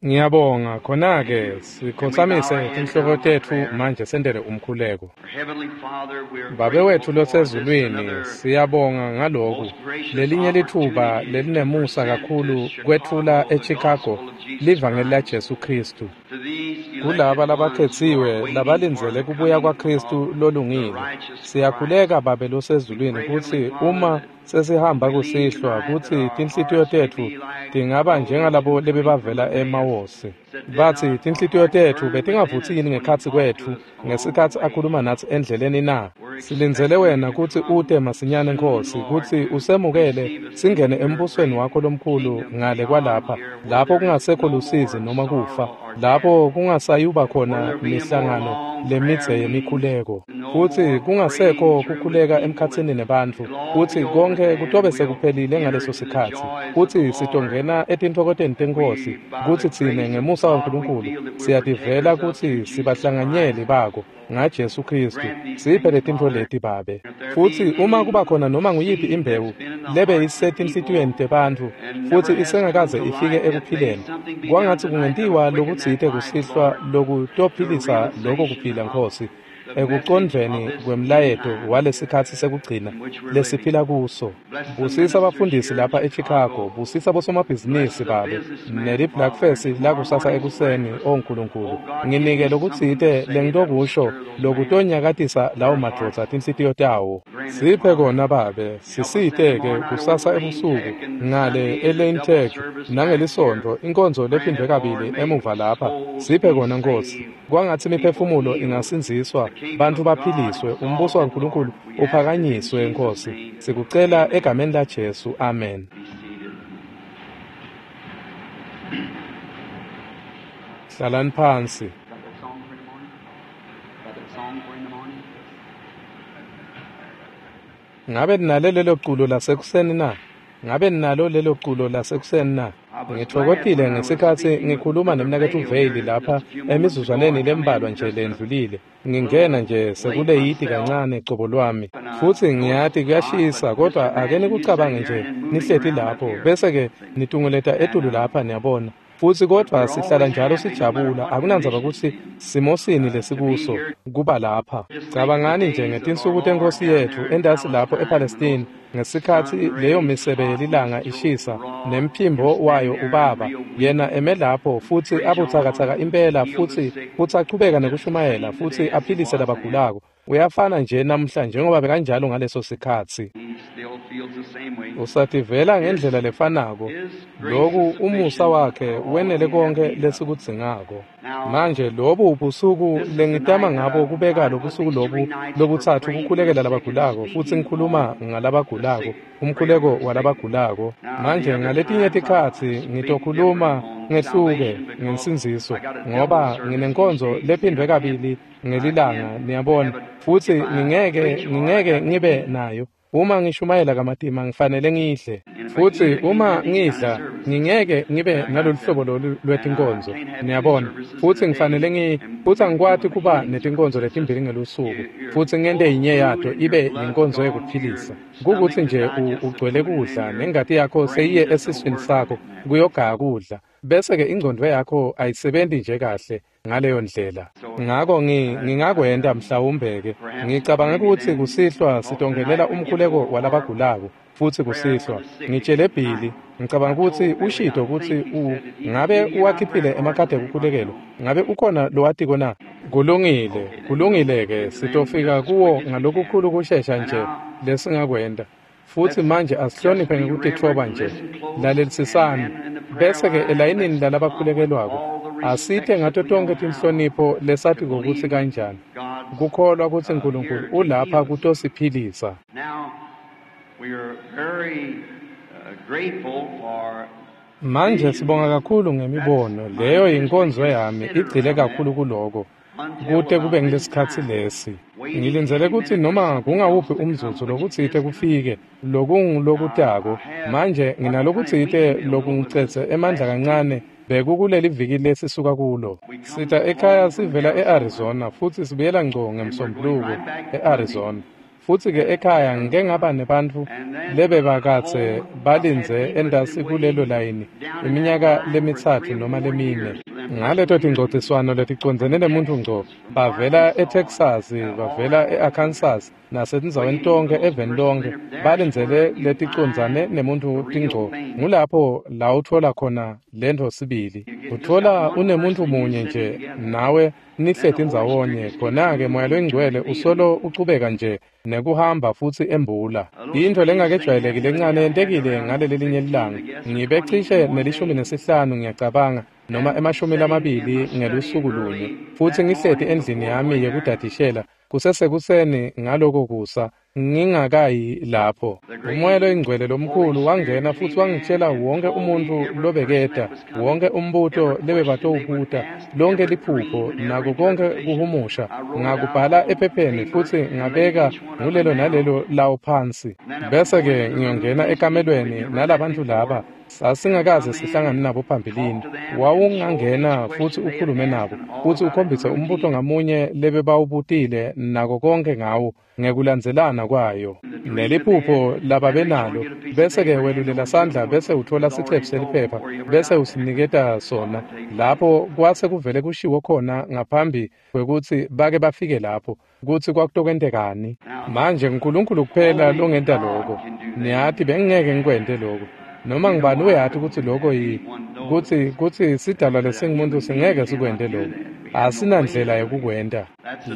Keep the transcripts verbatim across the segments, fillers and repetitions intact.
Ngiyabonga khona-ke sikhotsamise tinhloko tetfu manje sentele umkhuleko. Babe wetfu losezulwini, siyabonga ngaloku lelinye litfuba lelinemusa kakhulu kwetfula eChicago livangeli laJesu Khristu kulaba labakhetsiwe labalindzele kubuya kwaKhristu lolungile. Siyakhuleka Babe losezulwini kutsi uma sesihamba kusihlwa kutsi tinhlitiyo tetfu tingaba njengalabo lebebavela eMawosi. Batsi tinhlitiyo tetfu betingavutsi yini ngekhatsi kwetfu ngesikhatsi akhuluma natsi endleleni na? Silindzele wena kutsi ute masinyane Nkhosi, kutsi usemukele singene embusweni wakho lomkhulu ngale kwalapha, lapho kungasekho lusizi noma kufa, lapho kungasayuba khona mihlangano lemidze yemikhuleko, futsi kungasekho kukhuleka emkhatsini nebantfu, kutsi konke kutobe sekuphelile ngaleso sikhatsi, kutsi sitongena etintfokoteni teNkhosi, kutsi tsine ngemusa waNkulunkulu siyativela kutsi sibahlanganyeli bako ngaJesu Khristu. Siphe letintfo leti Babe. Futsi uma kuba khona noma nguyiphi imbewu lebe isetinhlitiyweni tebantfu futsi isengakaze ifike ekuphileni, kwangatsi kungentiwa lokutsite kusihlwa lokutophilisa loko kuphila Nkhosi, ekucondvweni kwemlayeto walesikhatsi sekugcina lesiphila kuso. Busisa abafundisi lapha eChicago, busisa bosomabhizinisi Babe, neli-Blackfest lakusasa ekuseni. O Nkulunkulu, nginike lokutsite lengitokusho lokutonyakatisa lawo madvodza tinhlitiyo tawo. Siphe kona Babe, sisite-ke kusasa ebusuku ngale eLane Tech nangelisonto inkonzo lephindwe kabili emuva lapha. Siphe kona Nkhosi, kwangatsi imiphefumulo ingasindziswa, bantfu baphiliswe, umbuso waNkulunkulu uphakanyiswe Nkhosi. Sikucela egameni laJesu, amen. Hlalani phansi. Ngabe ninalo lelo culo lasekuseni na? Ngabe ninalo lelo culo lasekuseni na? Ngitfokotile ngesikhatsi ngikhuluma nemnaketfu Veyili lapha emizuzwaneni lembalwa nje lendlulile. Ngingena nje sekuleyidi kancane cobo lwami, futsi ngiyati kuyashisa, kodwa ake nikucabange nje nihleti lapho bese-ke nitungeleta etulu lapha, niyabona. Futsi kodvwa sihlala njalo sijabula, akunandzaba kutsi simosini lesikuso kuba lapha. Cabangani nje ngetinsuku teNkhosi yetfu entasi lapho ePalestine, ngesikhatsi leyo misebe yelilanga ishisa nemphimbo wayo ubaba, yena eme lapho futsi abutsakatsaka impela, futsi futsi achubeka nekushumayela futsi aphilise labagulako. Uyafana nje namhla njengoba bekanjalo ngaleso sikhatsi. Usativela ngendlela lefanako. Loku umusa wakhe wenele konke lesikudzingako. Manje lobu busuku lengitama ngabo kubeka lobusuku lobu lobutsatfu kukhulekela labagulako, futsi ngikhuluma ngalabagulako, umkhuleko walabagulako. Manje ngaletinye tikhatsi ngitokhuluma ngehluke ngensindziso, ngoba nginenkonzo lephindwe kabili ngelilanga, niyabona, futsi ngingeke ngingeke ngibe nayo. Uma ngishumayela kamatima ngifanele ngidle, futsi uma ngidla ngingeke ngibe nalolu hlobo lolu lwetinkonzo, niyabona, futsi ngifanele ngi futsi angikwati kuba netinkonzo letimbili ngelusuku, futsi ngente yinye yato ibe yinkonzo yekuphilisa. Kukutsi nje ugcwele kudla nengati yakho seyiye esiswini sakho kuyogaya kudla, bese-ke ingcondvo yakho ayisebenti nje kahle ngaleyo ndlela. Ngako ngingakwenta mhlawumbe-ke ngicabanga kutsi kusihlwa sitongenela umkhuleko walabagulako, futsi kusihlwa ngitshele Billy, ngicabanga kutsi ushito kutsi u ngabe uwakhiphile emakhadi ekukhulekelwa, ngabe ukhona lowatiko na? Kulungile, kulungile-ke, sitofika kuwo ngalokukhulu kushesha nje lesingakwenta. Futsi manje asihloniphe ngekutitfoba nje, lalelisisani, bese-ke elayinini lalabakhulekelwako asite ngato tonkhe tinhlonipho lesatiko kutsi kanjani kukholwa kutsi Nkulunkulu ulapha kutosiphilisa. Manje sibonga kakhulu ngemibono, leyo yinkonzo yami igcile kakhulu kuloko kute kube ngilesikhatsi lesi. Ngilindzele kutsi noma kungawuphi umzuzu lokutsite kufike lokungulokutako. Manje nginalokutsite lokungicedze emandla kancane bekukuleli viki lesisuka kulo. Sita ekhaya sivela e-Arizona futsi sibuyela ngco ngeMsombuluko e-Arizona. Futsi-ke ekhaya ngike ngaba nebantfu lebebakadze balindze entasi kulelo layini iminyaka lemitsatfu noma lemine. Ngaleto tingcociswano leticondzene nemuntfu ngco, bavela eTexas, bavela e-Arkansas, nasetindzaweni tonkhe eveni lonkhe, balindzele leticondzane nemuntfu tingco. Ngulapho la utfola khona lentfo sibili. Utfola unemuntfu munye nje nawe nihleti ndzawonye, khona-ke Moya loyiNgcwele usolo uchubeka nje nekuhamba futsi embula. Intfo lengakejwayeleki lencane yentekile ngalelelinye lilanga. Ngibe cishe nelishumi nesihlanu ngiyacabanga, noma emashumi lamabili ngelusuku lunye, futsi ngihleti endlini yami yekudadishela kusesekuseni ngaloko kusa ngingakayi lapho. Umoya loyingcwele lomkhulu wangena futsi wangitshela wonke umuntfu lobeketa, wonke umbuto lebebatowubuta, lonke liphupho nako konke kuhumusha. Ngakubhala ephepheni futsi ngabeka ngulelo nalelo lawo phansi. Bese-ke ngiyongena ekamelweni nalabantfu laba sasingakaze sihlangane nabo phambilini. Wawungangena futsi ukhulume nabo futsi ukhombise umbuto ngamunye lebebawubutile nako konke ngawo ngekulandzelana kwayo neliphupho lababenalo. Bese-ke welulela sandla bese utfola sicephu seliphepha bese usiniketa sona lapho kwase kuvele kushiwo khona ngaphambi kwekutsi bake bafike lapho kutsi kwakutokwentekani. Manje uNkulunkulu kuphela longenta loko. Niyati bengingeke ngikwente loko. Noma ngibani uyati kutsi loko yi kutsi kutsi sidalwa lesingumuntu singeke sikwente lokho. Asinandlela yekukwenta.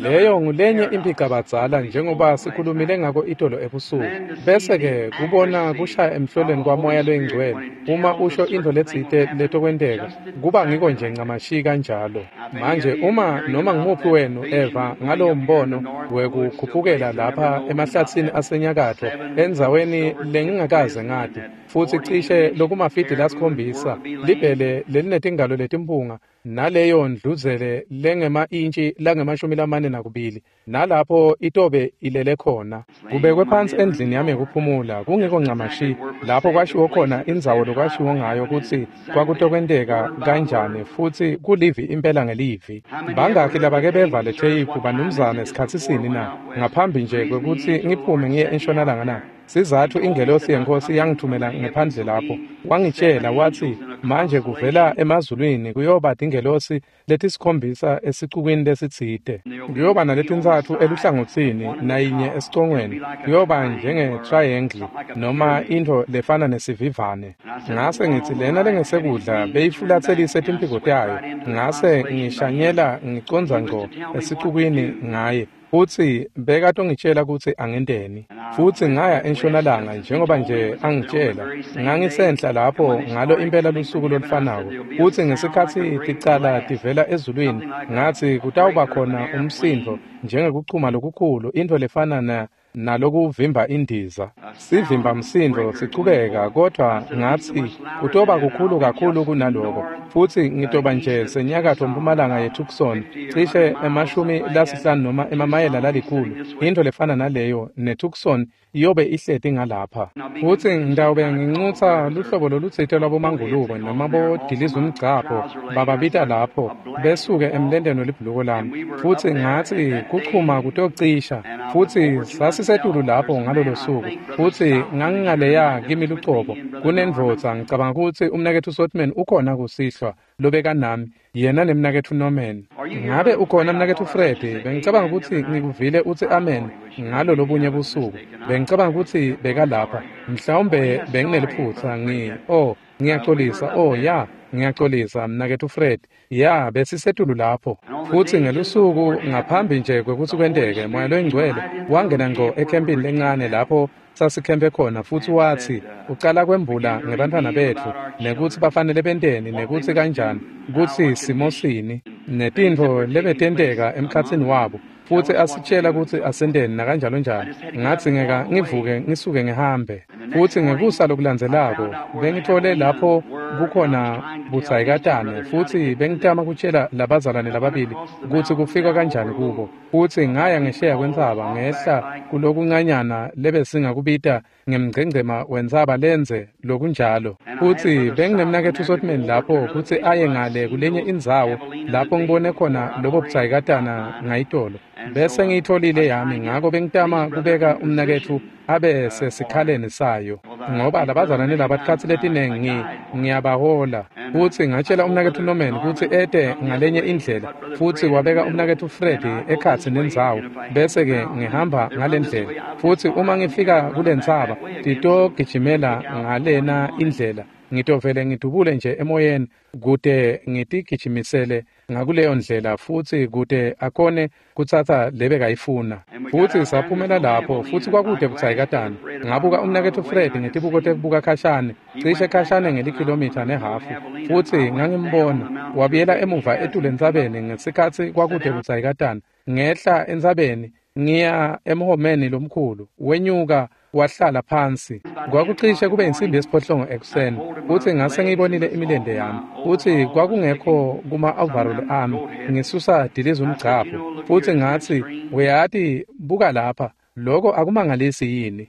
Leyo ngulenye impicabadzala njengoba sikhulumile ngako itolo ebusuku. Bese-ke kubona kushaya emhloleni kwaMoya loyiNgcwele uma usho intfo letsite letokwenteka, kuba ngiko nje ncamashi kanjalo. Manje uma noma ngumuphi wenu eva ngalowo mbono wekukhuphukela lapha emahlatsini asenyakatfo endzaweni lengingakaze ngati, futsi cishe lokumafidi lasikhombisa libhele lelinetingalo letimpunga naleyo ndluzele lengema-intshi langemashumi lamane nakubili, nalapho itobe ilele khona. Kubekwe phansi endlini yami yekuphumula, kungekho ncamashi lapho kwashiwo khona indzawo lokwashiwo ngayo kutsi kwakutokwenteka kanjani, futsi kulivi impela ngelivi. Bangakhi labake beva le theyiphu banumzane sikhatsi sini na ngaphambi nje kwekutsi ngiphume ngiye entshonalanga na? Sizathu ingelosi yeNkosi yangithumela ngephandle lapho. Wangitshela watsi manje kuvela emazulwini kuyoba tingelosi letisikhombisa esicukwini lesitsite. Kuyoba naletintsatfu eluhlangotsini nayinye esicongweni. Kuyoba njenge-triangle noma intfo lefana nesivivane. Ngase ngitsi lena lengesekudla beyifulatselise timphiko tayo. Ngase ngishanyela ngicondza ngco esicukwini ngaye. Futsi bekatongitshela kutsi angenteni. Futsi ngaya entshonalanga njengoba nje angitshela. Ngangisenhla lapho ngalo impela lusuku lolufanako. Futsi ngesikhatsi ticala tivela ezulwini, ngatsi kutawuba khona umsindvo njengekuchuma lokukhulu, intfo lefana na nalokuvimba indiza. Sivimba msindo sichubeka, kodvwa ngatsi kutoba kukhulu kakhulu kunaloko. Futsi ngitoba nje senyakatfo mpumalanga yeTucson, cishe emashumi lasihlanu noma emamayela lalikhulu, intfo lefana naleyo, neTucson iyobe ihleti ngalapha. Futsi ngitawube ngincutsa luhlobo lolutsite lwabomangulube noma bodilizumgcabho bababita lapho besuke emlenteni welibhuluko lami. Futsi ngatsi kuchuma kutocisha. Futsi sasisetulu lapho ngalolo suku. Futsi ngangingaleya kimi lucobo kunendvodza, ngicabanga kutsi umnaketfu Sotman ukhona kusihlwa lobeka nami, yena nemnaketfu Norman. Ngabe ukhona mnaketfu Fred? Bengicabanga kutsi ngikuvile utsi amen ngalo lobunye busuku. Bengicabanga kutsi bekalapha. Mhlawumbe bengineliphutsa ngi oh ngiyaxolisa oh ya ngiyaxolisa mnaketfu Fred. Ya, besisetulu lapho. Futsi ngelusuku ngaphambi nje kwekutsi kwenteke, Moya loyiNgcwele wangena ngco ekhempini lencane lapho sasikhempe khona, futsi watsi ucala kwembula ngebantfwana betfu nekutsi bafanele benteni nekutsi kanjani, kutsi simosini netintfo lebetenteka emkhatsini wabo, futsi asitshela kutsi asenteni nakanjalo njalo. Ngadzingeka ngivuke ngisuke ngihambe. Futsi ngekusa lokulandzelako bengitfole lapho kukhona butsayikatane, futsi bengitama kutshela labazalwane lababili kutsi kufika kanjani kubo. Futsi ngaya ngesheya kwentsaba ngehla kulokuncanyana lebesingakubita ngemgcengcema wentsaba lenze lokunjalo. Futsi benginemnaketfu Sotman lapho kutsi aye ngale kulenye indzawo lapho ngibone khona lobo butsayikatana ngayitolo. Bese ngiyitholile yami, ngako bengitama kubeka umnaketfu abe sesikhaleni sayo, ngoba labazalwane laba tikhatsi letinengi ngiyabahola. Futsi ngatshela umnaketfu Norman kutsi ete ngalenye indlela, futsi wabeka umnaketfu Fred ekhatsi nendzawo, bese-ke ngihamba ngalendlela. Futsi uma ngifika kulentsaba, titogijimela ngalena indlela, ngitovele ngidubule nje emoyeni kute ngitigijimisele ngakuleyo ndlela, futsi kute akhone kutsatsa lebekayifuna. Futsi saphumela lapho, futsi kwakude butsayikatana. Ngabuka umnaketfu Fred ngetibuko tekubuka khashane, cishe khashane ngelikhilomitha nehhafu, futsi ngangimbona wabuyela emuva etulu entsabeni ngesikhatsi kwakude butsayikatana. Ngehla entsabeni ngiya emhomeni lomkhulu, wenyuka wahlala phansi. Kwakucishe kube insimbi yesiphohlongo ekuseni, futsi ngase ngiyibonile imilente yami, futsi kwakungekho kuma-overall ami, ngisusa diliza umgcabho. Futsi ngatsi, uyati, buka lapha, loko akumangalisi yini?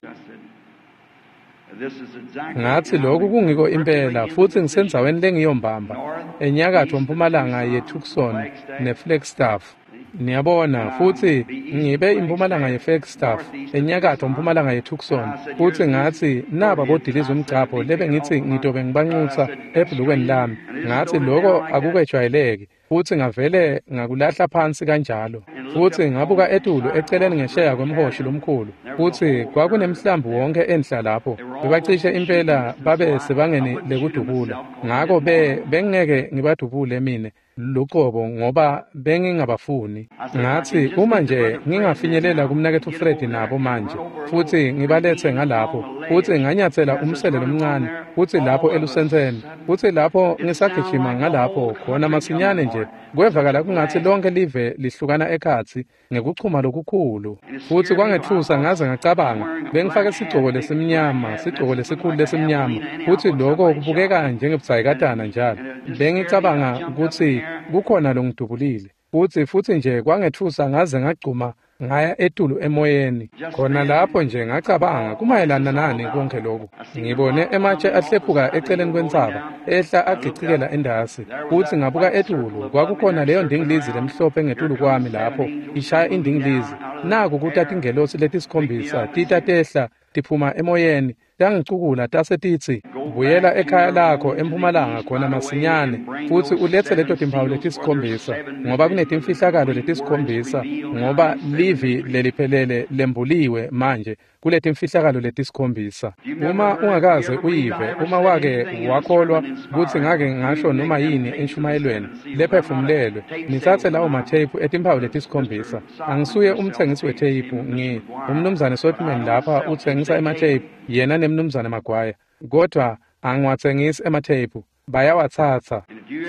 Ngatsi, lokhu kungiko impela, futsi ngisendzaweni lengiyombamba, enyakatfo mpumalanga yeTucson neFlagstaff. Niyabona, futsi ngibe impumalanga yeFlagstaff, enyakatfo mpumalanga yeTucson. Futsi ngatsi, naba bodiliza umgcabho lebe ngitsi ngitobe ngibanxusa ebhulukweni lami. Ngatsi, loko akukejwayeleki, futsi ngavele ngakulahla phansi kanjalo. Futsi ngabuka etulu eceleni ngesheya kwemhoshi lomkhulu, futsi kwakunemhlambi wonke enhla lapho. Bebacishe impela babe sebangeni lekudubula, ngako be bengeke ngibadubule mine luqobo ngoba bengingabafuni. Ngatsi, uma nje ngingafinyelela kumnaketfu Fred nabo manje, futsi ngibaletse ngalapho, futsi nganyatsela umsele lomncane, futsi lapho elusentseni, futsi lapho ngisagijima ngalapho khona masinyane nje, kwevakala kungatsi lonke live lihlukana ekhatsi ngekuchuma lokukhulu. Futsi kwangetfusa ngaze ngacabanga, bengifake sigcoko lesimnyama, sigcoko lesikhulu lesimnyama, futsi loko kubukeka njengebutsayikatana njalo. Bengicabanga kutsi kukhona longidubulile, futsi futsi nje kwangetfusa ngaze ngagcuma ngaya etulu emoyeni. Khona lapho nje ngacabanga, kumayelana nani konke lokhu? Ngibone ematshe ahlephuka eceleni kwentsaba, ehla agicikela endasi, futsi ngabuka etulu, kwakukhona leyo ndingilizi lemhlophe ngetulu kwami lapho ishaya indingilizi. Naku kuta tingelosi letisikhombisa tita tehla tiphuma emoyeni, tangicukula tase titsi, buyela ekhaya lakho empumalanga khona masinyane, futsi uletse leto timphawu letisikhombisa, ngoba kunetimfihlakalo letisikhombisa, ngoba livi leliphelele lembuliwe manje kuletimfihlakalo letisikhombisa. Uma ungakaze uyive, uma wake wakholwa kutsi ngake ngasho noma yini enshumayelweni lephefumulelwe, nitsatse lawo matheyiphu etimphawu letisikhombisa. Angisuye umtsengisi wetheyiphu, ngi umnumzane Sotman lapha utsengisa ematheyiphu, yena nemnumzane Magwaya, kodwa angiwatsengisi ematheyiphu, bayawatsatsa.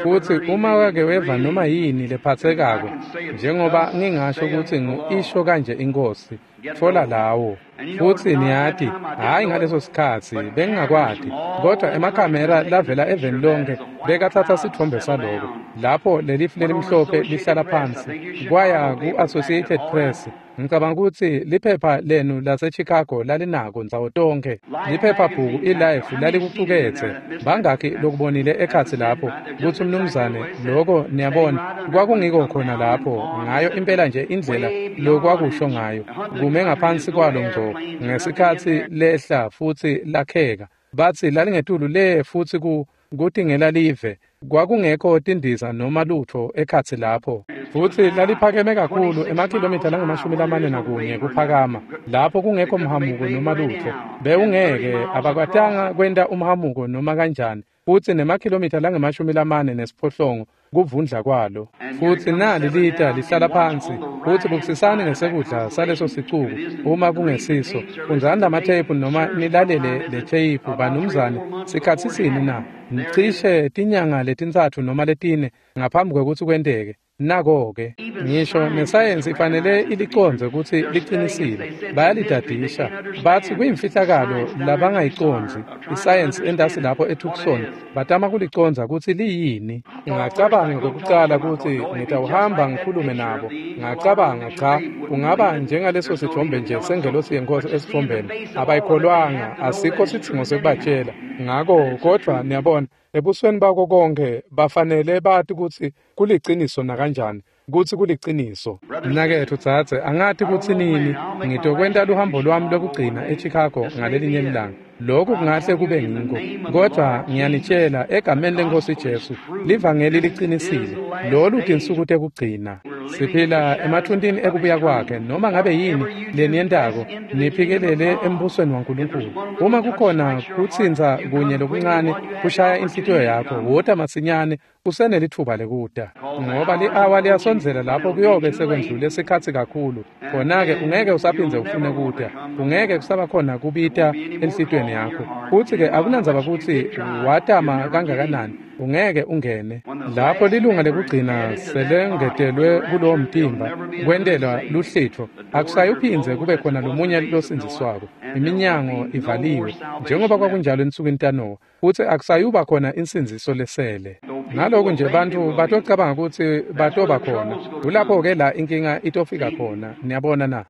Futsi uma wake weva noma yini lephatsekako, njengoba ngingasho kutsi ngu-isho kanje inkosi, tfola lawo. Futsi niyati, hhayi ngaleso sikhatsi bengingakwati, kodwa emakhamera lavela eveni lonke bekatsatsa sitfombe saloko, lapho lelifu lelimhlophe lihlala phansi, kwaya ku-Associated Press. Ngicabanga kutsi liphepha lenu laseChicago lalinako ndzawo tonkhe. Liphephabhuku iLife lalikucuketse. Bangakhi lokubonile ekhatsi lapho kutsi umnumzane loko, niyabona, kwakungiko khona lapho, ngayo impela nje indlela lokwakusho ngayo, kume ngaphansi kwalo ngco ngesikhatsi lehla futsi lakheka. Batsi lalingetulu le futsi ku kutingela live, kwakungekho tindiza noma lutho ekhatsi lapho. Futsi laliphakeme kakhulu, emakhilomitha langamashumi lamane nakunye kuphakama, lapho kungekho mhamuko noma lutho. Bewungeke, abakwatanga kwenta umhamuko noma kanjani, futsi nemakhilomitha langamashumi lamane nesiphohlongo kuvundla kwalo. Futsi nali lita lihlala phansi, futsi bukisisani ngesekudla saleso sicuku, uma kungesiso, fundzani lamatheyiphu noma nilalele le theyiphu, banumzane, sikhatsi sini na? Cishe tinyanga letintsatfu noma letine ngaphambi kwekutsi kwenteke. Nako-ke, ngisho nesayensi ifanele ilicondze kutsi liqinisile. Bayalidadisha, batsi kuyimfihlakalo labangayicondzi. Isayensi entasi lapho eTucson batama kulicondza kutsi liyini. Ngacabanga kokucala kutsi ngitawuhamba ngikhulume nabo. Ngacabanga, cha, kungaba njengaleso sithombe nje sengelosi yenkosi esithombeni. Abayikholwanga, asikho sidzingo sekubatshela. Ngako kodvwa niyabona, ebusweni bako konke bafanele bati kutsi kuliciniso nakanjani. kutsi kuliciniso. Mnaketfu dzadze, angati kutsi nini ngitokwenta luhambo lwami lokugcina eChicago ngalelinye ilanga. Lokhu kungahle kube ngiko, kodvwa ngiyanitshela egameni leNkosi Jesu, livangeli liqinisile. Lolu tinsuku tekugcina. Siphila emathuntini ekubuya kwakhe. Noma ngabe yini leniyentako, niphikelele embusweni waNkulunkulu. Uma kukhona kutsintsa kunye lokuncane kushaya inhlitiyo yakho, wota masinyane, usenelitfuba lekuta, ngoba li-awa liyasondzela lapho kuyobe sekwendlule sikhatsi kakhulu. Khona-ke ungeke usaphindze ufune kuta, kungeke kusaba khona kubita enhlitiyweni yakho. Futsi-ke akunandzaba kutsi watama kangakanani, ungeke ungene. Lapho lilunga lekugcina selengetelwe kulowo mtimba kwentelwa luhlitfo, akusayuphindze kube khona lomunye losindziswako. Iminyango ivaliwe njengoba kwakunjalo ensukwini taNowa, futsi akusayuba khona insindziso lesele. Naloku nje bantfu batocabanga kutsi batoba khona, kulapho-ke la inkinga itofika khona. Niyabona na?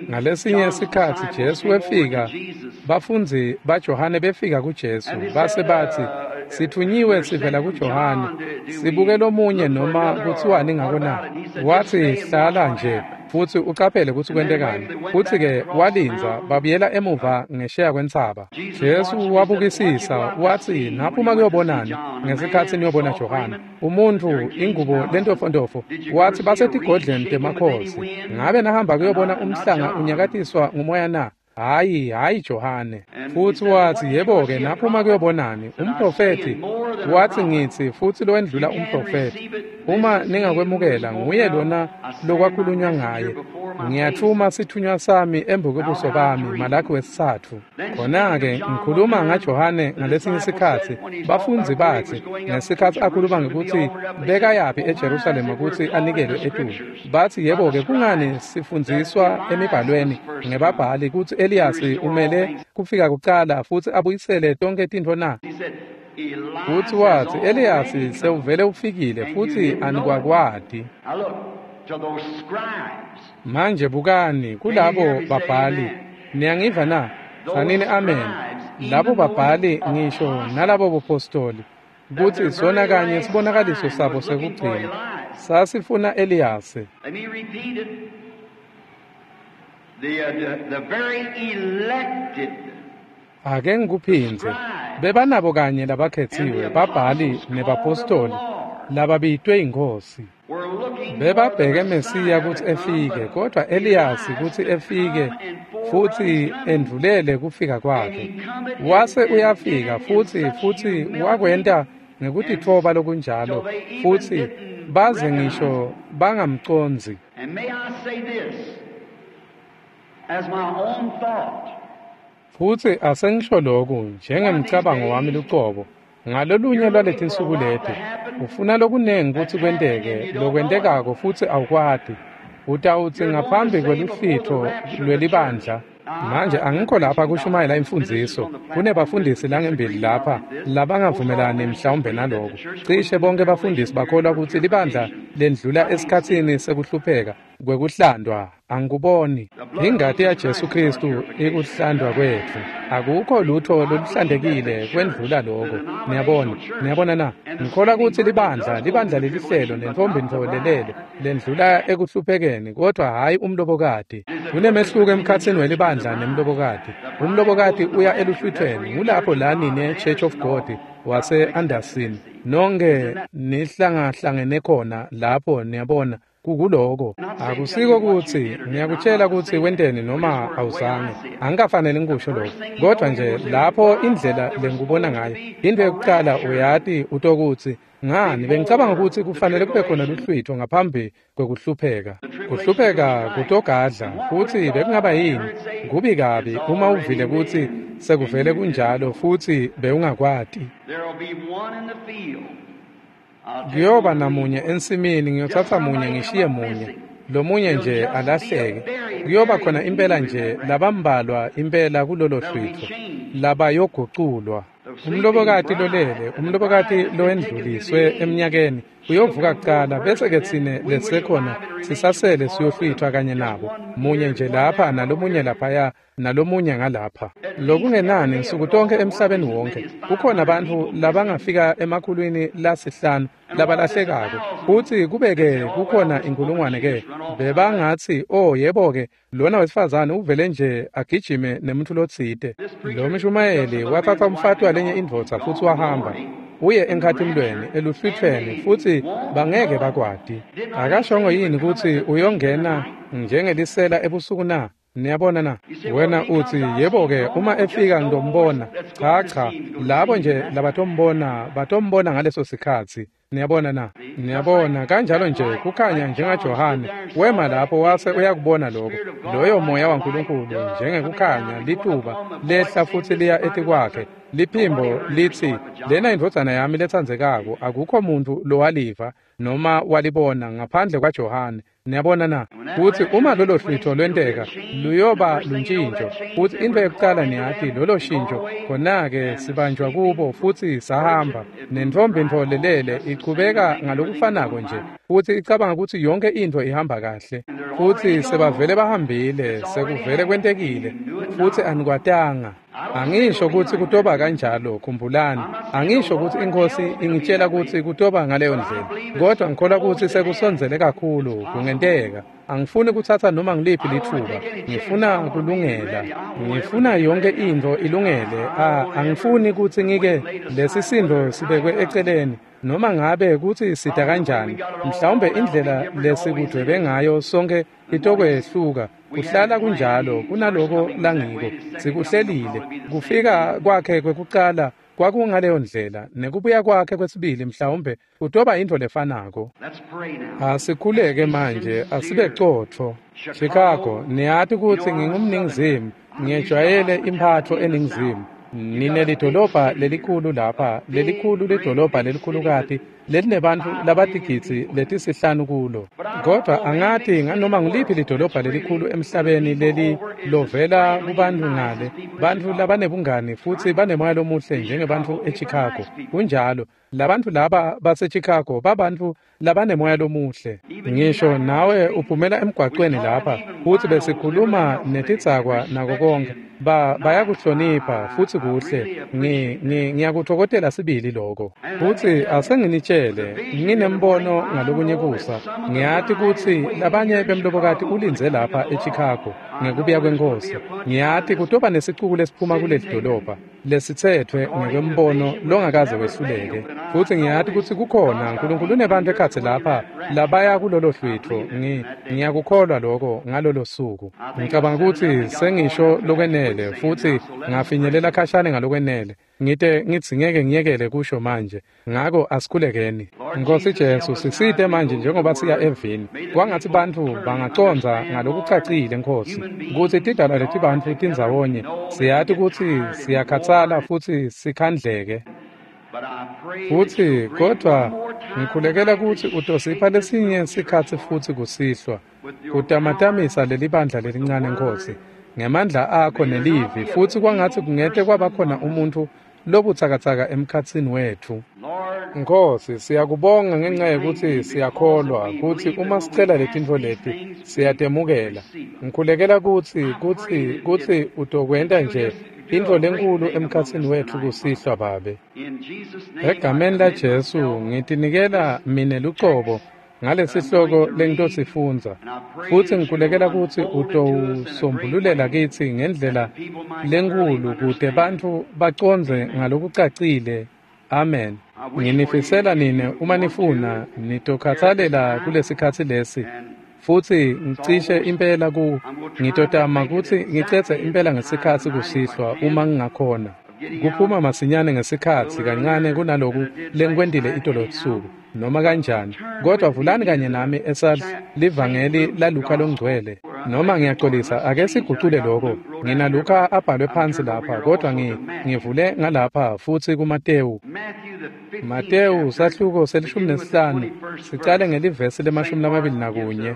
Ngalesinye sikhatsi Jesu wefika, bafundzi baJohane befika kuJesu, base batsi, sithunyiwe sivela kuJohane, sibuke lomunye noma kutsiwani ngako na? Watsi, hlala nje futsi ucaphele kutsi kwentekani. Futsi-ke walindza, babuyela emuva ngesheya kwentsaba. Jesu wabukisisa, watsi, naphuma kuyobonani ngesikhatsi niyobona Johane, umuntfu ingubo lentofontofo? Watsi, basetigodleni temakhosi. Ngabe nahamba kuyobona umhlanga unyakatiswa ngumoya na? Hayi, hayi Johane. Futsi watsi, yebo-ke, naphuma kuyobonani? Umprofethi? Watsi, ngitsi futsi lowendlula umprofethi. Uma ningakwemukela, nguye lona lokwakhulunywa ngaye. Ngiyathuma sithunywa sami embukubuso bami, Malakhi wesitsatfu. Khona-ke ngikhuluma ngaJohane ngalesinye sikhatsi, bafundzi batsi, ngesikhatsi akhuluma ngekutsi bekayaphi eJerusalema kutsi anikelwe etulu. Batsi, yebo-ke, kungani sifundziswa emibhalweni ngebabhali kutsi Eliyasi umele kufika kucala futsi abuyisele tonkhe tintfo na? Futsi watsi, Eliyasi sewuvele ufikile futsi anikwakwati. Manje bukani kulabo babhali, niyangiva na? Tsanini amen. Labo babhali ngisho nalabo bopostoli, kutsi sona kanye sibonakaliso sabo sekugcina sasifuna Eliyasi. The, uh, the, the very elected Ake ngikuphindze, bebanabo kanye labakhetsiwe, babhali nebapostoli lababitwe iNkhosi. Bebabheke Mesiya kutsi efike, kodwa Eliyasi kutsi efike futsi endvulele kufika kwakhe. Wase uyafika futsi futsi wakwenta ngekutitfoba lokunjalo, futsi baze ngisho bangamcondzi. And may I say this as my own thought. Futsi asengisho lokhu njengemcabango wami lucobo. Ngalolunye lwaletinsuku leti, ufuna lokunengi kutsi kwenteke lokwentekako futsi awukwati. Utawutsi ngaphambi kweluhlitfo lwelibandla. Manje angikho lapha kushumayela imfundziso. Kunebafundisi langembili lapha labangavumelani mhlawumbe naloko. Cishe bonke bafundisi bakholwa kutsi libandla lendlula esikhatsini sekuhlupheka kwekuhlandwa. Angikuboni. Ingati yaJesu Kristu ikuhlandwa kwetfu. Akukho lutho loluhlantekile kwendlula lokho. Niyabona, niyabona na? Ngikholwa kutsi libandla, libandla lelihlelo nentfombi ntfo lelele lendlula ekuhluphekeni, kodwa hhayi umlobokati. Kunemehluko emkhatsini welibandla nemlobokati. Umlobokati uya eluhlwithweni, ngulapho la nine Church of God wase Anderson nonke nihlangahlangene khona lapho, niyabona. Kukuloko akusiko kutsi ngiyakutshela kutsi wenteni noma awuzange, angikafanele ngikusho lokho, kodwa nje lapho indlela lengikubona ngayo, into yokucala uyati utokutsi ngani bengicabanga kutsi kufanele kube khona luhlwitho ngaphambi kwekuhlupheka. Kuhlupheka kutogadla, futsi bekungaba yini kubi kabi uma uvile kutsi sekuvele kunjalo futsi bewungakwati. Kuyoba namunye ensimini, ngiyotsatsa munye ngishiye munye, lomunye nje alahleke. Kuyoba khona impela nje labambalwa impela kulolo hlwitho labayoguculwa. Umlobokati lolele, umlobokati lowendluliswe eminyakeni, Uyovuka kucala bese-ke tsine lesisekhona sisasele siyohlwithwa kanye nabo, munye nje lapha nalomunye laphaya nalomunye ngalapha. Lokungenani nsuku tonkhe emhlabeni wonke kukhona bantfu labangafika emakhulwini lasihlanu labalahlekako, futsi kube-ke kukhona inkulungwane-ke bebangatsi, oh yebo-ke, lona wesifazane uvele nje agijime nemuntfu lotsite. Lo mshumayeli watsatsa umfati walenye indvodza futsi wahamba uye enkhatimlweni eluhlwithweni, futsi bangeke bakwati. Akashongo yini kutsi uyongena njengelisela ebusuku na? Niyabona na? Wena utsi, yebo-ke, uma efika ngitombona. Cha, cha, labo nje labatombona batombona ngaleso sikhatsi. Niyabona na? Niyabona, kanjalo nje kukhanya njengaJohane wema lapho wase uyakubona lokho. Loyo moya waNkulunkulu njengekukhanya lituba lehla futsi liya etikwakhe. Liphimbo litsi, lena indvodzana yami letsandzekako, akukho muntu lowaliva noma walibona ngaphandle kwaJohane. Niyabona na? Futsi uma lolo hlwitho lwenteka, luyoba luntjintjo. Futsi intfo yekucala niyati lolo shintsho, khona-ke sibanjwa kubo futsi sahamba. Nentfombi ntfo lelele ichubeka ngalokufanako nje, futsi icabanga kutsi yonke intfo ihamba kahle. Futsi sebavele bahambile, sekuvele kwentekile, futsi anikwatanga. Angisho kutsi kutoba kanjalo, khumbulani. Angisho kutsi iNkhosi ingitshela kutsi kutoba ngaleyo ndlela, kodwa ngikholwa kutsi sekusondzele kakhulu kungenteka. Angifuni kutsatsa noma ngiliphi litfuba, ngifuna kulungela. Ngifuna yonke intfo ilungele. Ah, angifuni kutsi ngike lesisindo sibekwe eceleni, noma ngabe kutsi sida kanjani. Mhlawumbe indlela lesikudvwebe ngayo sonke itokwehluka. Kuhlala kunjalo kunaloko langiko. Sikuhlelile. Kufika kwakhe kwekucala kwakungaleyo ndlela, nekubuya kwakhe kwesibili mhlawumbe kutoba intfo lefanako. Asikhuleke manje, asibe cotfo. Chicago, niyati kutsi ngingumningizimu, ngiyejwayele imphatfo eningizimu. Nine lidolobha lelikhulu lapha, lelikhulu lidolobha lelikhulukati lelinebantfu labatigidzi letisihlanu kulo. Kodwa angati nganoma nguliphi lidolobha lelikhulu emhlabeni leli lovela kubantfu ngale, bantfu labanebungani futsi banemoya lomuhle njengebantfu eChicago. Kunjalo, labantfu laba baseChicago babantfu labanemoya lomuhle. Ngisho nawe uphumela emgwaqweni lapha, futsi besikhuluma netidzakwa nako konke. Ba bayakuhlonipha futsi kuhle. Ngi ngiyakuthokozela sibili lokho. Futsi asenginitshele, nginembono ngalokunye kusa. Ngiyati kutsi labanye bemlobokati ulindze lapha eChicago ngekubuya kweNkhosi. Ngiyati kutoba nesicuku lesiphuma kuleli dolobha lesitsetfwe ngekwembono longakaze wehluleke. Futsi ngiyati kutsi kukhona Nkulunkulu unebantu ekhatsi lapha labaya kulolo hlwitfo. Ngi ngiyakukholwa lokho ngalolo suku. Ngicabanga kutsi sengisho lokwenele futsi ngafinyelela khashane ngalokwenele. Ngite ngitsi ngeke ngiyekele kusho manje. Ngako asikhulekeni. Nkosi Jesu, sisite manje njengoba siya evini. Kwangatsi bantfu bangacondza ngalokucacile, Nkosi, kutsi tidalwa letibantfu tindzawonye. Siyati kutsi siyakhatsala futsi sikhandleke. Futsi kodwa ngikhulekela kutsi utosipha lesinye sikhatsi futsi kusihlwa, kutamatamisa lelibandla lelincane, Nkosi, ngemandla akho nelivi, futsi kwangatsi kungete kwaba khona umuntfu lobutsakatsaka emkhatsini wetfu. Nkosi, siyakubonga ngenxa yekutsi siyakholwa kutsi uma sicela letintfo leti siyatemukela. Ngikhulekela kutsi kutsi kutsi utokwenta nje intfo lenkulu emkhatsini wetfu kusihlwa, Babe. Egameni laJesu ngitinikela mine lucobo ngalesihloko lengitosifundza, futsi ngikhulekela kutsi utowusombululela kitsi ngendlela lenkulu kute bantfu bacondze ngalokucacile. Amen. Nginifisela nine uma nifuna nitokhatsalela kulesikhatsi lesi, futsi ngicishe impela ku ngitotama kutsi ngicedze impela ngesikhatsi kusihlwa uma ngingakhona. Kuphuma masinyane ngesikhatsi kancane kunaloku lengikwentile itolo ebusuku noma kanjani, kodwa vulani kanye nami esal livangeli laLuka longcwele. Noma ngiyaxolisa, ake sigucule lokho. Ngina Luka abhalwe phansi lapha, kodwa ngi ngivule ngalapha futsi kuMatewu. Matewu sahluko selishumi nesihlanu, sicale ngelivesi lemashumi lamabili nakunye.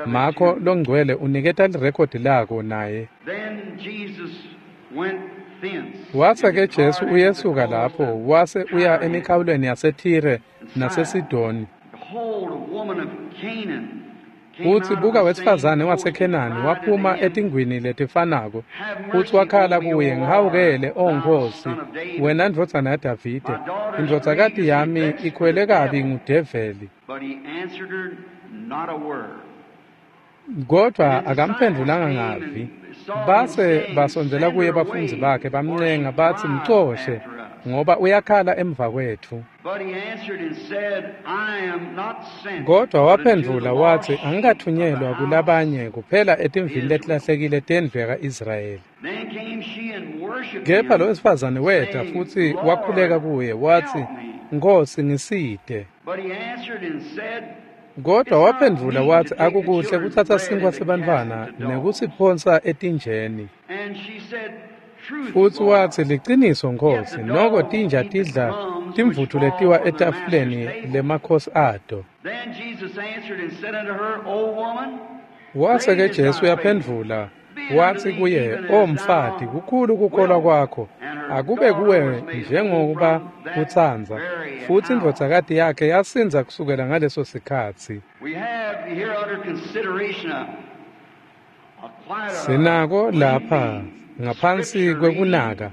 Makho longcwele uniketa lirekhodi lako naye. Wase-ke Jesu uyesuka lapho, wase uya emikhawulweni yaseThire naseSidoni. Futsi buka wesifazane waseKhenani waphuma etingwini letifanako, futsi wakhala kuye, ngihawukele, O Nkosi, wena ndvodzana yaDavide, indvodzakati yami ikhwele kabi ngudeveli. Kodwa akamphendvulanga ngavi. Base basondzela kuye bafundzi bakhe bamncenga batsi, mcoshe, ngoba uyakhala emva kwetfu. Kodwa waphendvula watsi, angikathunyelwa kulabanye kuphela etimvini letilahlekile tendlu yaka-Israyeli. Kepha lo wesifazane weta futsi wakhuleka kuye watsi, Nkosi, ngisite. Kodwa waphendvula watsi, akukuhle kutsatsa sinkhwa sebantfwana nekusiphonsa etinjeni. Futsi watsi, liciniso Nkosi, noko tinja tidla timvutfu letiwa etafuleni lemakhosi ato. Wase-ke Jesu uyaphendvula watsi kuye, O mfati, kukhulu kukholwa kwakho, akube kuwe njengokuba utsandza. Futsi indvodzakati yakhe yasindza kusukela ngaleso sikhatsi. Sinako lapha ngaphansi kwekunaka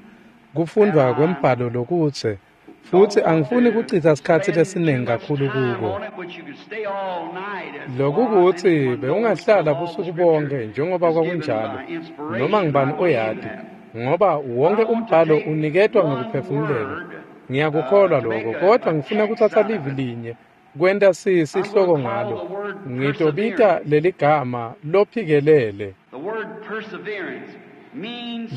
kufundvwa kwembhalo lokutse, futsi angifuni kuchitsa sikhatsi lesiningi kakhulu kuko. Lokukutsi bewungahlala busuku bonke njengoba kwakunjalo, noma ngubani oyati, ngoba wonke umbhalo uniketwa ngekuphefumulelwa. Ngiyakukholwa lokho, kodwa ngifuna kutsatsa livi linye kwenta sihloko ngalo. Ngitobita leligama lophikelele.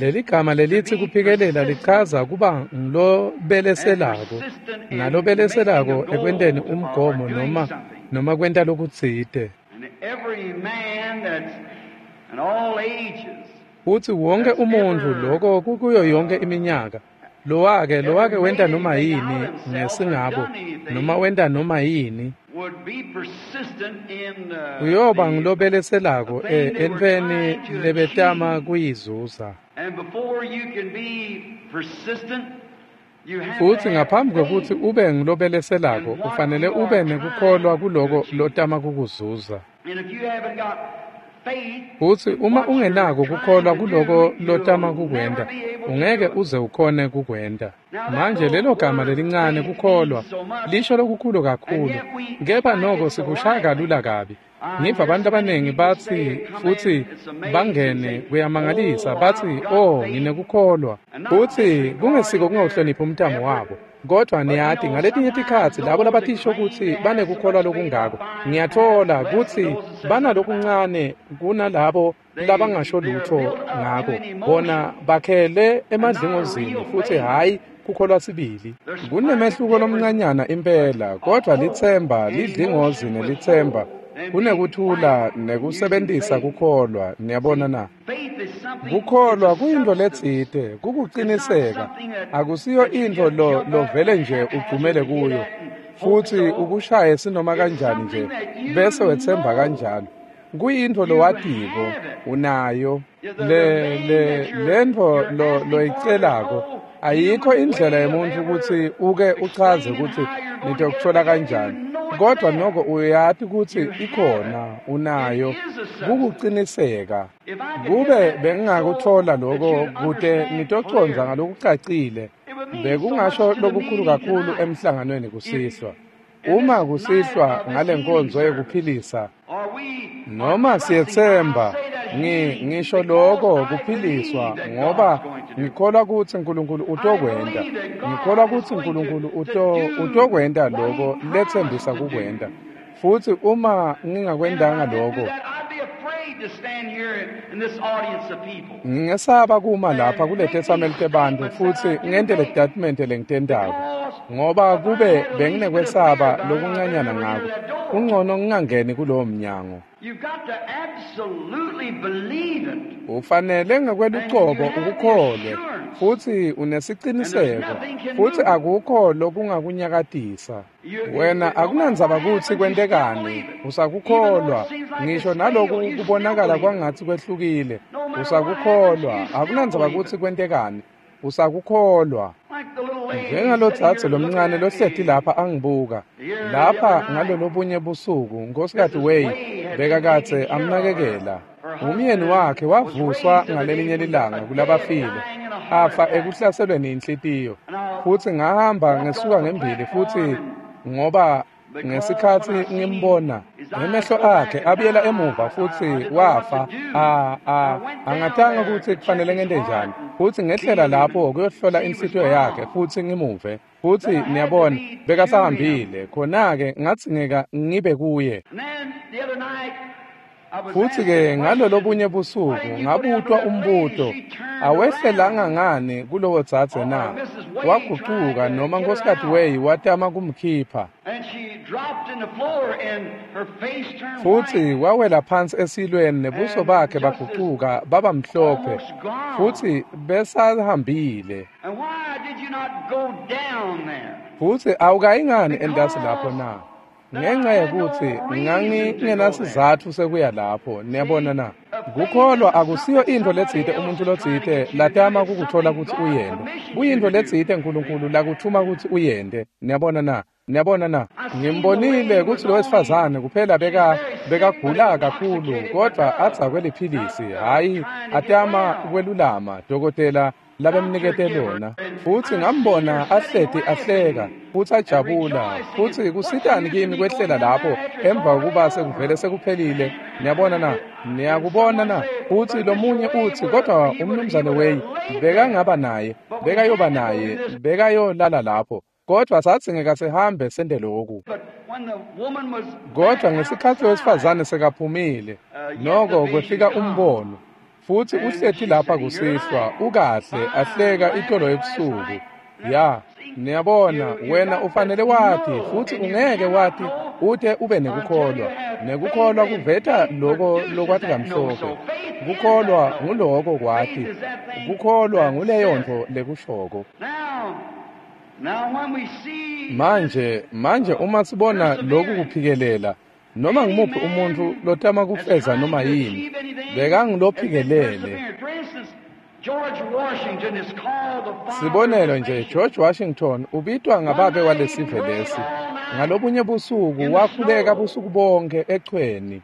Leligama lelitsi kuphikelela lichaza kuba ngilobeleselako, nalobeleselako ekwenteni umgomo noma noma kwenta lokutsite. Futsi wonke umuntfu loko kukuyo yonke iminyaka, lowake lowake wenta noma yini ngesingabo noma wenta noma yini, uyoba ngilobeleselako entfweni lebetama kuyizuza. Futsi ngaphambi kwekutsi ube ngilobeleselako, ufanele ube nekukholwa kuloko lotama kukuzuza. Futsi uma ungenako kukholwa kuloko lotama kukwenta, ungeke uze ukhone kukwenta. Manje lelo gama lelincane kukholwa lisho lokukhulu kakhulu, kepha noko sikushaya kalula kabi. Ngiva abantu abaningi batsi futsi bangene kuyamangalisa batsi, oh, nginekukholwa. Futsi kungesiko kungawuhloniphi umtamo wabo. Kodwa niyati ngaletinye tikhatsi labo labatisho kutsi banekukholwa lokungako, ngiyatfola kutsi banalokuncane kunalabo labangasho lutho ngako. Bona bakhele emadlingozini futsi hhayi kukholwa sibili. Kunemehluko lomncanyana impela, kodwa litsemba lidlingozi nelitsemba kunekuthula nekusebentisa kukholwa. Niyabona na? Kukholwa kuyintfo letsite, kukuciniseka. Akusiyo intfo lo lovele nje ugcumele kuyo futsi ukushaye sinoma kanjani nje bese wetsemba kanjalo. Kuyintfo lowatiko unayo. Le le lentfo lo loyicelako ayikho indlela yemuntfu kutsi uke uchaze kutsi nitokuthola kanjani, kodwa noko uyati kutsi ikhona, unayo. Kukuciniseka. Kube bengingakuthola lokho kute nitocondza ngalokucacile, bekungasho lokukhulu kakhulu emhlanganweni kusihlwa. Uma kusihlwa ngale nkonzo yekuphilisa, noma siyetsemba, ngi ngisho lokho kuphiliswa ngoba ngikholwa kutsi uNkulunkulu utokwenta. Ngikholwa kutsi uNkulunkulu uto utokwenta lokho letsembisa kukwenta. Futsi uma ngingakwentanga lokho, ngingesaba kuma lapha kuletetsameli tebantfu futsi ngente le document lengitentako, ngoba kube benginekwesaba lokuncanyana ngako, kungcono ngingangeni kulowo mnyango. Ufanele ngekwelucobo ukukholwe futsi unesiciniseko, futsi akukho lokungakunyakatisa. Wena akunandzaba kutsi kwentekani, usakukholwa. Ngisho naloku kubonakala kwangatsi kwehlukile, usakukholwa. Akunandzaba kutsi kwentekani, usakukholwa. Njengalodzadze lomncane lohleti lapha angibuka lapha ngalolobunye busuku, Nkosikazi Way bekakadze amnakekela. Umyeni wakhe wavuswa ngalelinye lilanga kulabafile, afa ekuhlaselweni inhlitiyo. Futsi ngahamba ngesuka ngembili futsi ngoba ngesikhatsi ngimbona emehlo akhe abuyela emuva futsi wafa. A a angatanga kutsi kufanele ngente njani, futsi ngehlela lapho kuyohlola inhlitiyo yakhe futsi ngimuve. Futsi niyabona bekasahambile, khona-ke ngadzingeka ngibe kuye. Futsi-ke ngalolobunye busuku ngabutwa umbuto, awehlelanga ngani kulowo dzadze na? Wagucuka noma Nkosikazi Way watama kumkhipha. Futsi wawela phansi esilweni nebuso bakhe bagucuka baba mhlophe, futsi besahambile. Futsi awukayi ngani entasi lapho na? Ngenxa yekutsi ngangingenasizatfu sekuya lapho. Niyabona na? Kukholwa akusiyo intfo letsite umuntu lotsite latama kukutfola kutsi uyente. Kuyintfo letsite Nkulunkulu lakuthuma kutsi uyente. Niyabona na? Niyabona na? Ngimbonile kutsi lo wesifazane kuphela beka bekagula kakhulu, kodvwa adzakwe liphilisi, hhayi atama kwelulama dokotela labemnikete lona. Futsi ngambona ahleti ahleka futsi ajabula, futsi kusitani kimi kwehlela lapho emva kokuba sekuvele sekuphelile. Niyabona na? Niyakubona na? Futsi lomunye utsi, kodwa umnumzane Way bekangaba naye, bekayoba naye, bekayolala lapho, kodvwa sadzingeka sihambe sente loku. Kodvwa ngesikhatsi wesifazane sekaphumile, noko kwefika umbono. Futsi uhleti lapha kusihlwa, ukahle, ahleka itolo ebusuku. Ya, niyabona, wena ufanele wati, futsi ungeke wati ute ube nekukholwa. Nekukholwa kuveta loko lokwati kamhlophe. Kukholwa nguloko kwati. Kukholwa nguleyo ntfo lekushoko. Manje, manje uma sibona loku kuphikelela, noma ngimuphi umuntfu lotama kufeza noma yini, bekangulophikelele. Sibonelo nje, George Washington ubitwa ngababe walesive lesi. Ngalobunye busuku wakhuleka busuku bonke echweni.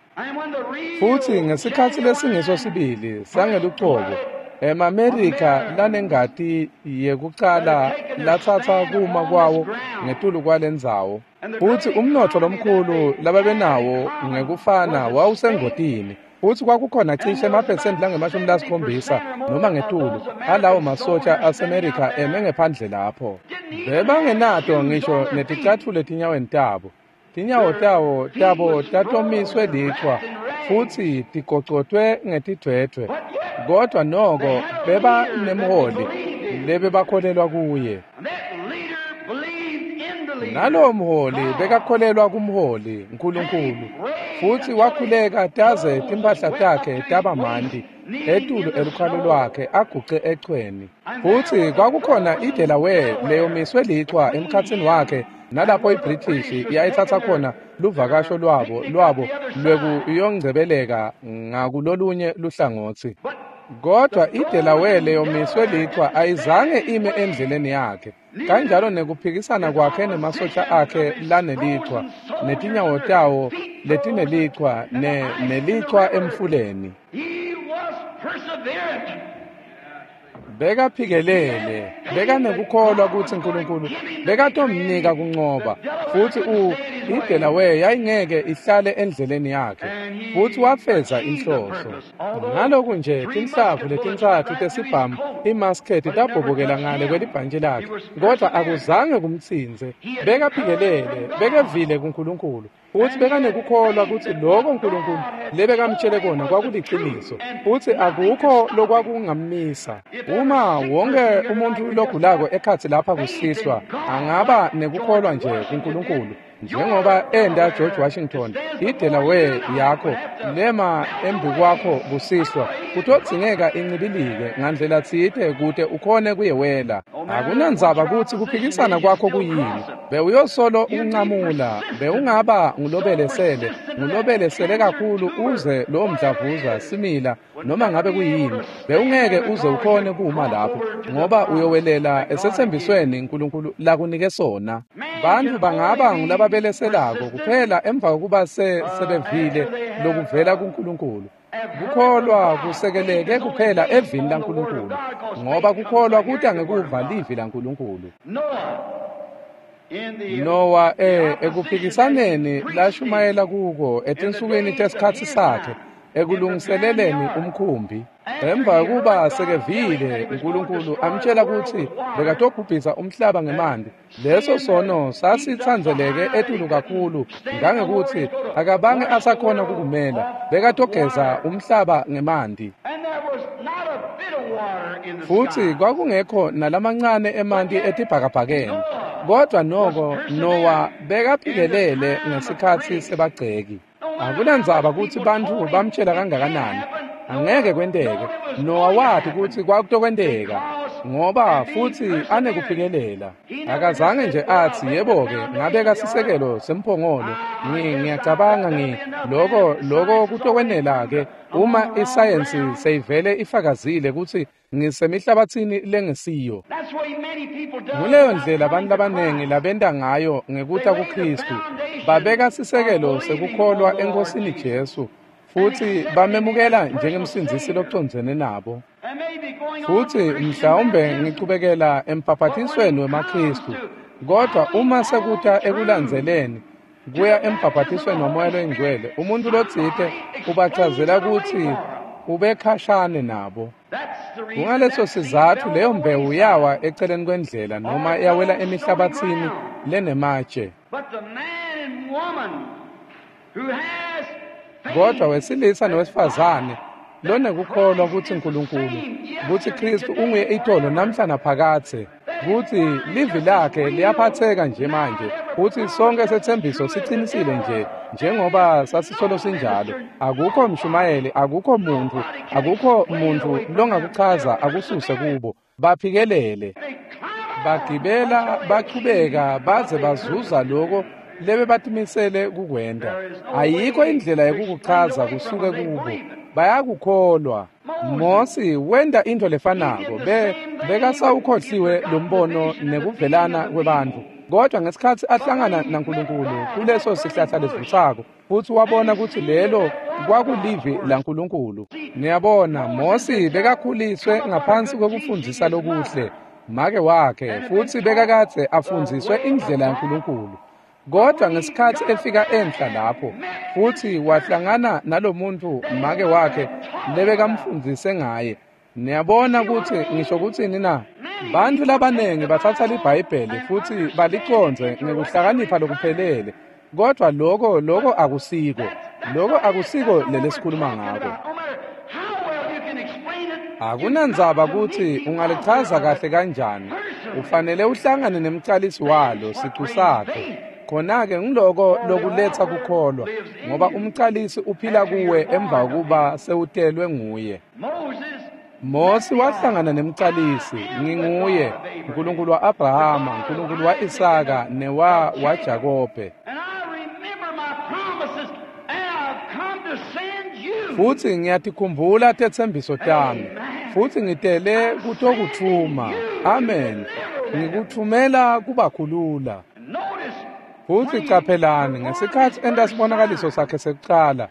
Futsi ngesikhatsi lesingeso sibili sangelucobo, emaMerika lanengati yekucala latsatsa kuma kwawo ngetulu kwalendzawo. Futsi umnotfo lomkhulu lababenawo ngekufana wawusengotini. Futsi kwakukhona cishe emaphesenti langemashumi lasikhombisa noma ngetulu alawo masotja aseMerika eme ngephandle lapho. Bebangenato ngisho neticatfulo etinyaweni tabo. Tinyawo tawo tabo tatomiswe lichwa futsi tigocotwe ngetidvwedvwe, kodvwa noko bebanemholi lebebakholelwa kuye. Nalowo mholi bekakholelwa kumholi Nkulunkulu, futsi wakhuleka taze timphahla takhe taba manti etulu elukhalo lwakhe aguce echweni. Futsi kwakukhona iDelaware leyomiswe lichwa emkhatsini wakhe nalapho iBritish yayitsatsa khona luvakasho lwabo lwabo lwekuyongcebeleka ngakulolunye luhlangotsi. Kodwa iDelaware leyomiswe lichwa ayizange ime endleleni yakhe, kanjalo nekuphikisana kwakhe nemasotja akhe lanelichwa, netinyawo tawo letinelichwa ne nelichwa emfuleni. Bekaphikelele, bekanekukholwa kutsi Nkulunkulu bekatomnika kuncoba, futsi u iDelaware yayingeke ihlale endleleni yakhe, futsi wafeza inhloso. Ngaloku nje tinhlavu letintsatfu tesibhamu imaskethi tabhobokela ngale kwelibhantji lakhe, kodvwa akuzange kumtsintse. Bekaphikelele, bekevile kuNkulunkulu, futsi bekanekukholwa kutsi loko Nkulunkulu lebekamtjele kona kwakuliciniso, futsi akukho lokwakungammisa. Uma wonke umuntfu logulako ekhatsi lapha kusihlwa angaba nekukholwa nje kuNkulunkulu njengoba enda George Washington, iDelaware yakho lema embikwakho kusihlwa kutodzingeka incibilike ngandlela tsite kute ukhone kuyewela. Akunandzaba kutsi kuphikisana kwakho kuyini, bewuyosolo uncamula, bewungaba ngulobelesele ngulobelesele kakhulu uze lowo mdlavuza simila noma ngabe kuyini, bewungeke uze ukhone kuma lapho, ngoba uyowelela esetsembisweni uNkulunkulu lakunike sona. Bantfu bangaba ngulababeleselako kuphela emva kokuba sebevile lokuvela kuNkulunkulu. Kukholwa kusekeleke kuphela evini laNkulunkulu, ngoba kukholwa kuta ngekuva livi laNkulunkulu. Nowa eh ekuphikisaneni lashumayela kuko etinsukwini tesikhatsi sakhe ekulungiseleleni umkhumbi. Emva kokuba sekevile uNkulunkulu amtshela kutsi bekatobhubhisa umhlaba ngemanti, leso sono sasitsandzeleke etulu kakhulu ngangekutsi akabange asakhona kukumela, bekatogeza umhlaba ngemanti. Futsi kwakungekho nalamancane emanti etibhakabhakeni. Kodwa noko Nowa bekaphikelele ngesikhatsi sebagceki. Akunandzaba kutsi bantfu bamtshela kangakanani, angeke kwenteke. Nowa wati kutsi kwakutokwenteka, ngoba futsi anekuphikelela. Akazange nje atsi, yebo-ke, ngabeka sisekelo semphongolo, ngiyacabanga ngi loko loko kutokwenela-ke uma isayensi seyivele ifakazile kutsi ngisemihlabatsini lengesiyo. Nguleyo ndlela abantu labanengi labenta ngayo ngekuta kuKristu. Babeka sisekelo sekukholwa eNkosini Jesu, futsi bamemukela njengemsindzisi locondzene nabo. Futsi mhlawumbe ngichubekela embhabhatisweni wemaKristu, kodwa uma sekuta ekulandzeleni kuya embhabhatisweni waMoya loyiNgcwele, umuntu lotsite ubachazela kutsi ubekhashane nabo. Kungaleso sizatfu leyo mbewu yawa eceleni kwendlela noma yawela emihlabatsini lenematshe. Kodwa wesilisa nowesifazane lonekukholwa kutsi uNkulunkulu, kutsi Kristu unguye itolo namhla naphakadze, kutsi livi lakhe liyaphatheka nje manje, kutsi sonke setsembiso sicinisile nje njengoba sasisolo sinjalo. Akukho mshumayeli, akukho muntfu, akukho muntfu longakuchaza akususe kubo. Baphikelele, bagibela, bachubeka baze bazuza loko lebebatimisele kukwenta. Ayikho indlela yekukuchaza kusuke kubo. Bayakukholwa. Mosi wenta into lefanako, be bekasawukhohliwe lombono nekuvelana kwebantfu. Kodwa ngesikhatsi ahlangana naNkulunkulu kuleso sihlahla lesivutsako, futsi wabona kutsi lelo kwakulivi laNkulunkulu. Niyabona, Mosi bekakhuliswe ngaphansi kwekufundzisa lokuhle make wakhe, futsi bekakadze afundziswe indlela yaNkulunkulu. Kodwa ngesikhatsi efika enhla lapho, futsi wahlangana nalomuntu make wakhe lebekamfundzise ngaye. Niyabona kutsi ngisho kutsini na? Bantfu labanengi batsatsa liBhayibheli futsi balicondze ngekuhlakanipha lokuphelele, kodwa loko loko akusiko. Loko akusiko lelesikhuluma ngako. Akunandzaba kutsi ungalichaza kahle kanjani, ufanele uhlangane nemcalisi walo sicu sakhe. Khona-ke ngiloko lokuletsa kukholwa, ngoba umcalisi uphila kuwe emva kokuba sewutelwe nguye. Mosi wahlangana nemcalisi, nginguye, uNkulunkulu wa-Abrahama, uNkulunkulu wa-Isaka newa waJakobe. Futsi ngiyatikhumbula tetsembiso tami, futsi ngitele kutokutfuma. Amen. Ngikuthumela kubakhulula. Futsi caphelani ngesikhatsi enta sibonakaliso sakhe sekucala,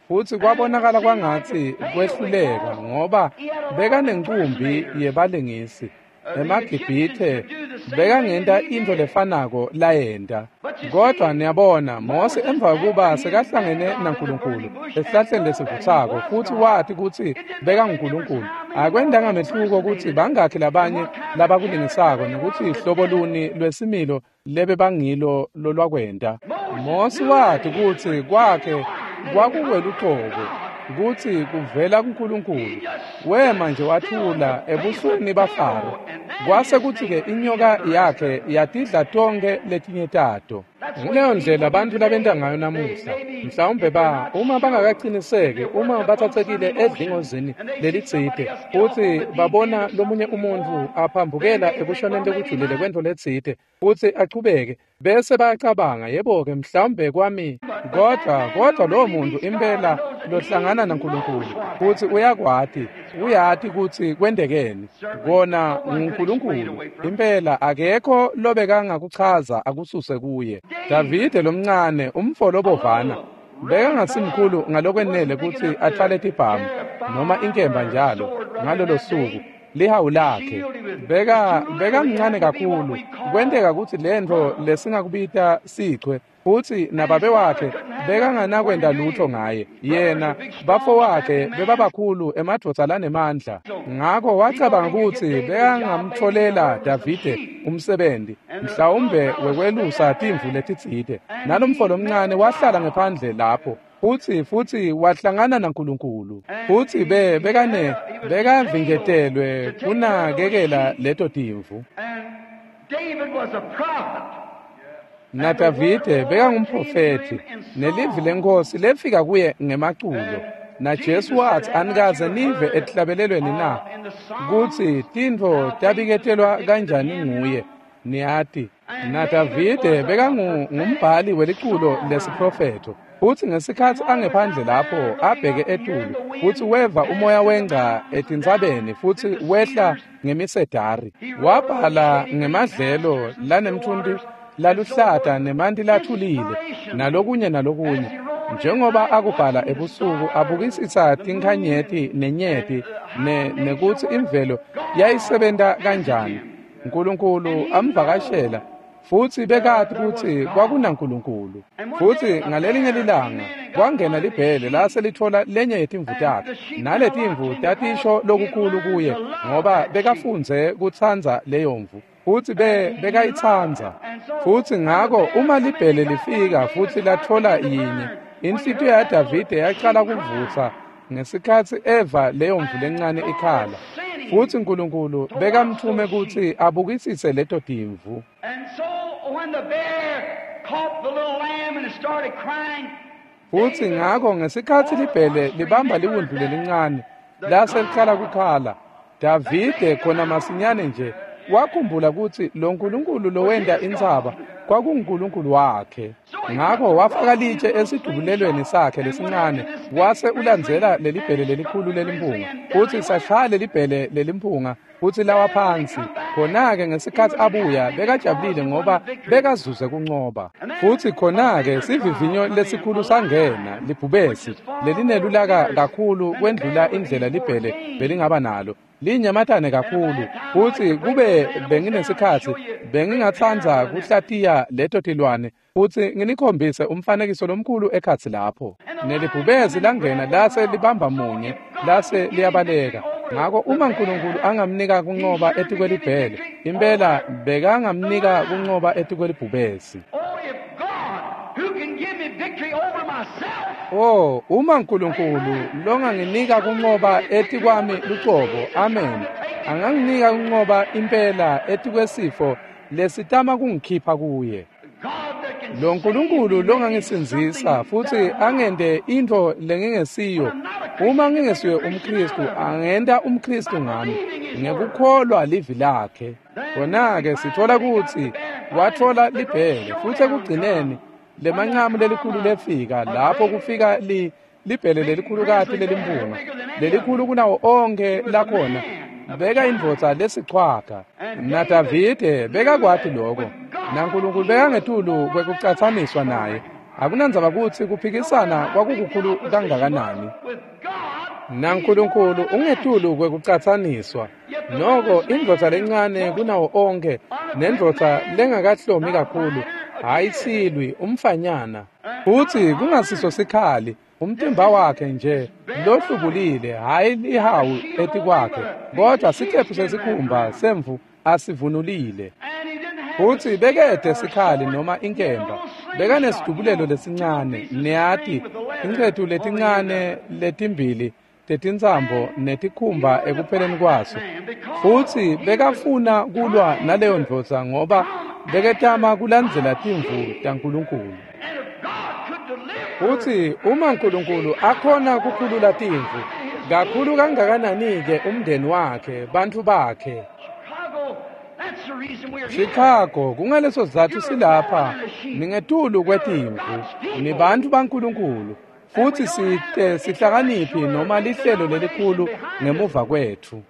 futsi kwabonakala kwangatsi kwehluleka, ngoba bekanencumbi yebalingisi. EmaGibhithe bekangenta intfo lefanako layenta. Kodwa niyabona, Mose emva kokuba sekahlangene naNkulunkulu esihlahleni lesivutsako, futsi wati kutsi bekanguNkulunkulu, akwentanga mehluko kutsi bangakhi labanye labakulingisako nekutsi hlobo luni lwesimilo lebebangilo lolwakwenta. Mose wati kutsi kwakhe kwakuwelucobo, kutsi kuvela kuNkulunkulu. Wema nje wathula ebusweni baFaro. Kwase kutsi-ke inyoka yakhe yatidla tonkhe letinye tato. Nguleyo ndlela bantfu labenta ngayo namuhla. Mhlawumbe ba uma bangakaciniseki, uma batsatsekile edlingozini lelitsite, futsi babona lomunye umuntfu aphambukela ekushoneni lokujulile kwentfo letsite, futsi achubeke, bese bayacabanga, yebo-ke, mhlawumbe kwami. Kodwa kodwa lowo muntu impela lohlangana naNkulunkulu futsi uyakwati, uyati kutsi kwentekeni. Kona nguNkulunkulu impela, akekho lobekangakuchaza akususe kuye. Davide lomncane, umfo lobovana, bekangasimkhulu ngalokwenele kutsi atfwale tibhamu noma inkemba njalo ngalolo suku. Lihawu lakhe beka bekamncane kakhulu kwenteka kutsi lentfo lesingakubita sichwe, futsi nababe wakhe bekanganakwenta lutho ngaye. Yena bafo wakhe bebabakhulu, emadvodza lanemandla. Ngako wacabanga kutsi bekangamtfolela Davide umsebenti, mhlawumbe wekwelusa timvu letitsite. Nalomfo lomncane wahlala ngephandle lapho, futsi futsi wahlangana naNkulunkulu, futsi be bekane bekavinjetelwe kunakekela leto timvu. David was a prophet. Na Davide bekangumprofethi, nelivi leNkhosi lefika kuye ngemaculo. Na Jesu wathi, anikaze nive etihlabelelweni na kutsi tintfo tabiketelwa kanjani nguye? Niyati. Na Davide bekangumbhali weliculo lesiprofetho, futsi ngesikhatsi angephandle lapho abheke etulu, futsi weva umoya wengca etintsabeni futsi wehla ngemisedari. Wabhala ngemadlelo lanemthunti laluhlata nemanti lathulile nalokunye nalokunye. Njengoba akubhala ebusuku abukisisa tinkhanyeti nenyeti ne nekutsi imvelo yayisebenta kanjani. Nkulunkulu amvakashela, futsi bekati kutsi kwakunaNkulunkulu. Futsi ngalelinye lilanga kwangena libhele lase litfola lenye yetimvu takhe, naletimvu tatisho lokukhulu kuye ngoba bekafundze kutsandza leyo mvu, futsi be bekayitsandza. Futsi ngako uma libhele lifika futsi latfola yinye, inhlitiyo yaDavide yacala kuvutsa ngesikhatsi eva leyo mvu lencane ikhala. Futsi Nkulunkulu bekamthume kutsi abukisise leto timvu. And so when the bear caught the little lamb and it started crying, Futsi ngako ngesikhatsi libhele libamba liwundlu lelincane lase licala kukhala, Davide khona masinyane nje wakhumbula kutsi lo Nkulunkulu lowenta intsaba kwakunguNkulunkulu wakhe. Ngako wafaka litshe esidubulelweni sakhe lesincane, wase ulandzela lelibhele lelikhulu lelimphunga, futsi sashaya lelibhele lelimphunga futsi lawa phansi. Khona-ke ngesikhatsi abuya bekajabulile ngoba bekazuze kuncoba. Futsi khona-ke sivivinyo lesikhulu sangena, libhubesi lelinelulaka kakhulu kwendlula indlela libhele belingaba nalo, linyamatane kakhulu. Futsi kube benginesikhatsi bengingatsandza kuhlatiya leto tilwane futsi nginikhombise umfanekiso lomkhulu ekhatsi lapho. Nelibhubesi langena lase libamba munye lase liyabaleka. Ngako uma Nkulunkulu angamnika kuncoba etikwelibhele, impela bekangamnika kuncoba etikwelibhubesi. Oh, if God, who can give me victory over myself, Oh, uma Nkulunkulu longanginika kuncoba etikwami lucobo, amen, anganginika kuncoba impela etikwesifo lesitama kungikhipha kuye. God that can Lo Nkulunkulu longangisindzisa futsi angente intfo lengingesiyo, uma ngingesiyo umKhristu, angenta umKhristu ngami ngekukholwa livi lakhe. Khona-ke sitfola kutsi watfola libhele, futsi ekugcineni lemancamu lelikhulu lefika lapho kufika li libhele lelikhulukati lelimphunga, lelikhulu kunawo onkhe lakhona. Beka indvodza lesichwaga. Na Davide bekakwati lokho, naNkulunkulu bekangetulu kwekucatsaniswa naye. Akunandzaba kutsi kuphikisana kwakukukhulu kangakanani, with God, naNkulunkulu ungetulu kwekucatsaniswa. Noko indvodza lencane kunawo onkhe, nendvodza lengakahlomi kakhulu, hhayi silwi, umfanyana, futsi kungasiso sikhali, umtimba wakhe nje lohlubulile, hhayi lihawu etikwakhe, kodwa sicephu sesikhumba semvu asivunulile. and he didn't have Futsi bekede sikhali noma inkemba, bekanesidubulelo lesincane, niyati, tincetu letincane letimbili tetintsambo netikhumba ekupheleni kwaso. Futsi bekafuna kulwa naleyo ndvodza ngoba beketama kulandzela timvu taNkulunkulu. And if God could deliver Futsi uma Nkulunkulu akhona kukhulula timvu, kakhulu kangakanani-ke umndeni wakhe, bantfu bakhe. Chicago, Chicago, kungaleso sizatfu silapha, ningetulu kwetimvu, nibantfu baNkulunkulu, futsi site sihlakaniphi noma lihlelo lelikhulu ngemuva kwetfu.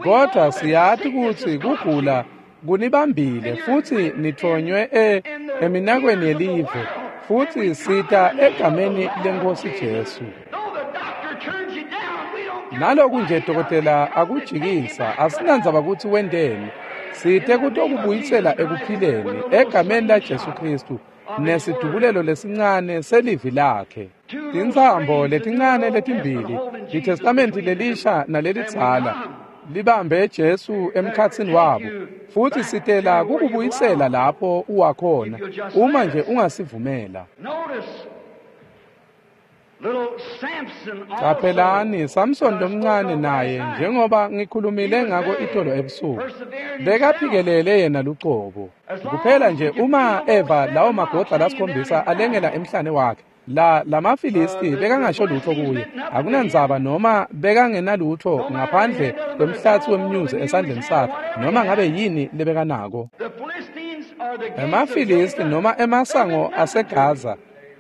Kodwa siyati kutsi kugula kunibambile futsi nithonywe e eminakweni yelive, futsi sita egameni leNkhosi Jesu. Naloku nje dokotela akujikisa, asinandzaba kutsi wenteni, site kutokubuyisela ekuphileni egameni la Jesu Kristu nesidubulelo lesincane selivi lakhe. Tintsambo letincane letimbili, iTestamenti lelisha nalelidzala, libambe Jesu emkhatsini wabo, futsi sitela kukubuyisela lapho uwakhona uma nje ungasivumela. Caphelani, Samson lomncane naye, njengoba ngikhulumile ngako itolo ebusuku, bekaphikelele yena lucobo. Kuphela nje uma eva lawo magodla lasikhombisa alengela emhlane wakhe, la lamaFilisti bekangasho lutho kuye, akunandzaba noma bekangenalutho ngaphandle kwemhlatsi wemnyuzi esandleni sakhe, noma ngabe yini lebekanako. EmaFilisti noma emasango aseGaza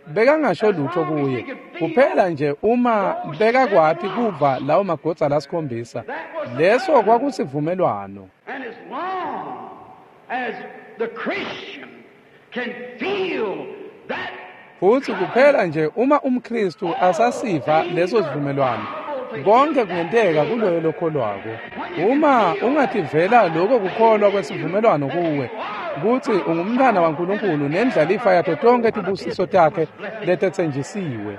bekangasho lutho kuye, kuphela nje uma bekakwati kuva lawo magodza lasikhombisa, leso kwakusivumelwano. Futsi kuphela nje uma umKristu asasiva leso sivumelwano, konke kungenteka kuloyo lokholwako. Uma ungativela lokho kukholwa kwesivumelwano kuwe, kutsi ungumntwana waNkulunkulu nendlalifa yato tonke tibusiso takhe letetsenjisiwe.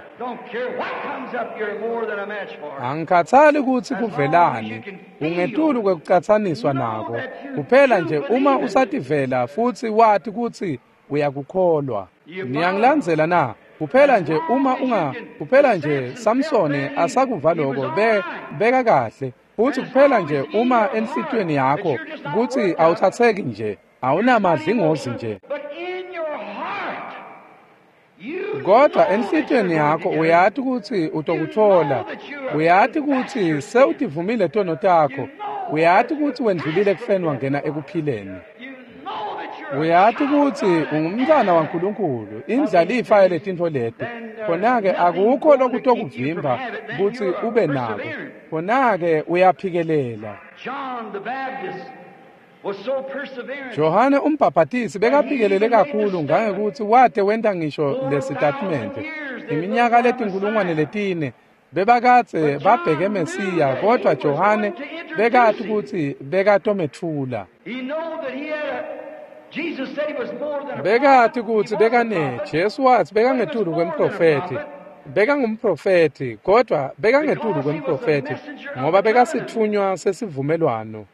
Angikhathali kutsi kuvelani, ungetulu kwekucatsaniswa nako. Kuphela nje uma usativela futsi wati kutsi uyakukholwa. Niyangilandzela na? Kuphela nje uma unga, kuphela nje Samsone asakuva lokho, be beka kahle. Futsi kuphela nje uma enhlitiyweni yakho kutsi awutsatseki nje, awunamadlingozi nje. Kodwa enhlitiyweni yakho uyati kutsi utokuthola, uyati kutsi sewutivumile tono takho, uyati kutsi wendlulile ekufeni wangena ekuphileni. Uyati kutsi ungumntwana waNkulunkulu, indlalifa yaletintfo leti. Khona-ke akukho lokutokuvimba kutsi ube nako. Khona-ke uyaphikelela. Johane umbhabhatisi bekaphikelele kakhulu ngangekutsi wate wenta ngisho lesitatimende. Iminyaka letinkulungwane letine bebakadze babheke Mesiya, kodwa Johane bekati kutsi bekatometfula. Bekati kutsi bekane Jesu watsi bekangetulu kwemprofethi, bekangumprofethi, kodwa bekangetulu kwemprofethi ngoba bekasitfunywa sesivumelwano.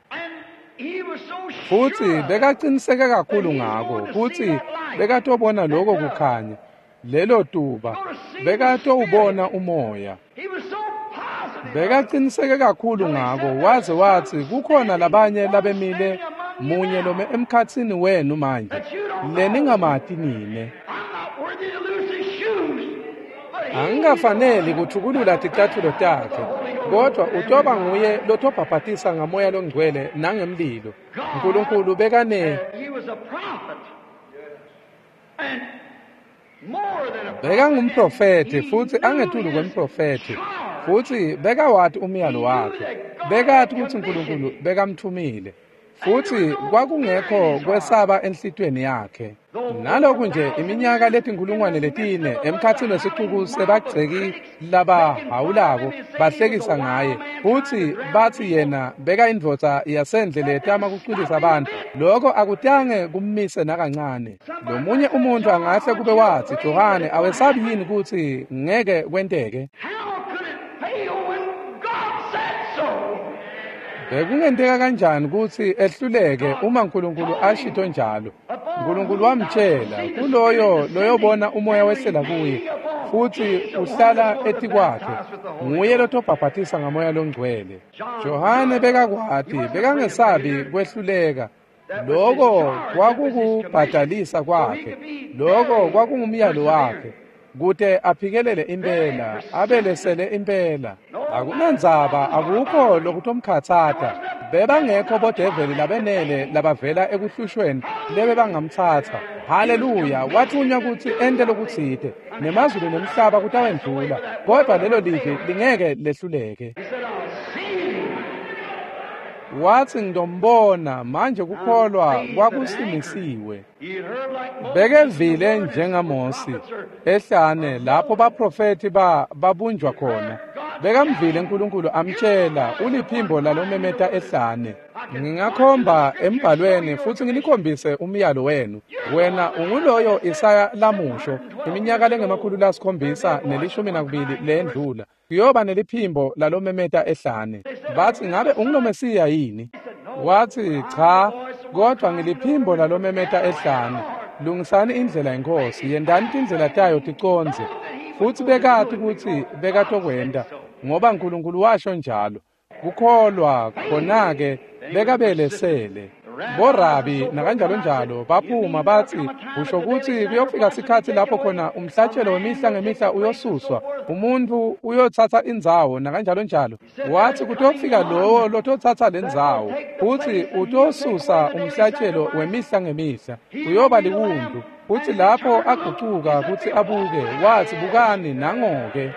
Futsi bekaqiniseke kakhulu ngako kutsi bekatobona lokho kukhanya, lelo tuba, bekatowubona umoya. Bekaqiniseke kakhulu ngako waze watsi kukhona labanye labemile munye lome emkhatsini wenu manje leningamati nine. Angikafaneli kuthukulula ticatfulo takhe, kodwa utoba nguye lotobhabhatisa ngamoya longcwele nangemlilo. Nkulunkulu bekane bekangumprofethi futsi angetulu kwemprofethi, futsi bekawati umyalo wakhe, bekati kutsi Nkulunkulu bekamthumile. Futsi kwakungekho kwesaba enhlitiyweni yakhe. Naloku nje iminyaka letinkulungwane letine emkhatsini wesicuku sebagceki labahawulako bahlekisa ngaye, futsi batsi yena bekayindvodza yasendle letama kucwilisa abantu, lokho akutange kummise nakancane. Lomunye umuntu angahle kube watsi, Johane, awesabi yini kutsi ngeke kwenteke? Bekungenteka kanjani kutsi ehluleke uma Nkulunkulu ashito njalo? Nkulunkulu wamtshela kuloyo loyobona umoya wehlela kuye futsi uhlala etikwakhe, nguye lotobhabhatisa ngamoya longcwele. Johane bekakwati, bekangesabi kwehluleka. Loko kwakukubhadalisa kwakhe, loko kwakungumyalo wakhe. Kute aphikelele impela, abelesele impela. Akunandzaba, akukho lokutomkhatsata. Bebangekho bodeveli labenele labavela ekuhlushweni lebebangamtsatsa. Haleluya, wathunywa kutsi ente lokutsite. Nemazulu nemhlaba kutawendlula, kodwa lelo livi lingeke lehluleke. Watsi ngidombona, manje kukholwa kwakusimisiwe. Bekevile njengaMosi ehlane lapho baprofethi ba babunjwa khona. Bekamvile uNkulunkulu amtshela uliphimbo lalomemeta ehlane. Ngingakhomba embhalweni futsi nginikhombise umyalo wenu. Wena unguloyo Isaya lamusho iminyaka lengemakhulu lasikhombisa nelishumi nakubili lendlula. Kuyoba neliphimbo lalomemeta ehlane. Batsi ngabe ungulomesiya yini? Watsi cha, kodwa ngiliphimbo lalomemeta ehlane. Lungisani indlela yenkosi, yendani tindlela tayo ticondze. Futsi bekati kutsi bekatokwenta, ngoba uNkulunkulu washo njalo. Kukholwa khona-ke bekabelesele. Borabi nakanjalo njalo baphuma batsi usho kutsi kuyofika sikhatsi lapho khona umhlatshelo wemihla ngemihla uyosuswa, umuntu uyotsatsa indzawo nakanjalo njalo. Watsi kutofika lowo lototsatsa lendzawo futsi utosusa umhlatshelo wemihla ngemihla, uyoba liwundlu. Futsi lapho agucuka kutsi abuke, watsi bukani nangoke.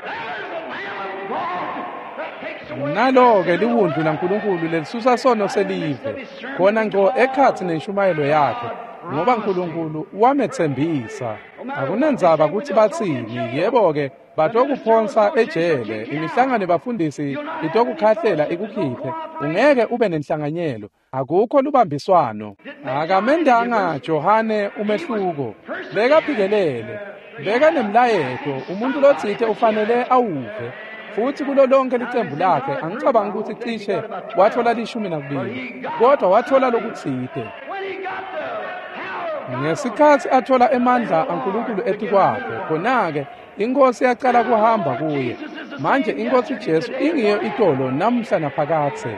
Nalo-ke liwundlu laNkulunkulu lelisusa sono selive, khona ngco ekhatsi nenshumayelo yakhe, ngoba uNkulunkulu wametsembisa. Akunandzaba kutsi batsini, yebo-ke batokuphonsa ejele, imihlangano yebafundisi itokukhahlela ikukhiphe, ungeke ube nenhlanganyelo, akukho lubambiswano. Akamendanga Johane umehluko, bekaphikelele, bekanemlayeto, umuntu lotsite ufanele awuve. Futsi kulo lonke licembu lakhe angicabangi kutsi cishe wathola lishumi nakubili, kodwa wathola lokutsite. Ngesikhatsi athola emandla aNkulunkulu etikwakhe, khona-ke inkosi yacala kuhamba kuye. Manje inkosi Jesu ingiyo itolo namuhla naphakadze.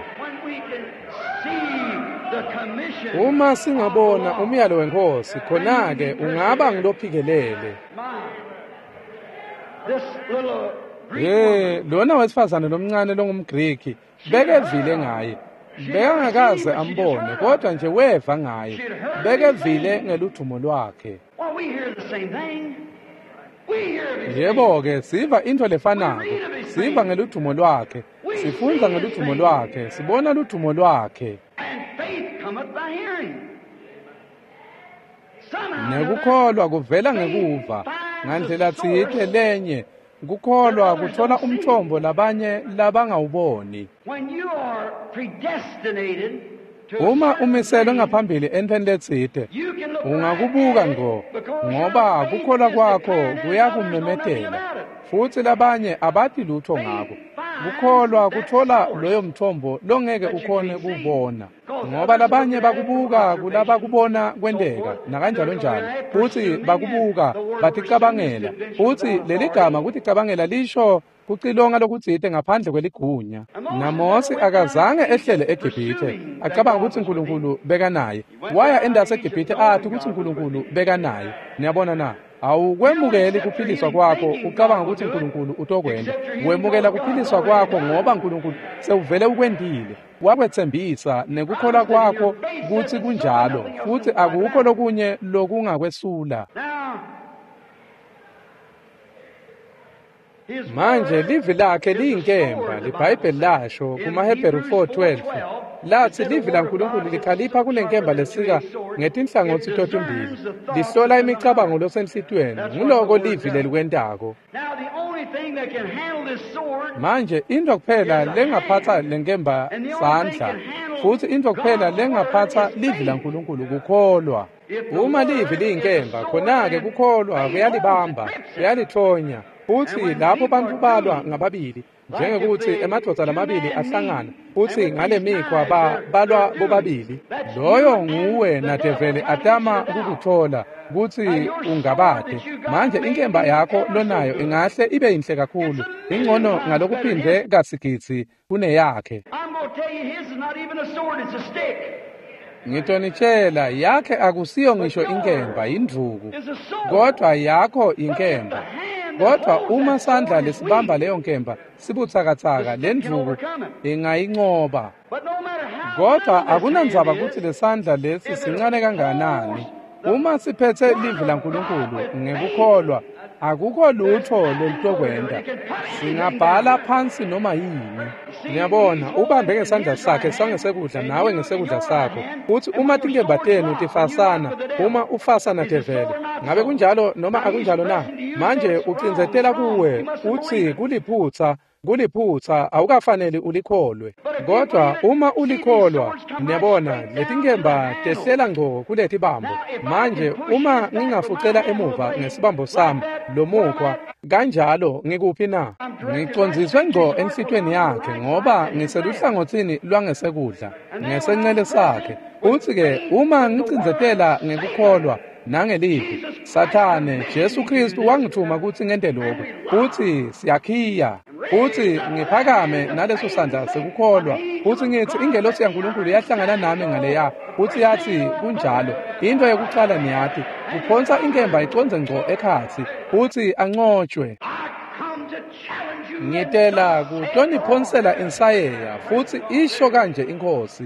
Uma singabona umyalo wenkosi, khona-ke ungaba ngilophikelele. Ye, lona wesifazane lomncane longumGriki bekevile ngaye. Bekangakaze ambone, kodwa nje weva ngaye. Bekevile ngeludvumo lwakhe. Yebo-ke, siva intfo lefanako. Siva ngeludvumo lwakhe. Sifundza ngeludvumo lwakhe. Sibona ludvumo lwakhe. Nekukholwa kuvela ngekuva. Ngandlela tsite lenye kukholwa kuthola umthombo labanye labangawuboni. Uma umiselwe ngaphambili entweni letsite, ungakubuka ngco, ngoba kukholwa kwakho kuyakumemetela, futsi labanye abati lutho ngako. Kukholwa kuthola loyo mthombo longeke ukhone kuwubona, ngoba labanye bakubuka kulabakubona kwenteka nakanjalo njalo, futsi bakubuka baticabangela. Futsi leligama kuticabangela lisho kucilonga lokutsite ngaphandle kweligunya. NaMosi akazange ehlele eGibhithe acabanga kutsi uNkulunkulu bekanaye. Waya endasi eGibhithe athi kutsi uNkulunkulu bekanaye. Niyabona na? Awukwemukeli kuphiliswa kwakho ucabanga kutsi uNkulunkulu utokwenta. Wemukela kuphiliswa kwakho ngoba uNkulunkulu sewuvele ukwentile. Wakwetsembisa nekukholwa kwakho kutsi kunjalo, futsi akukho lokunye lokungakwesula. Manje livi lakhe liyinkemba, liBhayibheli lasho kumaHebheru four twelve latsi livi laNkulunkulu likhalipha kulenkemba lesika ngetinhlangotsi totimbili, lihlola imicabango losenhlitiyweni. Nguloko livi lelikwentako. Manje intfo kuphela lengaphatsa lenkemba sandla, futsi intfo kuphela lengaphatsa livi laNkulunkulu kukholwa. Uma livi liyinkemba, khona-ke kukholwa kuyalibamba, kuyalithonya. Futsi lapho bantfu balwa ngababili, njengekuthi emadvodza lamabili ahlangana, futsi ngale mikhwa ba balwa bobabili, loyo nguwe nadeveli atama kukuthola kutsi ungabate. Manje inkemba yakho lonayo ingahle ibe yinhle kakhulu, ingcono ngalokuphindwe kasigidzi kuneyakhe. Ngitonitshela, yakhe akusiyo ngisho inkemba, yindvuku, kodwa yakho inkemba. Kodwa uma sandla lesibamba leyo nkemba sibutsakatsaka, lendvuku ingayincoba. Kodwa akunandzaba kutsi lesandla lesi sincane kangakanani, uma siphetse livi laNkulunkulu ngekukholwa, akukho lutho lolutokwenta. Singabhala phansi noma yini. Niyabona, ubambe ngesandla sakhe sangesekudla nawe ngesekudla sakho. Uthi uma tinkemba tenu tifasana, uma ufasana devele, ngabe kunjalo noma akunjalo na? Manje ucindzetela kuwe, uthi kuliphutsa, kuliphutsa, awukafaneli ulikholwe. Kodwa uma ulikholwa, niyabona, letinkemba tehlela ngco kuletibambo. Manje uma ngingafucela emuva ngesibambo sami lomukhwa kanjalo, ngikuphi na? Ngicondziswe ngco enhlitweni yakhe, ngoba ngiseluhlangotsini lwangesekudla ngesencele sakhe. Uthi-ke uma ngicindzetela ngekukholwa nangelivi, Sathane, Jesu Kristu wangithuma kutsi ngente lokhu. Uthi siyakhiya. Uthi ngiphakame naleso sandla sekukholwa. Uthi ngithi ingelosi yaNkulunkulu yahlangana nami ngaleya. Uthi yathi kunjalo. Into yekucala niyati, kuphonsa inkemba icondze ngco ekhatsi. Uthi ancotshwe. Ngitela kutoniphonsela insayeya, futsi isho kanje iNkhosi.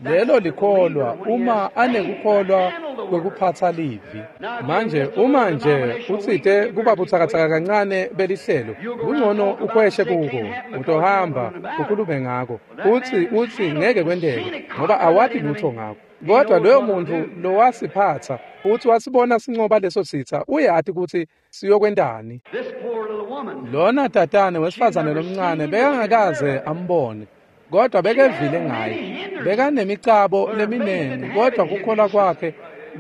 Lelo likholwa uma anekukholwa kwekuphatsa livi. Manje uma nje utsite kuba butsakatsaka kancane belihlelo, kungcono ukhweshe kuko, utohamba ukhulume ngako. Uthi uthi ngeke kwenteke ngoba awati lutho ngako. Kodwa loyo muntu lowasiphatsa uthi wasibona sincoba leso sitsa, uyati kutsi siyokwentani. Lona tatane wesifazane lomncane bekangakaze ambone, kodwa bekevile ngaye. Bekanemicabo leminengi, kodwa kukholwa kwakhe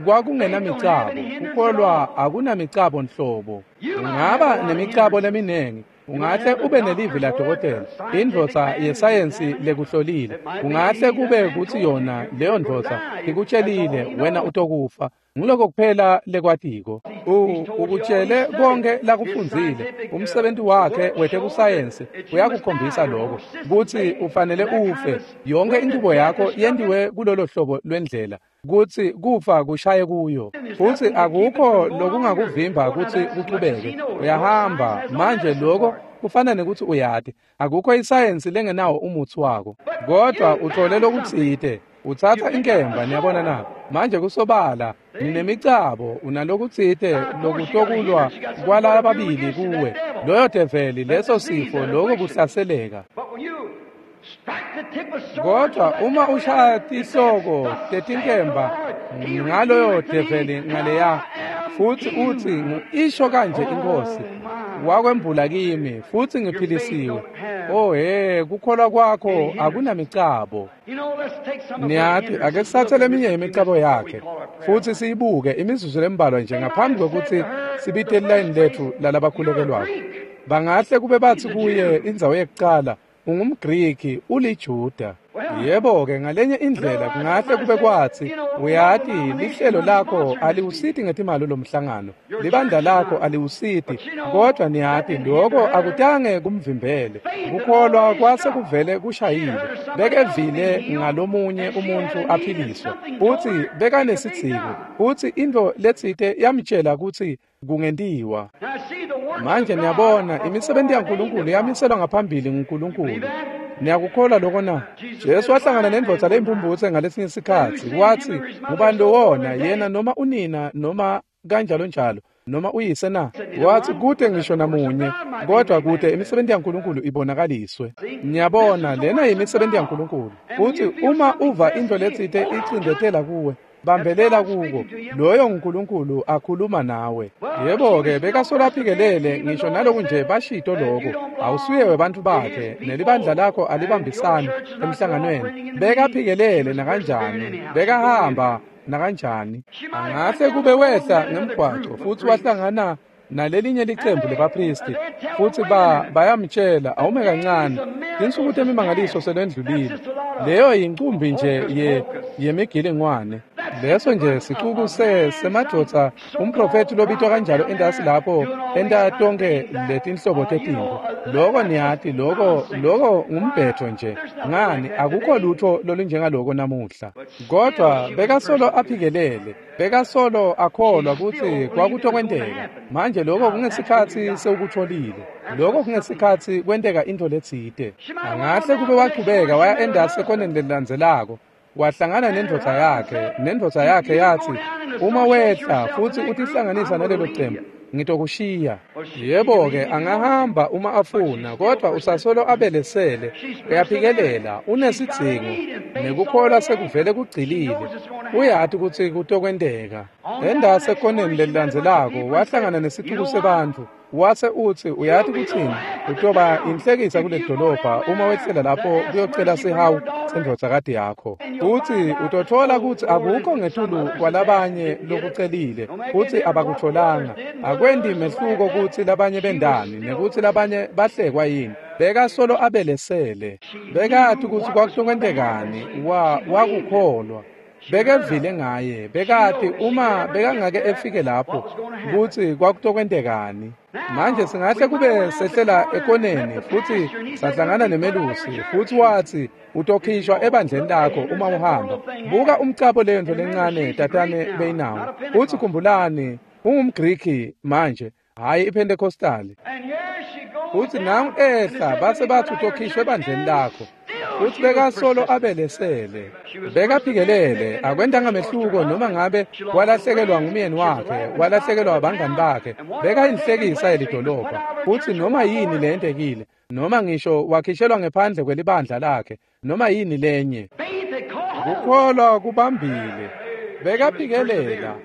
kwakungenamicabo. Kukholwa akunamicabo nhlobo. Ungaba nemicabo leminengi, ungahle ube nelivi ladokotela, indvodza yesayensi lekuhlolile. Ungahle kube kutsi yona leyo ndvodza ikutshelile wena utokufa. Nguloko kuphela lekwatiko. Ukutshele konke lakufundzile. Umsebenzi wakhe wetekusayensi uyakukhombisa lokho kutsi ufanele ufe. Yonke inchubo yakho yentiwe kulolo hlobo lwendlela kutsi kufa kushaye kuyo, futsi akukho lokungakuvimba kutsi kuchubeke. Uyahamba manje, lokho kufana nekuthi uyati akukho isayensi lengenawo umutsi wako, kodwa uthole lokutsite. Utsatsa inkemba, niyabona na? Manje kusobala ninemicabo, unalokutsite lokutokulwa kwalababili kuwe, loyo develi, leso sifo, loko kuhlaseleka. Kodwa uma ushaya tihloko tetinkemba ngaloyo develi ngaleya, futsi utsi isho kanje iNkhosi, wakwembula kimi futsi ngiphilisiwe. Oh he, kukholwa kwakho akunamicabo. Niyati, ake sitsatse leminye imicabo yakhe futsi siyibuke imizuzu lembalwa nje ngaphambi kwekutsi sibite lilayini letfu lalabakhulekelwako. Bangahle kube batsi kuye indzawo yekucala, ungumGriki, uliJuda. Yebo-ke, ngalenye indlela kungahle kube kwatsi, uyati, lihlelo lakho aliwusiti ngetimali lomhlangano, libandla lakho aliwusiti, kodwa niyati lokho akutange kumvimbele. Kukholwa kwase kuvele kushayile. Bekevile ngalomunye umuntfu aphiliswa, futsi bekanesidzingo, futsi intfo letsite yamtshela kutsi kungentiwa. Manje niyabona, imisebenti yaNkulunkulu yamiselwa ngaphambili nguNkulunkulu. Niyakukholwa lokho na? Jesu wahlangana nendvodza leyimphumphutse ngalesinye sikhatsi, watsi, ngubani lowona, yena noma unina noma kanjalo njalo noma uyise na? Watsi kute ngisho namunye, kodwa kute imisebenti yaNkulunkulu ibonakaliswe. Niyabona, lena yimisebenti yaNkulunkulu. Futsi uma uva intfo letsite icindzetela kuwe, bambelela kuko, loyo nguNkulunkulu akhuluma nawe. Yebo-ke, bekasola aphikelele ngisho naloku nje bashito loko, awusuye webantfu bakhe, nelibandla lakho alibambisani emhlanganweni. Bekaphikelele nakanjani, bekahamba nakanjani. Angahle kube wehla ngemgwaco futsi wahlangana nalelinye licembu lebaphristi, futsi ba bayamtshela, awume kancane, tinsuku temimangaliso selwendlulile. Leyo yincumbi nje ye yemigilingwane. Leso nje sicuku se semadvodza umprofethi lobitwa kanjalo entasi lapho enta tonke letinhlobo tetintfo. Loko niyati loko loko ngumbhetho nje. Ngani akukho lutho lolunjengaloko namuhla. Kodwa bekasolo aphikelele, bekasolo akholwa kutsi kwakutokwenteka. Manje lokho kungesikhatsi sewukutfolile. Lokho kungesikhatsi kwenteka intfo letsite. Angahle kube wachubeka waya endasi ekoneni lelilandzelako. Wahlangana nendvodza yakhe, nendvodza yakhe yathi, uma wehla futsi utihlanganisa nalelo cembu, ngitokushiya. Yebo-ke angahamba uma afuna, kodwa usasolo abelesele, uyaphikelela, unesidzingo, nekukholwa sekuvele kugcilile. Uyati kutsi kutokwenteka. Endasi ekoneni lelilandzelako wahlangana nesicuku sebantfu. Wase utsi uyati kutsini, utoba inhlekisa kuleli dolobha uma wehlela lapho kuyocela sihawu sendvodzakati yakho. Futsi utotfola kutsi akukho ngetulu kwalabanye lokucelile, futsi abakutfolanga. Akwenti mehluko kutsi labanye bendani nekutsi labanye bahlekwa yini. Bekasolo abelesele. Bekati kutsi kwakutokwentekani, wa wakukholwa. Bekevile ngaye, bekati uma bekangake efike lapho kutsi kwakutokwentekani. Manje singahle kube sehlela ekoneni futsi sahlangana nemelusi futsi watsi utokhishwa ebandleni lakho uma uhamba. Buka umcabo leyo nto lencane tatane beyinawo. Futsi khumbulani, ungumGriki manje, hhayi iPentecostali. Futsi nangu ehla base bathi utokhishwa ebandleni lakho. Futsi bekasolo abelesele. Bekaphikelele, akwentanga mehluko noma ngabe walahlekelwa ngumyeni wakhe, walahlekelwa abangani bakhe. Bekayinhlekisa yelidolobha. Futsi noma yini leyentekile, noma ngisho wakhishelwa ngephandle kwelibandla lakhe, noma yini lenye. Kukholwa kubambile. Bekaphikelela.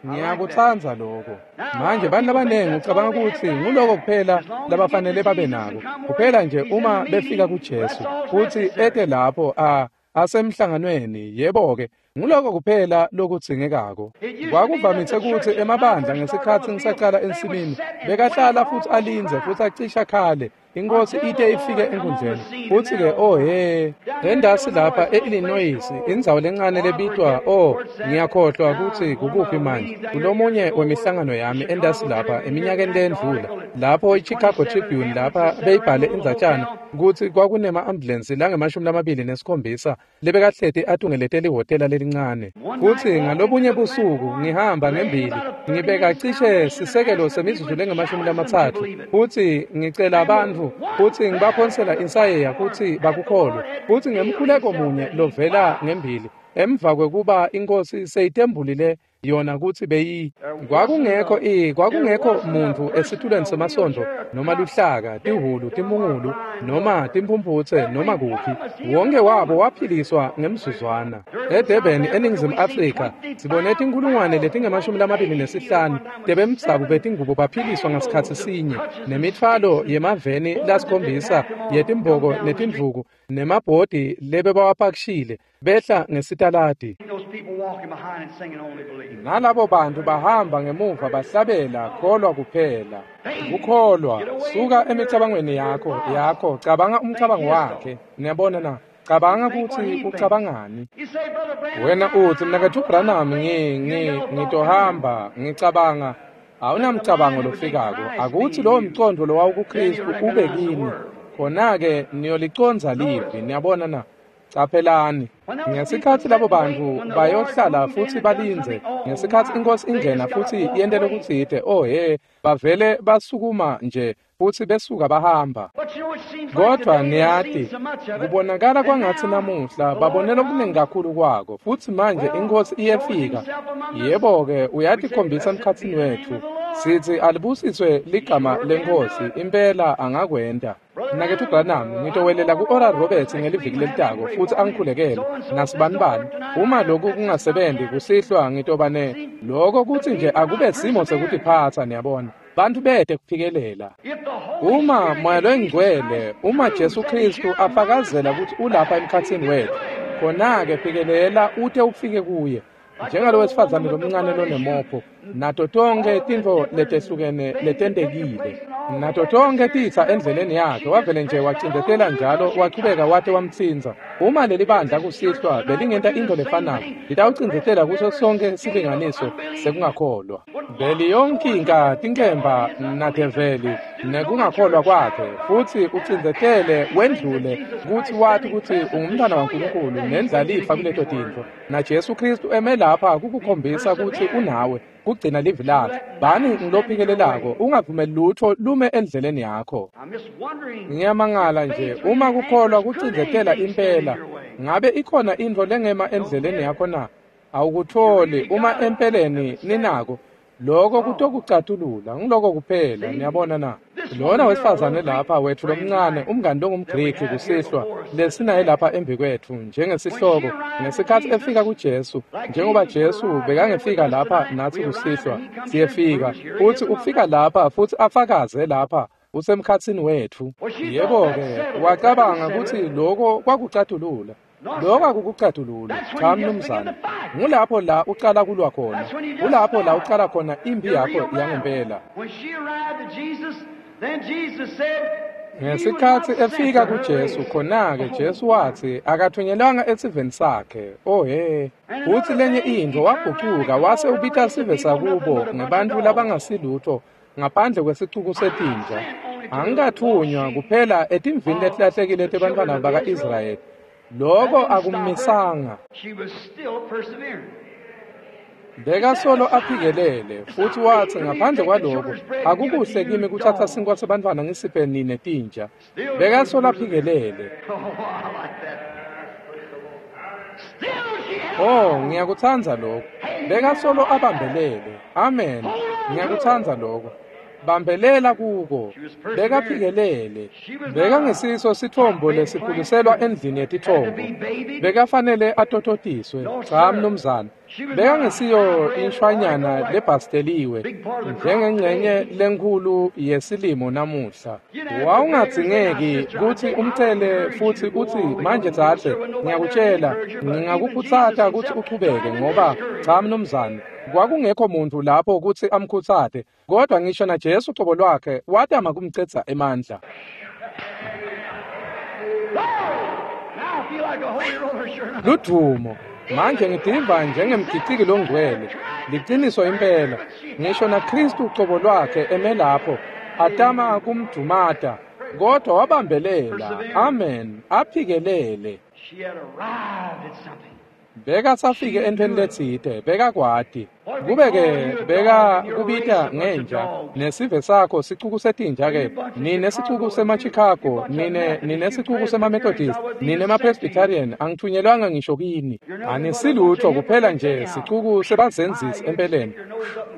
Ngiyakutsandza lokho. Manje bantu labanengi ucabanga kutsi nguloko kuphela labafanele babe nako. Kuphela nje uma befika kuJesu futsi ete lapho a asemhlanganweni, yebo-ke, nguloko kuphela lokudzingekako. Kwakuvamise kutsi emabandla ngesikhatsi ngisacala ensimini, bekahlala futsi alindze futsi acisha khale, inkosi ite ifike enkundleni. Futsi-ke oh he, endasi lapha e-Illinois, indzawo lencane lebitwa, oh, ngiyakhohlwa kutsi kukuphi manje, kulomunye wemihlangano yami endasi lapha eminyakeni leyendlula, lapho i-Chicago Tribune lapha beyibhale indzatshana kutsi kwakunema-ambulensi langemashumi lamabili nesikhombisa lebekahleti atungelete lihhotela lelincane. Futsi ngalobunye busuku ngihamba ngembili, ngibeka cishe sisekelo semizuzu lengemashumi lamatsatfu, futsi ngicela bantfu futsi ngibaphonsela insayeya kutsi bakukholwe. Futsi ngemkhuleko munye lovela ngembili, emva kwekuba inkosi seyitembulile yona kutsi beyi kwakungekho i kwakungekho muntfu esitulweni semasondvo noma luhlaka, tihhulu, timungulu noma timphumphutse noma kuphi. Wonke wabo waphiliswa ngemzuzwana. eDurban eNingizimu Afrika sibone tinkhulungwane letingemashumi lamabili nesihlanu tebemdzabu betingubo baphiliswa ngasikhatsi sinye, nemitfwalo yemaveni lasikhombisa yetimboko netindvuku nemabhodi lebebawapakishile behla ngesitaladi. Nalabo bantu bahamba ngemuva bahlabela kholwa kuphela. Kukholwa, suka emicabangweni yakho yakho, cabanga umcabango wakhe. Niyabona na? Cabanga kutsi ucabangani. Wena utsi, Mnaketfu Branham, ngi ngi ngitohamba, ngicabanga. Awunamcabango lofikako. Akutsi lowo mcondvo lowawukuKhristu ube kini. Khona-ke niyoliconza livi. Niyabona na? Caphelani, ngesikhatsi labo bantfu bayohlala futsi balindze, ngesikhatsi inkosi ingena futsi yente lokutsite, oh he, bavele basukuma nje futsi besuka bahamba. Kodvwa niyati, kubonakala kwangatsi namuhla babone lokunengi kakhulu kwako, futsi manje inkosi iyefika. Yebo-ke, uyatikhombisa emkhatsini wetfu. Sithi alibusiswe ligama lenkosi, impela angakwenta. Mnaketfu Branham, ngitowelela ku-Oral Roberts ngeliviki lelitako futsi angikhulekele nasibanibani. Uma lokhu kungasebenzi kusihlwa ngitoba ne lokho kutsi nje akube simo sekutiphatsa, niyabona. Bantu bete kuphikelela. Uma Moya loyiNgcwele, uma Jesu Khristu afakazela kutsi ulapha emkhatsini wetfu, khona-ke phikelela ute ufike kuye. Njengalo wesifazane lomncane lonemopho Nato tonkhe tintfo letehlukene letentekile. Nato tonkhe titsa endleleni yakhe, wavele nje wacindzetela njalo wachubeka wate wamtsintsa. Uma leli bandla kusihlwa belingenta intfo lefanako, litawucindzetela kuso sonkhe silinganiso sekungakholwa. Beliyonkinka tinkemba nadeveli nekungakholwa kwakhe, futsi ucindzetele wendlule kutsi wati kutsi ungumntwana waNkulunkulu nendlalifa kuleto tintfo. Na Jesu Kristu eme lapha kukukhombisa kutsi unawe, kugcina livi lakhe. Bani ngilophikelelako, ungavumeli lutfo lume endleleni yakho. I'm just wondering. Ngiyamangala nje, uma kukholwa kucindzetela impela, ngabe ikhona intfo lengema endleleni yakho na? Awukutfoli uma empeleni ninako. Loko kutokucatulula, ngiloko kuphela, niyabona na? Lona wesifazane lapha wethu lomncane, umngani longumGriki kusihlwa, lesinaye lapha embi kwethu njengesihloko, ngesikhatsi efika kuJesu, njengoba Jesu bekangefika lapha natsi kusihlwa, siyefika, futsi ufika lapha futsi afakaze lapha, usemkhatsini wetfu. Yebo-ke, wacabanga kutsi loko kwakucatulula. Loko akukucatulula, cha mnumzane. Ngulapho la ucala kulwa khona. Kulapho la ucala khona imphi yakho yangempela. When she arrived at Jesus, then Jesus said, he was Ngesikhatsi not sent efika to her kuJesu, race. khona-ke Jesu watsi akathunyelwanga esiveni sakhe. Oh he. Futsi lenye intfo wagucuka wase ubita sive sakubo ngebantfu labangasilutfo ngaphandle kwesicuku setinja. Angikathunywa kuphela etimvini letilahlekile tebantfwana baka-Israyeli. Loko akummisanga. She was still persevering. Bekasolo aphikelele futsi watsi ngaphandle kwaloko akukuhle kimi kutsatsa sinkwa sebantfwana ngisiphe nine tinja. Bekasolo aphikelele. Oh, I like that. Still she held Oh, ngiyakutsandza lokho. Bekasolo abambelele. Amen. Ngiyakutsandza lokho. Bambelela kuko. Bekaphikelele. Bekangesiso sitfombo lesikhuliselwa endlini yetitfombo. Bekafanele atototiswe. Cha mnumzane. Bekangesiyo inshwanyana lebhasteliwe njengengcenye lenkhulu yesilimo namuhla. Wawungadzingeki kutsi umcele futsi utsi manje dzadze, ngiyakutjela, ngingakukhutsata kutsi uchubeke ngoba cha mnumzane, kwakungekho muntfu lapho kutsi amkhutsate, kodwa ngisho naJesu cobo lwakhe watama kumcedza emandla. Now I feel like a holy roller, sure enough. Ludvumo. Manje ngitiva njengemgiciki longcwele. Liciniso impela. Ngisho naKristu cobo lwakhe eme lapho atama kumdumata, kodwa wabambelela. Amen. Aphikelele. She had arrived at something. Bekasafike entfweni letsite, bekakwati. Kube-ke beka kubita ngenja, nesive sakho sicuku setinja-ke, nine sicuku sema-Chicago, nine nine sicuku sema-Methodist, nine ma-Presbyterian, angithunyelwanga ngisho kini. Anisilutho kuphela nje sicuku sebazenzisi empeleni.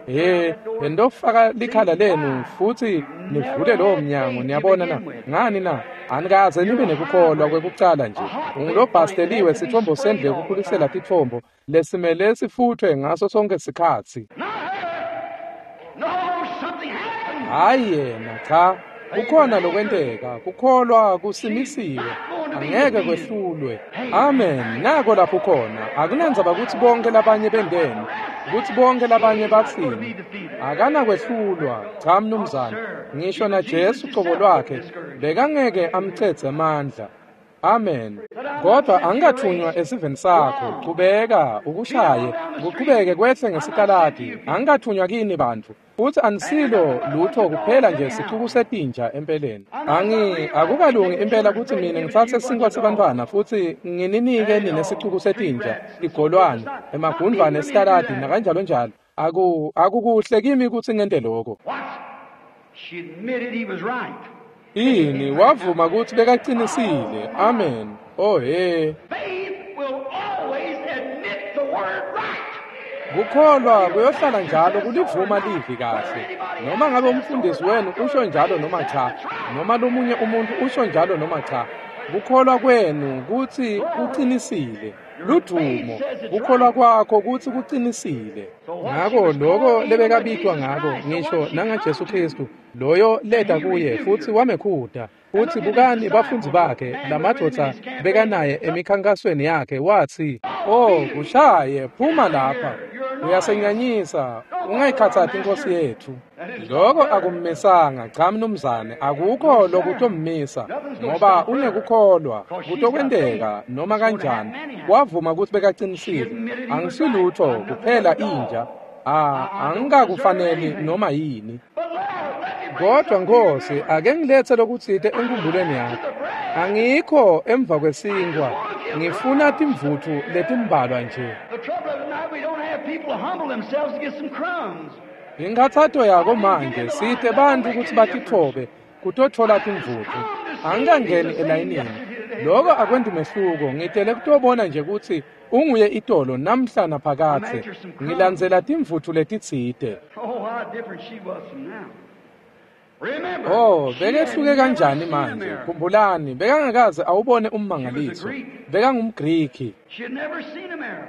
He, bendofaka likhala lenu futsi nivule lowo mnyango, niyabona na? Ngani na? Anikaze nibe nekukholwa kwekucala nje. Ungulobhasteliwe sitfombo sendlu yekukhulisela titfombo lesimele sifutfwe ngaso sonke sikhatsi. Not her. No, something happened. Hhayi yena, cha. Kukhona lokwenteka, kukholwa kusimisiwe, angeke kwehlulwe. Amen. Nako lapho khona. Akunandzaba kutsi bonke labanye benteni, kutsi bonke labanye batsini. Akanakwehlulwa, cha mnumzane. Ngisho naJesu cobo lwakhe bekangeke amcedze amandla. Amen. Kodwa angikathunywa esiveni sakho. Qhubeka ukushaye, kuqhubeke kwehle ngesitaladi. Angikathunywa kini bantfu. Futsi anisilo lutho kuphela nje sicuku setinja empeleni. Angi akukalungi impela kutsi mina ngitsatse sinkwa sebantfwana futsi ngininike nine sicuku setinja, tigolwane, emagundvwane esitaladi nakanjalo njalo. Aku akukuhle kimi kutsi ngente lokho. What? She admitted he was right. Ini wavuma kutsi bekacinisile. Amen. Oh he. Faith will always admit the word right. Kukholwa kuyohlala njalo kulivuma livi kahle. Noma ngabe umfundisi wenu usho njalo noma cha, noma lomunye umuntu usho njalo noma cha, kukholwa kwenu kutsi kucinisile. Ludvumo, kukholwa kwakho kutsi kucinisile. Ngako loko lebekabitwa ngako ngisho nangaJesu Kristu, loyo leta kuye futsi wamekhuta. Futsi bukani bafundzi bakhe, lamadvodza bekanaye emikhankasweni yakhe, watsi, "Oh, kushaye, phuma lapha. Uyasenyanyisa, ungayikhatsati inkosi yethu. Lokho akummisanga, cha mnumzane, akukho lokutommisa, ngoba unekukholwa, kutokwenteka noma kanjani. Wavuma ukuthi bekaqinisile. Angisilutho kuphela inja. Ah, angikakufaneli noma yini. Kodwa Nkosi, ake ngilethe lokutsite enkumbulweni yakho. Angikho emva kwesinkwa, ngifuna timvutfu letimbalwa nje. Inkhatsato yako manje site bantfu kutsi batitfobe kutotfola timvutfu. Angikangeni elayinini. Lokho akwenti mehluko, ngitele kutobona nje kutsi unguye itolo namhla naphakadze. Ngilandzela timvutfu letitsite. Oh, bekehluke kanjani manje? Khumbulani, bekangakaze awubone ummangaliso. BekangumGriki.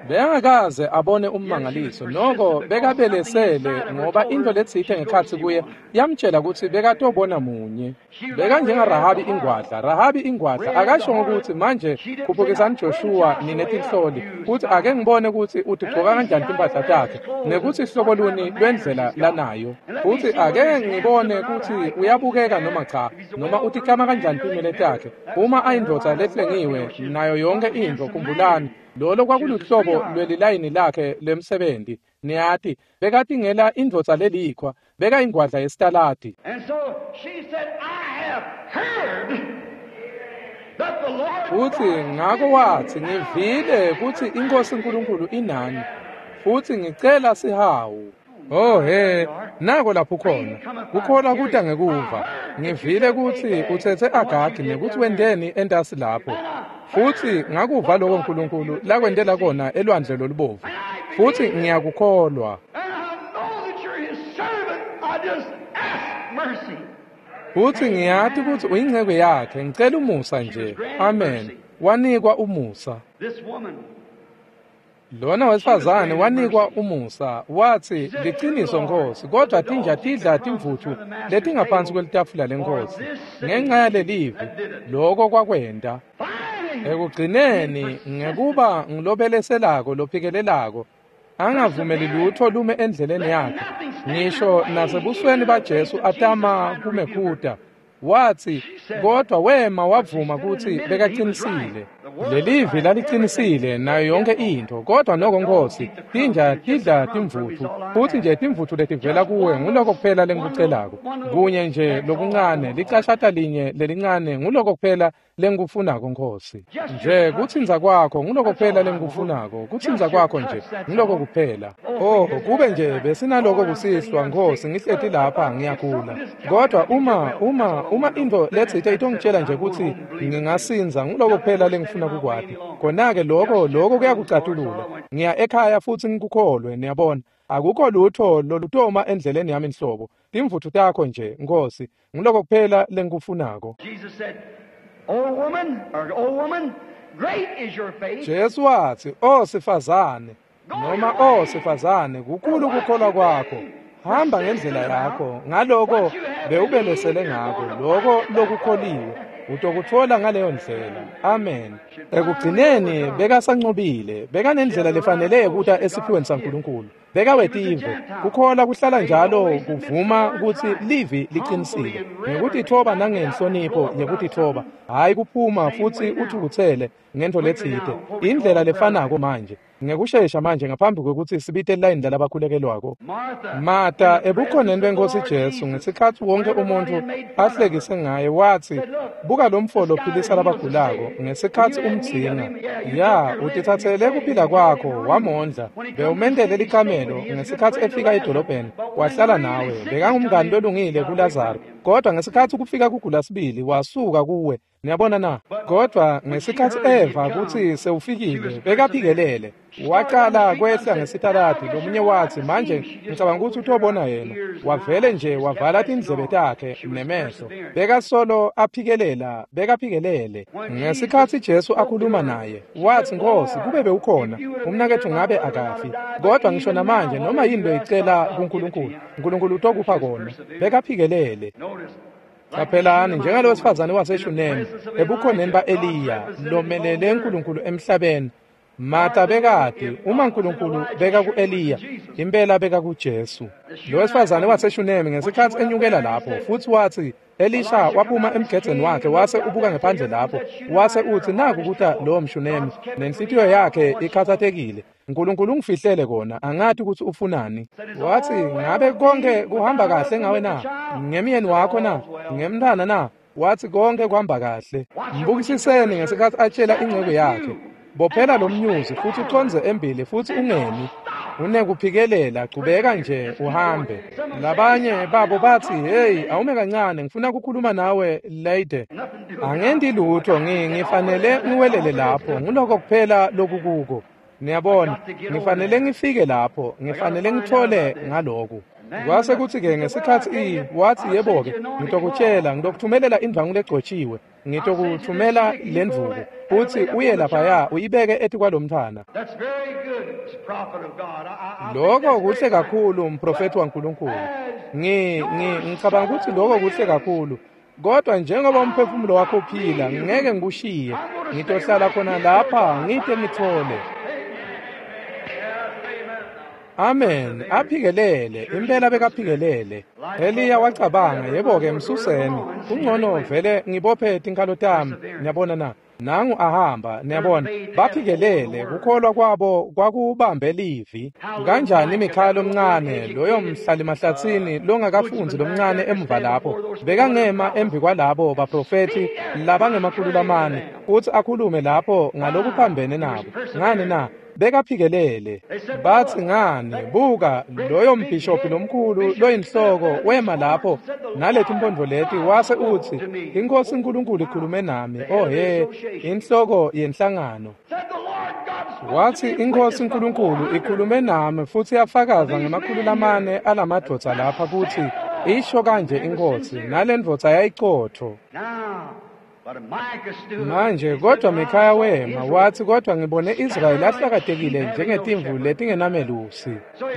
Bekangakaze abone ummangaliso. Noko bekabelesele ngoba intfo letsite ngekhatsi kuye yamtshela kutsi bekatobona munye. Bekanjenga Rahabi ingwadla. Rahabi ingwadla akasho ukuthi manje khuphukisani Joshua ninetinhloli kutsi ake ngibone kutsi utigcoka kanjani timphahla takhe nekutsi hlobo luni lwendlela lanayo. Futsi ake ngibone kutsi uyabukeka noma cha, noma utiklama kanjani tinwele takhe. Uma ayindvodza lehlengiwe nayo yonke intfo, khumbulani lolo kwakuluhlobo lwelilayini lakhe lemsebenti. Niyati, bekatingela indvodza lelikhwa, bekayingwadla yesitaladi. Futsi ngako watsi, ngivile kutsi iNkosi uNkulunkulu inani, futsi ngicela sihawu. Oh he, nako lapho khona. Kukholwa kuta ngekuva. Ngivile kutsi utsetse Agagi nekutsi wenteni entasi lapho. Futsi ngakuva lokho uNkulunkulu lakwentela kona elwandle lolubovu. Futsi ngiyakukholwa. Futsi ngiyati kutsi uyinceku yakhe, ngicela umusa nje. Amen. Wanikwa umusa. Lona wesifazane wanikwa umusa, watsi liciniso Nkosi, kodwa tinja tidla timvutfu letingaphansi kwelitafula lenkosi. Ngenxa yalelivi, lokho kwakwenta. Ekugcineni, ngekuba ngilobeleselako lophikelelako, angavumeli lutho lume endleleni yakhe, ngisho nasebusweni baJesu atama kumekhuta. Watsi, kodwa wema wavuma kutsi bekaqinisile. Lelivi laliqinisile nayo yonke intfo, kodwa noko Nkosi, tinja tidla timvutfu, futsi nje timvutfu letivela kuwe nguloko kuphela lengikucelako. Kunye nje lokuncane, licashata linye lelincane nguloko kuphela lengikufunako Nkosi. Nje kutsintsa kwakho nguloko kuphela lengikufunako, kutsintsa kwakho nje nguloko kuphela. Oh, kube nje besinaloko kusihlwa Nkosi, ngihleti lapha ngiyagula. Kodwa uma uma uma intfo letsite itongitshela nje kutsi ngingasindza nguloko kuphela lengifuna kukwati. Khona-ke lokho lokho kuyakucatulula. Ngiya ekhaya futsi ngikukholwe, niyabona. Akukho lutho lolutoma endleleni yami nhlobo. Timvutfu takho nje Nkosi, nguloko kuphela lengikufunako. Jesu watsi, "O sifazane, noma o sifazane, kukhulu kukholwa kwakho. Hamba ngendlela yakho, ngaloko bewubelesele ngako, loko lokukholiwe utokutfola ngaleyo ndlela." Amen. Ekugcineni bekasancobile, bekanendlela lefanele yekuta esiphiweni saNkulunkulu. Bekawetive, kukholwa kuhlala njalo kuvuma kutsi livi liqinisile, ngekutitfoba nangenhlonipho yekutitfoba, hhayi kuphuma futsi uthukutsele ngentfo letsite. Indlela lefanako manje, ngekushesha manje ngaphambi kwekutsi sibite lilayini lalabakhulekelwako. Martha ebukhoneni benkosi Jesu ngesikhatsi wonke umuntfu ahlekise ngaye, watsi, buka lo mfo lophilisa labagulako ngesikhatsi umdzinga. Ya, utitsatsele kuphila kwakho, wamondla, bewumentele likamelo ngesikhatsi efika edolobheni, wahlala nawe, bekangumngani lolungile kuLazaro. Kodwa ngesikhatsi kufika kugula sibili, wasuka kuwe. Niyabona na? Kodwa ngesikhatsi eva kutsi sewufikile, bekaphikelele. Waqala kwehla ngesitaladi, lomunye watsi, manje ngicabanga kutsi utobona yena. Wavele nje wavala tindlebe takhe nemehlo. Bekasolo aphikelela, bekaphikelele. Ngesikhatsi Jesu akhuluma naye, watsi, Nkosi, kube bewukhona, umnaketfu ngabe akafi. Kodwa ngisho namanje noma yini loyicela kuNkulunkulu, uNkulunkulu utokupha kona. Bekaphikelele. Qaphelani, njengalowesifazane waseShunemi ebukhoneni ba-Eliya lomelele uNkulunkulu emhlabeni, Martha bekati uma uNkulunkulu beka ku-Eliya, impela beka kuJesu. Lo wesifazane waseShunemi ngesikhatsi enyukela lapho futhi wathi Elisha waphuma emgedzeni wakhe wase ubuka ngephandle lapho wase uthi naku kuta lowo mShunemi nenhlitiyo yakhe ikhathatekile. uNkulunkulu ungifihlele kona, angathi ukuthi ufunani. Wathi ngabe konke kuhamba kahle ngawe na? Ngemyeni wakho na? Ngemntana na? Wathi konke kuhamba kahle. Mbukisiseni ngesikhatsi atshela inceku yakhe, bophela lo mnyuzi futhi uconze embili futhi ungemi. Unekuphikelela, chubeka nje uhambe. Labanye babo bathi, hey, awume kancane, ngifuna ukukhuluma nawe lady. Angendi lutho, ngifanele ngiwelele lapho, nguloko kuphela lokukuko. Niyabona, ngifanele ngifike lapho, ngifanele ngithole ngaloku. Kwase kuthi-ke ngesikhatsi i wathi yebo-ke, ngitokutshela, ngitokuthumelela indvangu legcotshiwe, ngitokuthumela lendvuku, futhi uye laphaya uyibeke etikwalomntfwana. Lokho kuhle kakhulu, mprofethi waNkulunkulu. Ngi ngi ngicabanga ukuthi lokho kuhle kakhulu. Kodwa njengoba umphefumulo wakho uphila, ngeke ngikushiye. Ngitohlala khona lapha ngite ngithole. Amen. Aphikelele, impela bekaphikelele. Eliya wacabanga, yebo-ke msuseni. Kungcono vele ngibophe tinkhalo tami. Niyabona na? Nangu ahamba, niyabona. Baphikelele, kukholwa kwabo kwakubambe livi. Kanjani Mikhaya lomncane, loyo mhlali mahlatsini longakafundzi lomncane emuva lapho, bekangema embi kwalabo baprofethi labangemakhulu lamane, futhi akhulume lapho ngalokuphambene nabo. Ngani na? Bekaphikelele. Bathi ngani, buka loyo mbhishophi lomkhulu loyinhloko wema lapho naleti mpondo leti wase uthi inkosi uNkulunkulu ikhulume nami. Oh he, inhloko yenhlangano. Wathi inkosi uNkulunkulu ikhulume nami futhi yafakaza ngemakhulu lamane alamadvodza lapha kuthi isho kanje inkosi, nalendvodza yayicotho. Manje kodwa Mikhaya wema wathi kodwa ngibone Israyeli ahlakatekile njengetimvu letingenamelusi.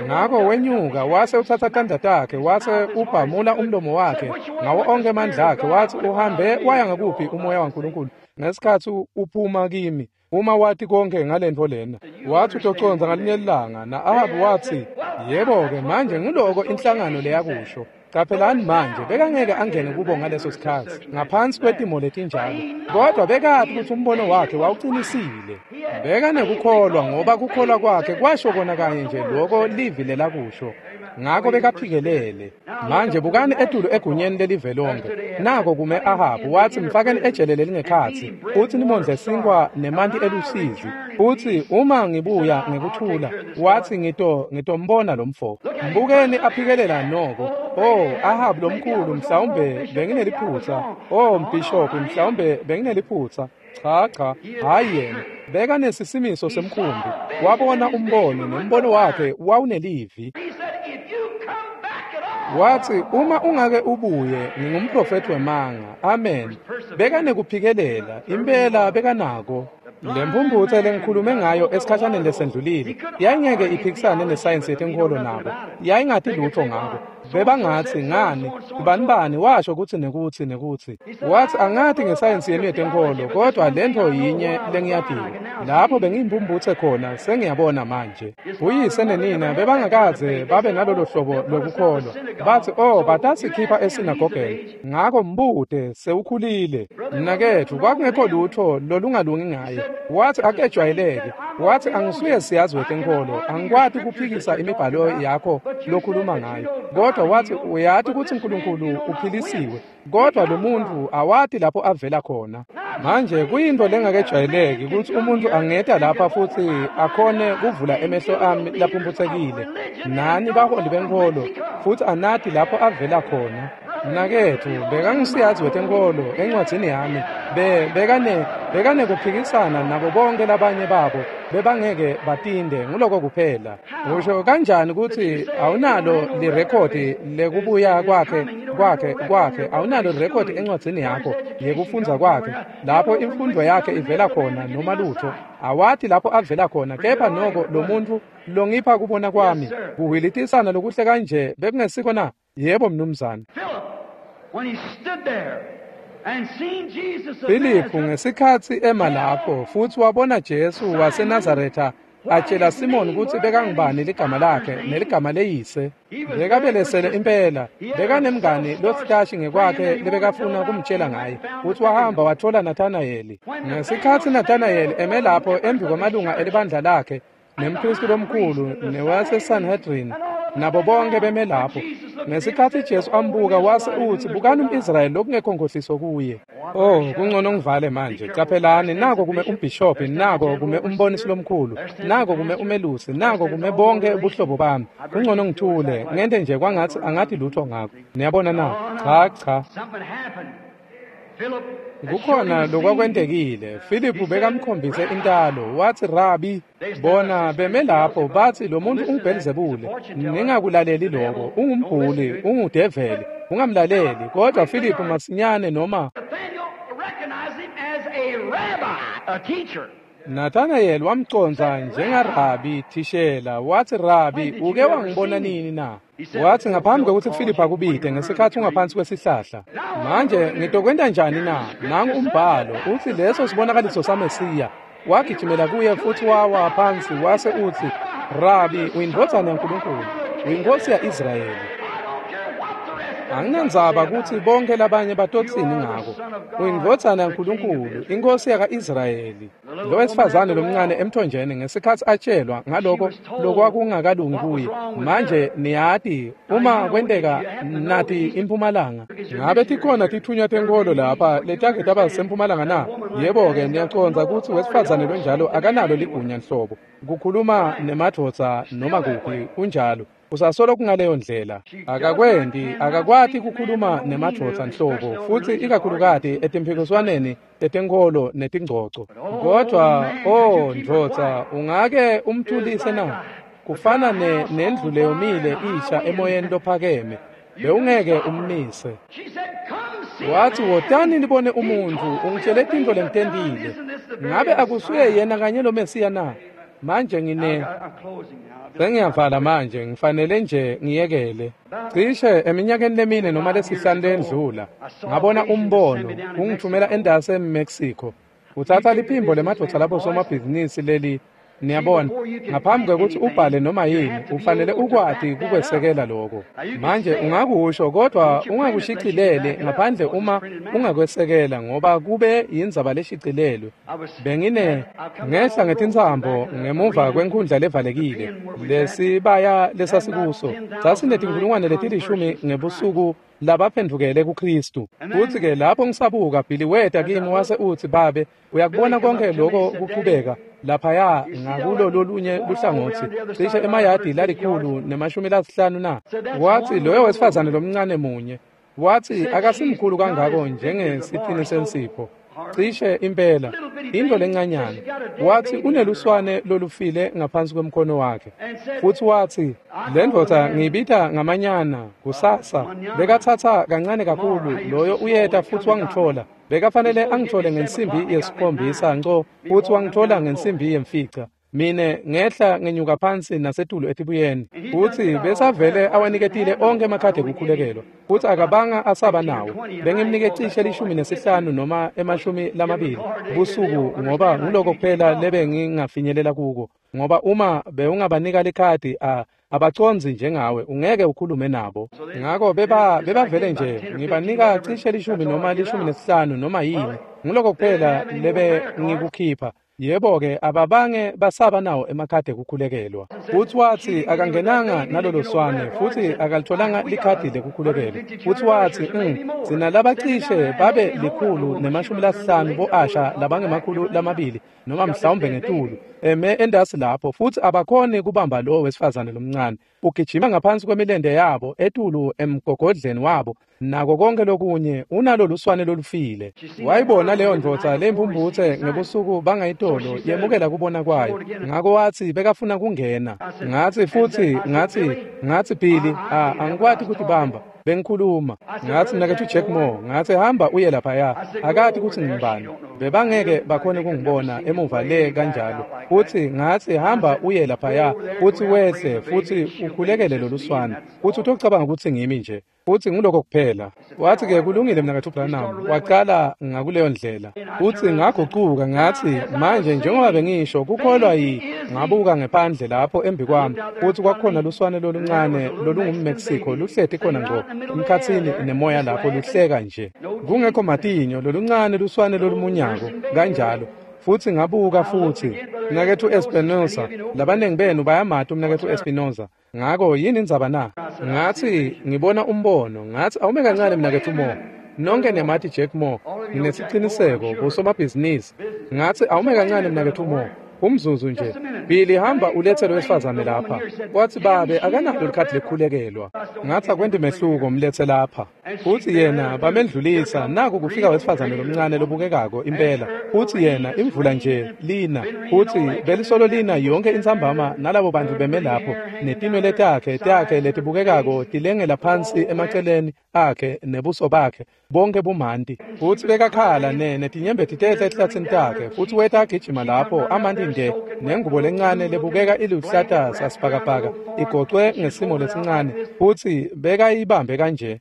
Ngakho wenyuka wase uthatha tandla takhe wase ubhamula umlomo wakhe ngawo onke amandla akhe wathi uhambe waya ngakuphi umoya waNkulunkulu ngesikhatsi uphuma kimi uma wathi konke ngalento lena. Wathi utoconza ngalinye ilanga na Ahabu wathi yebo-ke manje ngiloko inhlangano leyakusho. Qaphelani manje bekangeke angene kubo ngaleso sikhatsi ngaphansi kwetimo letinjalo, kodwa bekathi ukuthi umbono wakhe wawuqinisile. Bekanekukholwa ngoba kukholwa kwakhe kwasho kona kanye nje loko livi lelakusho. Ngakho bekaphikelele. Manje bukani etulu egunyeni lelive lonke. Nako kume Ahabu wathi mfakeni ejele lelingekhatsi futhi nimondle sinkwa nemanti elusizi. Futhi uma ngibuya ngekuthula wathi ngito ngitombona lo mfo. Mbukeni aphikelela noko. Oh, Ahabu lomkhulu mhlawumbe bengineliphutha. Oh, mbhishophi mhlawumbe bengineliphutha. Cha cha, hayi yena. Bekanesisimiso semkhumbi. Wabona umbono nembono wakhe wawunelivi. Wathi uma ungake ubuye ngingumprofethi wemanga. Amen. Bekanekuphikelela, impela bekanako. Lempumputhe lengikhulume ngayo esikhashaneni lesendlulile yayingeke iphikisane nesayensi yetenkolo nabo. Yayingati lutho ngako. Bebangathi ngani bani bani washo ukuthi nekuthi nekuthi. Wathi angathi ngesayensi yenu yetenkolo kodwa lento yinye lengiyadinga. Lapho bengiyimpumputhe khona sengiyabona manje. Uyise nenina bebangakaze babe nalolo hlobo lokukholwa. Bathi oh batasikhipha esinagogeni. Ngakho mbude sewukhulile. Mnakethu kwakungekho lutho lolungalungi ngaye. Wathi akejwayeleke. Wathi angisuye siyazi wetenkolo, angikwati ukuphikisa imibhalo yakho lokhuluma ngayo. Kodwa wathi uyathi ukuthi uNkulunkulu uphilisiwe, kodwa lo muntu awati lapho avela khona. Manje kuyinto lengakejwayeleki ukuthi umuntu angeta lapha futhi akhone kuvula emehlo ami laphumputhekile. Nani baholi benkolo futhi anati lapho avela khona. Mnakethu bekangisiyazi wetenkolo encwadzini yami be bekane bekane kuphikisana nabo bonke labanye babo bebangeke batinde nguloko kuphela. Usho kanjani ukuthi awunalo lirekhodi lekubuya kwakhe kwakhe kwakhe awunalo lirekhodi encwadzini yakho yekufundza kwakhe lapho imfundo yakhe ivela khona noma lutho awathi lapho avela khona, kepha noko lo muntu longipha kubona kwami kuhilitisana lokuhle kanje bekungesiko na? Yebo mnumzane. When he stood there Filiphu ngesikhatsi ema lapho futsi wabona Jesu waseNazaretha atshela Simoni kutsi bekangubani ligama lakhe neligama leyise. Bekabelesele impela, bekanemngani lositashi ngekwakhe lebekafuna kumtshela ngaye, futsi wahamba wathola Nathanayeli. Ngesikhatsi Nathanayeli eme lapho embi kwamalunga elibandla lakhe nemphristi lomkhulu newaseSanhedrin nabo bonke beme lapho, ngesikhatsi Jesu ambuka wase utsi, bukani um-Israyeli lokungekho nkhohliso kuye. Oh, kungcono ngivale manje. Caphelani, nako kume umbhishobhi, nako kume umbonisi lomkhulu, nako kume umelusi, nako kume bonke ubuhlobo bami. Kungcono ngithule, ngente nje kwangatsi angathi lutho ngako. Niyabona na? Cha, cha. Kukhona lokwakwentekile. Filiphu bekamkhombise intalo, watsi, Rabi, bona beme lapho batsi lo muntu unguBhelzebule, ningakulaleli lokho, ungumbhuli, ungudeveli, ungamlaleli. Kodwa Filiphu masinyane noma Nathanayeli wamcondza njengarabi thishela, watsi, Rabi, uke wangibona nini na? Watsi, ngaphambi kwekutsi Filiphu akubite ngesikhatsi ungaphansi kwesihlahla. Manje ngitokwenta njani na? Nangu umbhalo utsi leso sibonakaliso saMesiya. Wagijimela kuye futsi wawa phansi wase utsi, Rabi, uyindvodzana yaNkulunkulu, uyinkosi ya-Israyeli. Anginandzaba kutsi bonke labanye batotsini ngako. Uyindvodzana yaNkulunkulu, inkosi yaka-Israyeli. Lo wesifazane lomncane emthonjeni ngesikhatsi atshelwa ngaloko lokwakungakalungi kuye. Manje niyati uma kwenteka nati impumalanga. Ngabe tikhona tithunywa tenkholo lapha letake taba sempumalanga na? Yebo-ke, niyacondza kutsi wesifazane lonjalo akanalo ligunya nhlobo. Kukhuluma nemadvodza noma kuphi kunjalo. Usasolo kungaleyo ndlela. Akakwenti, akakwati kukhuluma nemadvodza nhlobo, futsi ikakhulukati etimphikiswaneni tetenkholo netingcoco. Kodwa, oh ndvodza, ungake umthulise na? Kufana ne nendlu leyomile isha emoyeni lophakeme, bewungeke ummise. Watsi, wotani nibone umuntfu, ungitshele tintfo lengitentile. Ngabe akusuye yena kanye lo Mesiya na? Manje ngine sengiyavala manje, ngifanele nje ngiyekele. Cishe eminyakeni lemine noma lesihlanu lendlula, ngabona umbono ungithumela endase eMexico. Utsatsa liphimbo lemadvodza labo somabhizinisi leli, niyabona, ngaphambi kwekutsi ubhale noma yini, ufanele ukwati kukwesekela lokho. Manje ungakusho kodwa ungakushicileli ngaphandle uma ungakwesekela, ngoba kube yindzaba leshicilelwe. Bengine ngehla ngetintsambo ngemuva kwenkhundla levalekile lesibaya lesasikuso sasinetinkhulungwane letilishumi ngebusuku labaphendvukele kuKristu. Futsi-ke lapho ngisabuka, Billy weta kimi wase utsi, babe, uyakubona konke lokho kuqhubeka laphaya ngakulo lolunye luhlangotsi cishe emayadi lalikhulu nemashumi lasihlanu na? Watsi, loyo wesifazane lomncane munye, watsi akasimkhulu kangako njengesitini sensipho, cishe impela into lencanyana. Watsi uneluswane lolufile ngaphansi kwemkhono wakhe. Futsi watsi, le ndvodza ngiyibita ngamanyana kusasa, bekatsatsa kancane kakhulu, loyo uyeta futsi wangitfola. Bekafanele angithole ngensimbi yesikhombisa nco, futsi wangitfola ngensimbi yemfica. Mine ngehla ngenyuka phansi nasetulu etibuyeni. Futsi besavele awaniketile onkhe emakhadi ekukhulekelwa, futsi akabanga asaba nawo. Bengimnike cishe lishumi nesihlanu noma emashumi lamabili busuku, ngoba nguloko kuphela lebengingafinyelela kuko, ngoba uma bewungabanika likhadi a abacondzi njengawe, ungeke ukhulume nabo. Ngako beba bebavele nje ngibanika cishe lishumi noma lishumi nesihlanu noma yini, nguloko kuphela lebe ngikukhipha. Yebo-ke, ababange basaba nawo emakhadi ekukhulekelwa. Futsi watsi akangenanga nalolo swane, futsi akalitholanga likhadi lekukhulekelwa. Futsi watsi, mm, sina labacishe babe likhulu nemashumi lasihlanu bo-asha labangemakhulu lamabili noma mhlawumbe ngetulu eme endasi lapho, futsi abakhoni kubamba lowo wesifazane lomncane. Ugijima ngaphansi kwemilente yabo etulu emgogodleni wabo nako konke lokunye, unalolu swane lolufile. Wayibona leyo ndvodza leyimphumphutse ngebusuku bangayitolo yemukela kubona kwayo. Ngako watsi bekafuna kungena. Ngatsi futsi ngatsi ngatsi Billy, a angikwati kutibamba. Bengikhuluma ngathi mnaketfu Jack Moore, ngathi hamba uye laphaya, akati kutsi ngibani, bebangeke bakhone kungibona emuva le kanjalo. Futhi ngathi hamba uye laphaya futhi wehle futhi ukhulekele loluswane, futhi utocabanga kutsi ngimi nje, futhi nguloko kuphela. Wathi ke kulungile mnaketfu Branham, waqala ngakuleyo ndlela. Futhi ngagucuka ngathi manje njengoba bengisho kukholwa yi, ngabuka ngephandle lapho embi kwami, futhi kwakhona luswane loluncane lolungumMexico luhleti khona ngqo emkhatsini nemoya lapho luhleka nje, kungekho matinyo, loluncane luswane lolumunyako kanjalo. Futhi ngabuka futhi mnaketfu Espinosa, labanengi benu bayamati umnaketfu Espinosa. Ngako yini indzaba na? Ngathi ngibona umbono, ngathi awume kancane mnaketfu Moore, nonke niyamati Jack Moore, nginesiciniseko kusomabhizinisi. Ngathi awume kancane mnaketfu Moore, umzuzu nje, Billy hamba ulethe lo wesifazane lapha. Wathi babe akanalo likhadi lekukhulekelwa. Ngathi akwenti mehluko, mlethe lapha. Futhi yena bamendlulisa, naku kufika wesifazane lomncane lobukekako impela. Futhi yena imvula nje lina, futhi belisolo lina yonke intsambama, nalabo bantu beme lapho netinwele takhe takhe letibukekako tilengela phansi emaceleni akhe nebuso bakhe bonke bumanti. Futhi bekakhala ne netinyembeti tehla ehlatsini takhe, futhi weta agijima lapho amanti nje nengubo lencane lebukeka iluhlata sasibhakabhaka igocwe ngesimo lesincane, futhi bekayibambe kanje.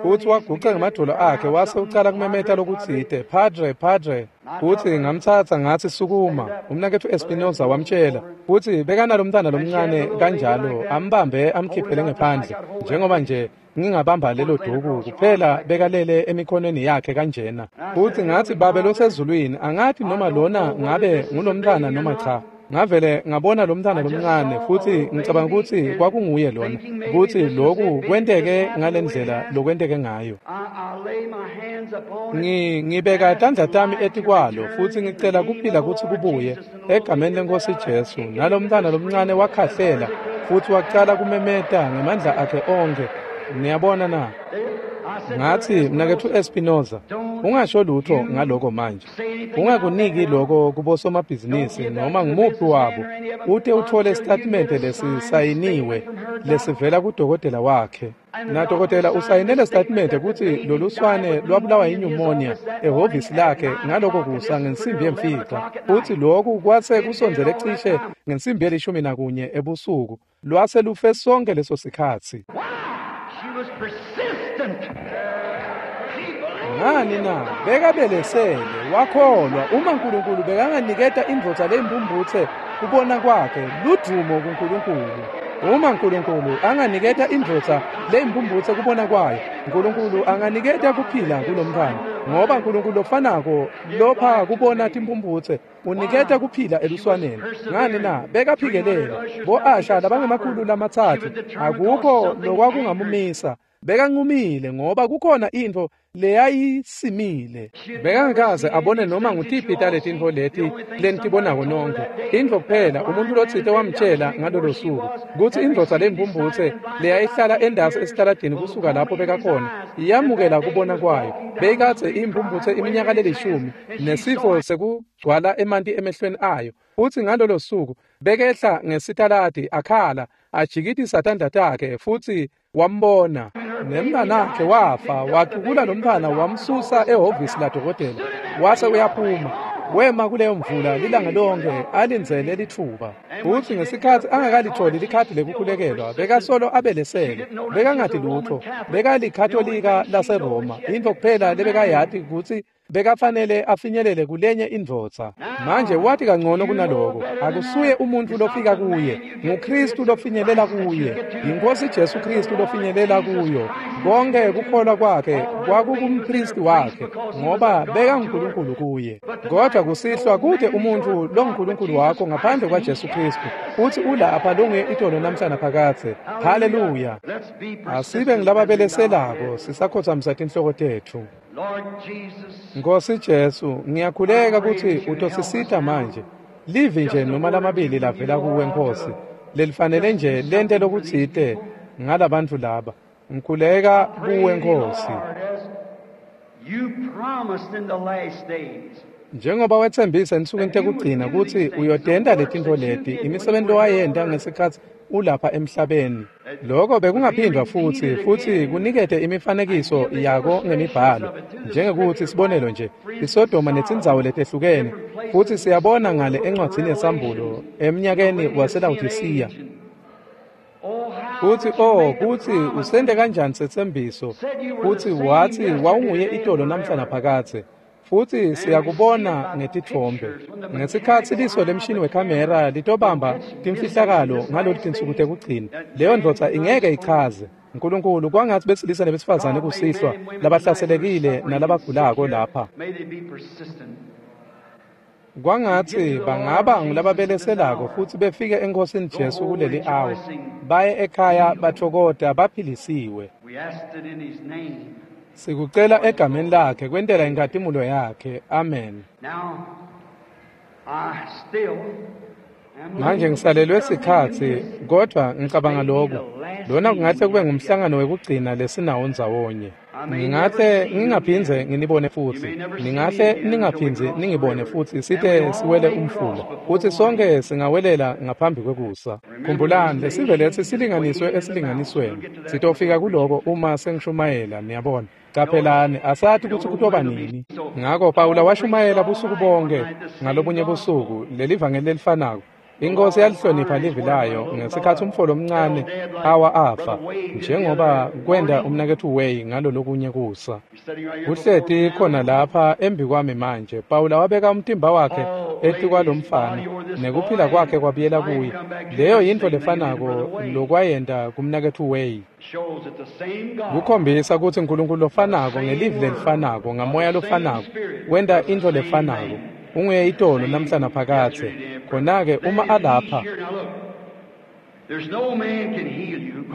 Futhi waguca ngemadolo akhe wase ucala kumemeta lokutsite, Padre, Padre. Futhi ngamthatha ngathi sukuma. Umnaketfu Espinosa wamtshela, futhi bekanalo mntana lomncane kanjalo, ambambe amkhiphele ngephandle njengoba nje ngingabamba lelo duku kuphela, bekalele emikhonweni yakhe kanjena. Futhi ngathi babe losezulwini, angathi noma lona ngabe ngulomntana noma cha. Ngavele ngabona lo mntana lomncane, futhi ngicabanga ukuthi kwakunguye lona, ukuthi lokhu kwenteke ngalendlela lokwenteke ngayo. Ngi ngibeka tandla tami etikwalo futhi ngicela kuphila kutsi kubuye egameni leNkosi Jesu. Nalo mntana lomncane wakhahlela futhi waqala kumemeta ngemandla akhe onke. Niyabona na? Ngathi mnaketfu Espinosa, ungasho lutho ngaloko manje, ungakuniki lokho kubosomabhizinisi noma ngumuphi wabo, ute uthole isitatimende lesisayiniwe lesivela kudokotela wakhe. Nadokotela usayinele sitatimende kutsi loluswane lwabulawa yinyumonia ehhovisi lakhe ngaloko kusa ngensimbi yemfica, futhi lokhu kwase kusondzele cishe ngensimbi yelishumi nakunye ebusuku, lwase lufe sonke leso sikhatsi. Ngani na? Bekabelesele, wakholwa. Uma uNkulunkulu bekanganiketa indvodza leyimpumputse kubona kwakhe, ludumo kuNkulunkulu. Uma uNkulunkulu anganiketa indvodza leyimpumputse kubona kwayo, uNkulunkulu anganiketa kuphila kulomntwana, ngoba uNkulunkulu lofanako lopha kubona timpumputse uniketa kuphila eluswaneni. Ngani na? Bekaphikelele. Bo-Asha labangemakhulu lamatsatfu akukho lokwakungamumisa. Bekanqumile ngoba kukhona intfo leyayisimile. Bekangakaze abone noma ngutiphi taletintfo leti lenitibonako nonke. Intfo kuphela umuntu lotsite wamtshela ngalolo suku kutsi indvodza lempumputse leyayihlala endasi esitaladini kusuka lapho bekakhona iyamukela kubona kwayo. Beyikadze impumputse iminyaka lelishumi nesifo sekugcwala emanti emehlweni ayo. Futsi ngalolo suku bekehla ngesitaladi akhala ajikitisa tandla takhe, futhi wambona. Nemntanakhe wafa, wacukula lo mntwana wamsusa ehhovisi ladokotela, wase uyaphuma. Wema kuleyo mvula lilanga lonke alindzele litfuba. Futsi ngesikhatsi angakalitholi likhadi lekukhulekelwa, bekasolo abelesele, bekangati lutho, bekalikhatolika laseRoma. Intfo kuphela lebekayati kutsi bekafanele afinyelele kulenye indvodza. Manje wati kangcono kunaloko, akusuye umuntfu lofika kuye, nguKristu lofinyelela kuye, yiNkosi Jesu Kristu lofinyelela kuyo. Konke kukholwa kwakhe kwakukumpristi wakhe, ngoba bekanguNkulunkulu kuye. Kodwa kusihlwa kute umuntfu longuNkulunkulu wakho ngaphandle kwaJesu Kristu, futhi ulapha longuye itolo namhlanje phakadze. Haleluya! Asibe ngilababeleselako sisakhothamisa tinhloko tetfu. Nkosi Jesu, ngiyakhuleka kutsi utosisita manje. Livi nje noma lamabili lavela kuwe Nkosi, lelifanele nje lente lokutsite ngalabantfu laba. Ngikhuleka kuwe Nkosi. Njengoba wetsembisa ensukwini tekugcina kutsi uyotenta letintfo leti, imisebenti lowayenta ngesikhatsi ulapha emhlabeni. Lokho bekungaphindwa futhi futhi kunikete imifanekiso yako ngemibhalo, njengekuthi sibonelo nje iSodoma netindzawo letehlukene, futhi siyabona ngale encwadzini yeSambulo eminyakeni waseLawodisiya kuthi oh kuthi usente kanjani setsembiso, kuthi wathi wawunguye itolo namhla naphakadze. Futhi siyakubona ngetithombe ngesikhatsi liso lemshini wekhamera litobamba timfihlakalo ngalolu tinsuku tekugcina. Leyo ndvodza ingeke ichaze. Nkulunkulu, kwangatsi besilisa nebesifazane kusihlwa labahlaselekile nalabagulako lapha, kwangatsi bangaba ngulababeleselako futhi befike eNkhosini Jesu kuleli awa, baye ekhaya bathokota baphilisiwe. Sikucela egameni lakhe kwentela inkhatimulo yakhe. Amen. Manje ngisalelwe sikhatsi, kodwa ngicabanga lokhu lona kungahle kube ngumhlangano wekugcina lesinawo ndzawonye. Ngingahle ngingaphindze nginibone futhi, ningahle ningaphindzi ningibone futhi site siwele umfula, futhi sonke singawelela ngaphambi kwekusa. Khumbulani, lesive lesi silinganiswe esilinganisweni. Sitofika kuloko uma sengishumayela, niyabona. Qaphelani, asathi kutsi kutoba nini. Ngako Pawula washumayela busuku bonke ngalobunye busuku lelivangeli lelifanako. Inkosi yalihlonipha livi layo ngesikhatsi umfo lomncane awa afa, njengoba kwenda umnaketfu Way ngalo lokunye kusa. Uhleti khona lapha embi kwami manje. Pawula wabeka umtimba wakhe etikwalomfana nekuphila kwakhe kwabuyela kuye. Leyo yintfo lefanako lokwayenta kumnaketfu Way. Kukhombisa kutsi Nkulunkulu lofanako ngelivi lelifanako ngamoya lofanako wenta intfo lefanako. Unguye itolo namhla naphakadze. Khona-ke uma alapha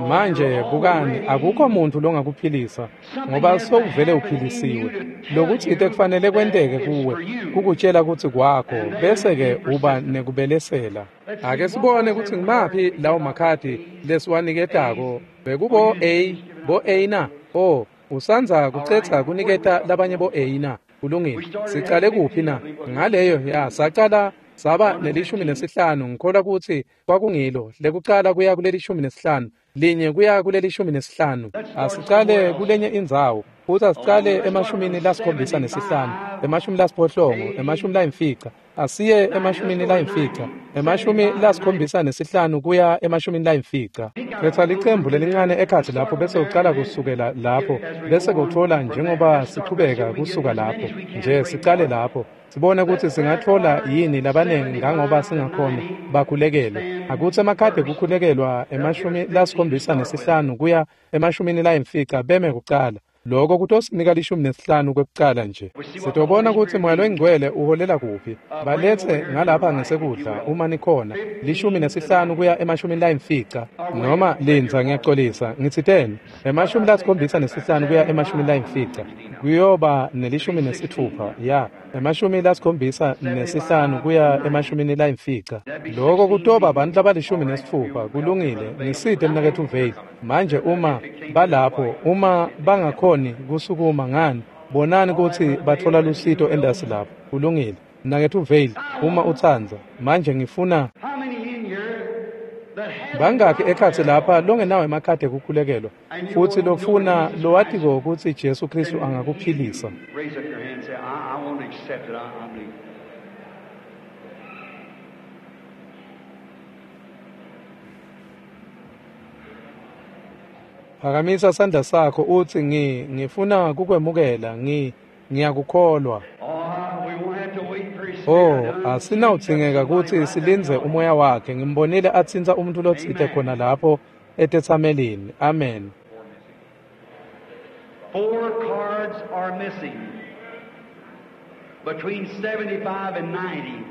manje, bukani, akukho muntu longakuphilisa ngoba sowuvele uphilisiwe. Lokutsite kufanele kwenteke kuwe kukutshela kutsi kwakho, bese-ke uba nekubelesela. Ake sibone kutsi ngimaphi lawo makhadi lesiwaniketako. Bekubo A, bo A na? O, usandza kucetsa kuniketa labanye bo A na? Kulungile. Sicale kuphi na? Ngaleyo ya sacala saba nelishumi nesihlanu. Ngikholwa kutsi kwakungilo lekucala kuya kulelishumi nesihlanu, linye kuya kulelishumi nesihlanu. Asicale kulenye indzawo futhi asicale emashumini lasikhombisa nesihlanu, emashumi lasiphohlongo, emashumi layimfica. Asiye emashumini layimfica, emashumi lasikhombisa nesihlanu kuya emashumini layimfica. Khetha licembu lelincane ekhatsi lapho bese ucala kusukela lapho, bese kuthola njengoba sichubeka kusuka lapho. Nje sicale lapho sibone ukuthi singathola yini labanengi ngangoba singakhona bakhulekele. Akutsi emakhadi kukhulekelwa emashumi lasikhombisa nesihlanu kuya emashumini layimfica beme kucala. Lokho kutosinika lishumi nesihlanu kwekucala nje. Sitobona kutsi Moya loyiNgcwele uholela kuphi. Balethe ngalapha ngesekudla uma nikhona, lishumi nesihlanu kuya emashumini layimfica, noma lindza ngiyaxolisa ngitsiteni emashumi lasikhombisa nesihlanu kuya emashumini layimfica, kuyoba nelishumi nesitfupha ya emashumi lasikhombisa nesihlanu kuya emashumini layimfica. Lokho kutoba abantu labalishumi nesitfupha. Kulungile, ngisite mnaketfu Vale. Manje uma balapho, uma bangakhoni kusukuma ngani, bonani kutsi bathola lusito endasi lapho. Kulungile, mnaketfu Vale, uma utsandza. Manje ngifuna bangakhi ekhatsi lapha longenawo emakhadi ekukhulekelwa futhi lofuna lowatiko kutsi Jesu Kristu angakuphilisa? Phakamisa sandla sakho utsi ngi ngifuna kukwemukela, ngi ngiyakukholwa. Oh, asinawudzingeka kutsi silindze umoya wakhe. Ngimbonile atsintsa umuntu lotsite khona lapho etetsamelini. Amen. Four cards are missing between seventy-five and ninety.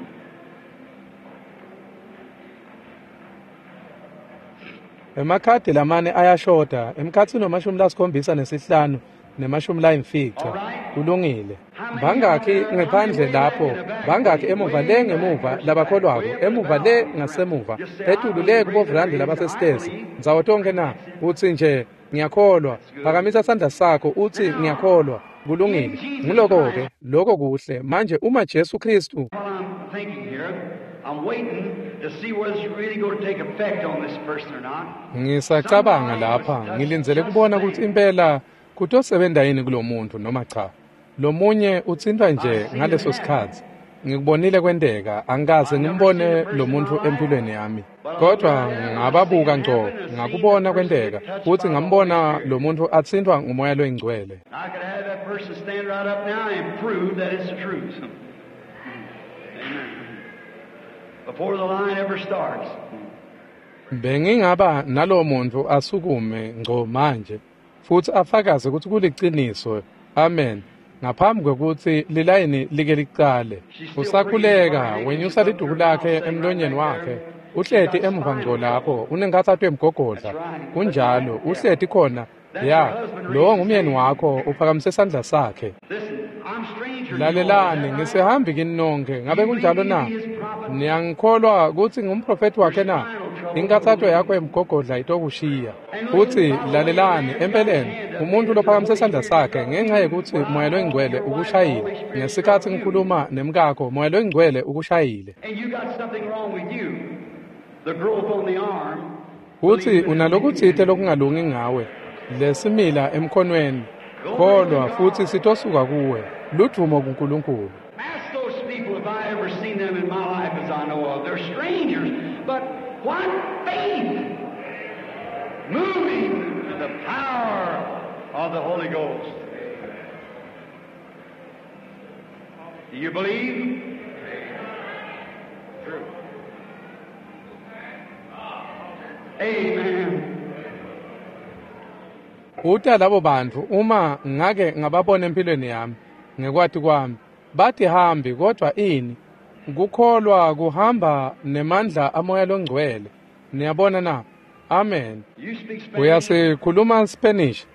Emakhadi lamane ayashoda emkhatsini wemashumi lasikhombisa nesihlanu nemashumi layimfica. Kulungile. Bangakhi ngephandle lapho, bangakhi emuva le ngemuva labakholwako, emuva le ngasemuva, etulu le kubovrandi labasesitezi, ndzawo tonke na? Utsi nje ngiyakholwa. Phakamisa sandla sakho utsi ngiyakholwa. Kulungile. Nguloko-ke, loko kuhle. Manje uma Jesu Kristu thinking here, I'm waiting to see whether it's really going to take effect on this person or not. Ngisacabanga lapha ngilindzele kubona kutsi impela kutosebenta yini kulomuntu noma cha. Lomunye utsintfwa nje ngaleso sikhatsi. Ngikubonile kwenteka, angikaze ngimbone lo muntu empilweni yami. Kodwa ngababuka ngco, ngakubona kwenteka, futsi ngambona lo muntu atsintfwa ngumoya loyingcwele. I could have that person stand right up now and prove that it's the truth. Amen. Before the line ever starts. Bengingaba nalowo muntu asukume ngco manje futsi afakaze kutsi kuliciniso. Amen. Ngaphambi kwekutsi lilayini like licale. Usakhuleka, wenyusa liduku lakhe emlonyeni wakhe. Uhleti emuva ngco lapho, unenkhatsato yemgogodla. Kunjalo, uhleti khona. Ya, lowo ngumyeni wakho, uphakamise sandla sakhe. Listen, I'm stranger to you all. Lalelani, ngisehambi kini nonke, ngabe kunjalo na? Niyangikholwa kutsi ngumprofethi wakhe na? Inkathato yakho yemgogodla itokushiya. Futsi lalelani, empeleni, umuntu lophakamise sandla sakhe ngenxa yekutsi moya loyingcwele ukushayile. Ngesikhatsi ngikhuluma nemkakho, moya loyingcwele ukushayile. And you got something wrong with you. The growth on the arm. Futsi unalokutsite lokungalungi ngawe, lesimila emkhonweni. Kholwa futsi sitosuka kuwe. Ludvumo kuNkulunkulu. Ask those people if I ever seen them in my life as I know of. They're strangers, but what faith! Moving in the power of the Holy Ghost. Do you believe? True. Amen. Uta labo bantfu uma ngake ngababona empilweni yami ngekwati kwami bathi hambi kodwa ini kukholwa kuhamba nemandla amoya longcwele. Niyabona na? Amen. You speak Spanish? Uyasikhuluma Spanish?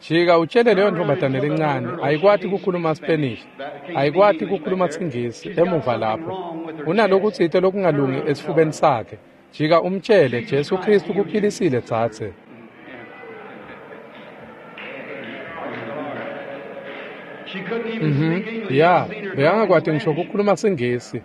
Jika utshele leyo ntombazane lencane ayikwati kukhuluma Spanish, ayikwati kukhuluma Singisi emuva lapho. Unalokutsite lokungalungi esifubeni sakhe. Jika umtshele Jesu Kristu kuphilisile dzadze. She couldn't even Mhm. speak English. Ya, I've seen her bekangakwati talk in ngisho Spanish. kukhuluma Singisi.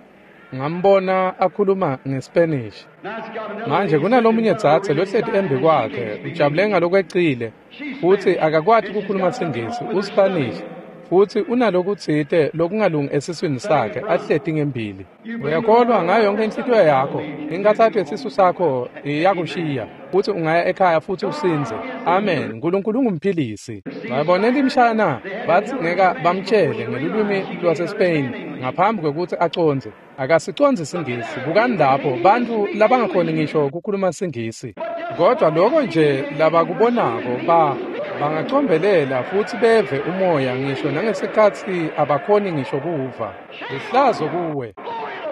Ngambona akhuluma ngeSpanish. Now it's got another Manje lady kunalomunye sitting in front dzadze of her lohleti really embi excited. kwakhe, She can't speak ujabule English. ngalokwecile futsi akakwati kukhuluma Singisi, uSpanish. Futsi unalokutsite lokungalungi esiswini sakhe, ahleti ngembili. Uyakholwa ngayo yonke inhlitiyo yakho, inkathato yesisu sakho iyakushiya, futsi ungaya ekhaya futsi usindze. Amen. Nkulunkulu ungumphilisi. Babonela imshana, batsi ngeka bamtshele ngelulwimi lwaseSpain ngaphambi kwekutsi acondze. Akasicondzi Singisi. Bukani lapho bantfu labangakhoni ngisho kukhuluma Singisi. Kodwa lokho nje labakubonako ba bangacombelela futsi beve umoya ngisho nangesikhatsi abakhoni ngisho kuva. Lihlazo kuwe. Glory to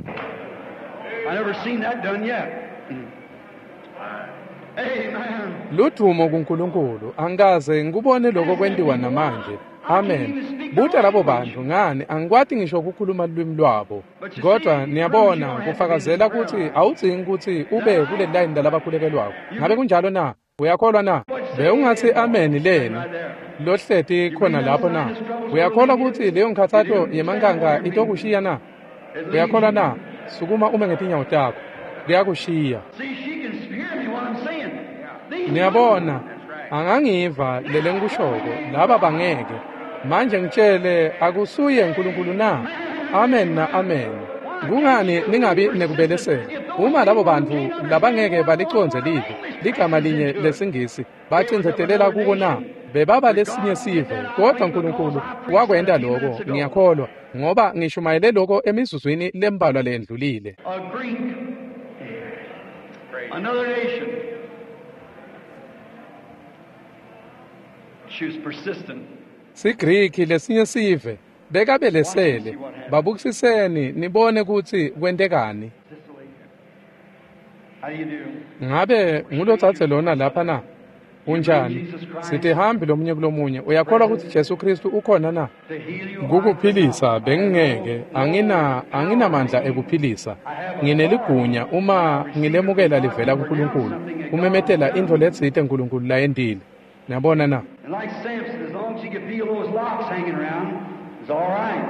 God! I never seen that done yet. Amen. Ludvumo kuNkulunkulu, angikaze ngikubone lokho kwentiwa namanje. Amen. Buta labo bantfu ngani angikwati ngisho kukhuluma lulwimi lwabo. Kodwa niyabona kufakazela kutsi awudzingi kutsi ube kule line lalabakhulekelwako. Ngabe kunjalo na? Uyakholwa na? Bewungatsi amen leni lohleti khona lapho na? Uyakholwa kutsi leyo nkhatsato yemankanka itokushiya na? Uyakholwa na? Sukuma ume ngetinyawo takho. Kuyakushiya. See, she can hear me what I'm saying. These Niyabona, angangiva lele ngikushoko, laba bangeke. Manje ngitshele akusuye uNkulunkulu na? Amen na amen. Kungani ningabi nekubelesela? Uma labo bantfu labangeke balicondze livi, ligama linye lesingisi, bacindzetelela kuko na? Bebaba lesinye sive, kodwa uNkulunkulu wakwenta lokho, ngiyakholwa, ngoba ngishumayele lokho emizuzwini lembalwa lendlulile. A Greek, another nation. She was persistent. SiGriki lesinye sive bekabelesele. Babukisiseni nibone kutsi kwentekani. This lady. How do you do? Ngabe ngulotsatse lona lapha na? Unjani? Sitihambi lomunye kulomunye. Uyakholwa kutsi Jesu Kristu ukhona na? To heal you. Kukuphilisa bengingeke, angina anginamandla ekuphilisa. Ngineligunya uma ngilemukela livela kuNkulunkulu. Kumemetela intfo letsite uNkulunkulu layentile. Niyabona na? And like Samson, as long as he could feel those locks hanging around, it's all right.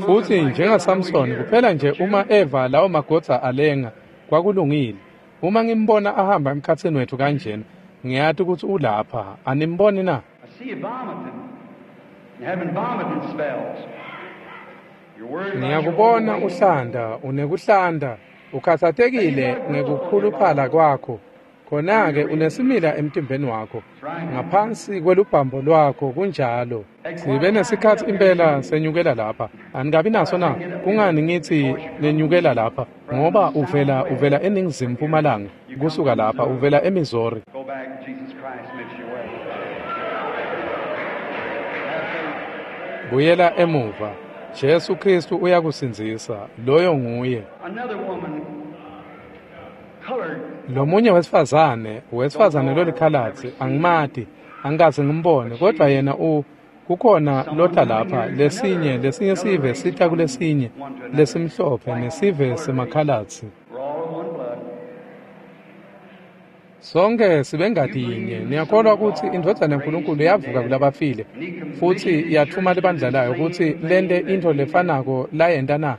Futhi njengaSamson kuphela nje uma eva lawo magodza alenga kwakulungile. Uma ngimbona ahamba emkhatsini wethu kanjena, ngiyati ukuthi ulapha. Animboni na? Ngiyakubona uhlanda, unekuhlanda, ukhathatekile ngekukhuluphala kwakho. Khona-ke unesimila emtimbeni wakho, ngaphansi kwelubhambo lwakho kunjalo. Sibe nesikhatsi impela senyukela lapha. Anikabi naso na? Kungani ngithi nenyukela lapha? Ngoba uvela uvela eNingizimu Mpumalanga, kusuka lapha uvela eMissouri. Buyela emuva. Jesu Kristu uyakusindzisa, loyo nguye. Lomunye wesifazane, wesifazane lolikhalatsi, angimati, angikaze ngimbone, kodwa yena u kukhona lotha lapha, lesinye, lesinye sive sita kulesinye, lesimhlophe nesive semakhalatsi. Sonke sibengati yinye. Niyakholwa kutsi indvodzana yaNkulunkulu yavuka kulabafile futsi yathuma libandla layo kutsi lente intfo lefanako layenta na?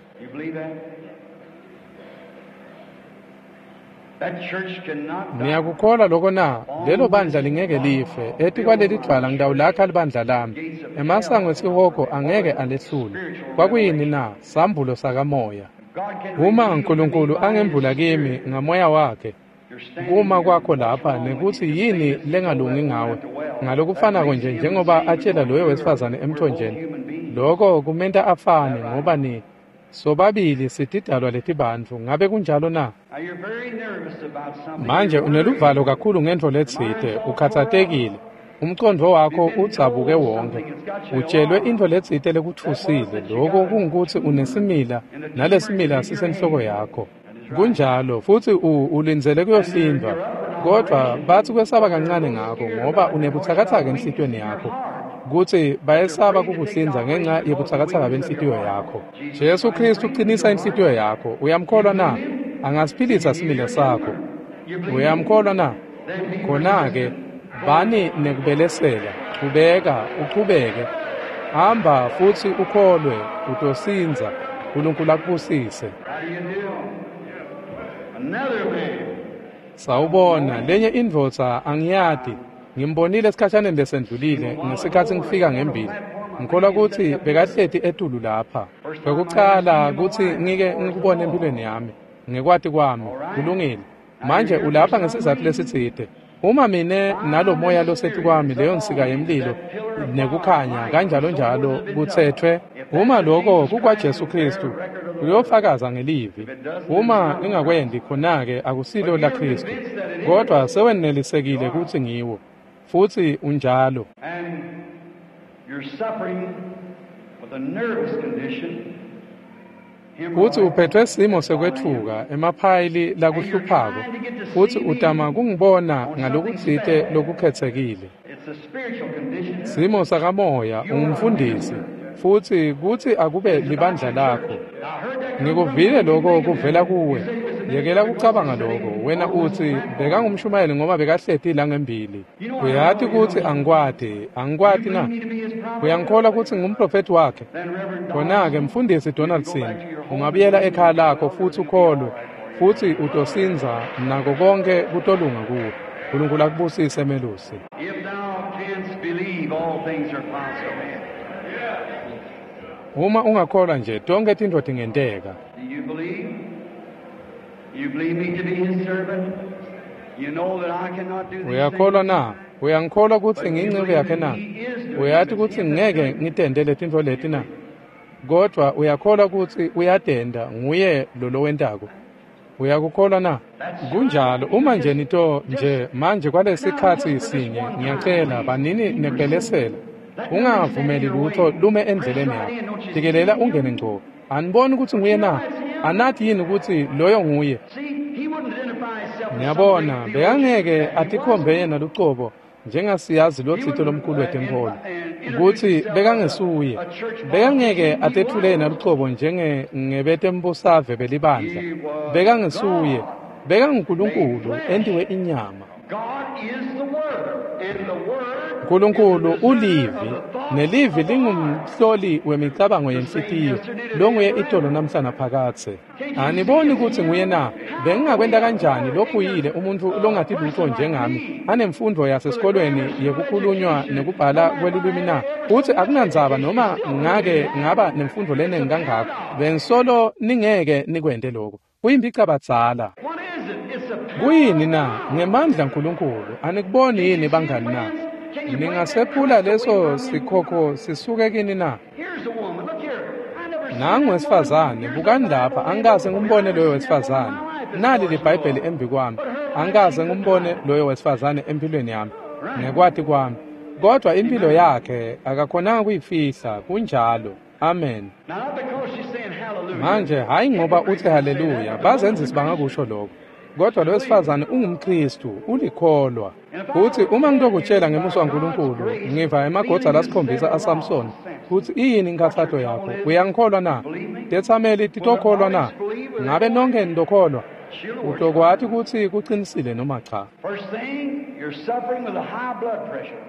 Niyakukholwa loko na? Lelo bandla lingeke life. Etikwaleli dvwala ngitawulakha libandla lami. Emasango esihogo angeke alehlule. Kwakuyini na? Sambulo sakamoya. Uma Nkulunkulu angembula kimi ngamoya wakhe, kuma kwakho lapha nekutsi yini lengalungi ngawe, ngalokufanako nje njengoba atshela loyo wesifazane emthonjeni, loko kumenta afane ngoba ni sobabili sitidalwa letibantfu. Ngabe kunjalo na? Manje uneluvalo kakhulu ngentfo letsite, ukhatsatekile, umcondvo wakho udzabuke wonke, utshelwe intfo letsite lekutfusile. Loko kungukutsi unesimila nalesimila sisenhloko yakho. Kunjalo, futsi ulindzele kuyohlindvwa, kodvwa batsi kwesaba kancane ngako ngoba unebutsakatsaka enhlitiyweni yakho, kutsi bayesaba kukuhlinza ngenxa yebutsakatsaka benhlitiyo yakho. Jesu Kristu uqinisa inhlitiyo yakho. Uyamkholwa na? Angasiphilisa simila sakho. Uyamkholwa na? Khona-ke bani nekubelesela, chubeka, uchubeke. Hamba futsi ukholwe, utosindza. Nkulunkulu akubusise. Sawubona, lenye indvodza angiyati. Ngimbonile esikhashaneni lesendlulile ngesikhatsi ngifika ngembili. Ngikholwa kutsi bekahleti etulu lapha. Kwekucala kutsi ngike ngikubone empilweni yami, ngekwati kwami, kulungile. Manje ulapha ngesizatfu lesitsite. Uma mine nalomoya losetu kwami, leyo nsika yemlilo nekukhanya kanjalo njalo kutsetfwe, uma loko kukwaJesu Kristu, uyofakaza ngelivi. Uma ngingakwendi khona-ke akusilo la Kristu, kodwa sewenelisekile kutsi ngiwo, futsi unjalo. Futsi uphethwe simo sekwetfuka emaphayili lakuhluphako, futsi utama kungibona ngalokutsite lokukhetsekile. Simo sakamoya, ungumfundisi, futsi kutsi akube libandla lakho. Ngikuvile lokho kuvela kuwe. Yekela kucabanga lokho. Wena utsi bekangumshumayeli ngoba bekahleti la ngembili. Uyati kutsi angikwati, angikwati na? Uyangikholwa kutsi ngumprofethi wakhe? Khona-ke mfundisi Donaldson, ungabuyela ekhaya lakho futsi ukholwe, futsi utosindza nako konke kutolunga kuwe. Nkulunkulu akubusise melusi. Uma ungakholwa nje, tonke tintfo tingenteka. Uyakholwa na? Uyangikholwa kutsi ngiyinceku yakhe na? Uyati kutsi ngeke ngitente letintfo leti na? Kodvwa uyakholwa kutsi uyatenta, nguye lo lowentako. Uyakukholwa na? Kunjalo. Uma nje nito nje manje kwalesikhatsi sinye, ngiyacela banini nekubelesela. Ungavumeli lutho lume endleleni yakho. Jikelela ungene ngco. Aniboni kutsi nguye na? Anathi yini kutsi loyo nguye? Ngiyabona, bekangeke atikhombe yena lucobo njengasiyazi lotsite lomkhulu wetenkholo, kutsi bekangesuye. Bekangeke atethule yena lucobo njenge ngebetembusave belibandla. Bekangesuye. BekanguNkulunkulu entiwe inyama. Nkulunkulu ulivi, nelivi lingumhloli wemicabango yenhlitiyo, longuye itolo namhla naphakadze. Aniboni kutsi nguye na? Bengingakwenta kanjani lophuyile umuntfu longati lutfo njengami, anemfundvo yasesikolweni yekukhulunywa nekubhala kwelulwimi na? Futsi akunandzaba noma ngake ngaba nemfundvo lenengi kangako, bengisolo ningeke nikwente lokho. Kuyimphicabadzala. Kuyini na? Ngemandla Nkulunkulu. Anikuboni yini bangani na? Ningasephula leso sikhokho sisuke kini na? Nangu wesifazane, bukani lapha, angikaze ngimbone loyo wesifazane. Nali liBhayibheli embi kwami, angikaze ngimbone loyo wesifazane empilweni yami, ngekwati kwami. Kodwa impilo yakhe akakhonanga kuyifihla, kunjalo. Amen. Manje hayi ngoba uthi haleluya, bazenzisi bangakusho lokho. Kodwa lo wesifazane ungumKristu, ulikholwa. Futhi uma ngitokutshela ngemusa waNkulunkulu, ngiva emagodza lasikhombisa aSamson, kutsi iyini inkhatsato yakho, uyangikholwa na? Tetsameli titokholwa na? Ngabe nonke nitokholwa? Utokwati kutsi kucinisile noma cha.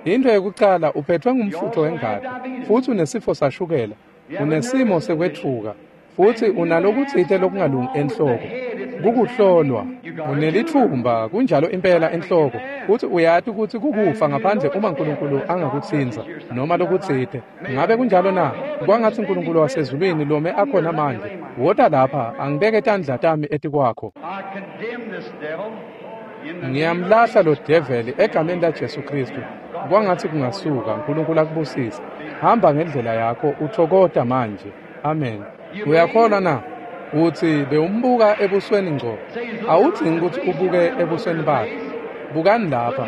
Into yekucala, uphethwe ngumfutho wengati, futsi unesifo sashukela, unesimo sekwetfuka, futsi unalokutsite lokungalungi enhloko. Kukuhlolwa, unelitfumba, kunjalo impela enhloko, futsi uyati kutsi kukufa ngaphandle uma Nkulunkulu angakutsintsa noma lokutsite. Ngabe kunjalo na? Kwangatsi Nkulunkulu wasezulwini lome akhona manje, wota lapha, angibeke tandla tami etikwakho. Ngiyamlahla lo develi egameni laJesu Kristu. Kwangatsi kungasuka, Nkulunkulu akubusise. Hamba ngendlela yakho, uthokota manje. Amen. Uyakholwa na? Uthi bewumbuka ebusweni ngco. Awudzingi kutsi ubuke ebusweni bakhe. Bukani lapha.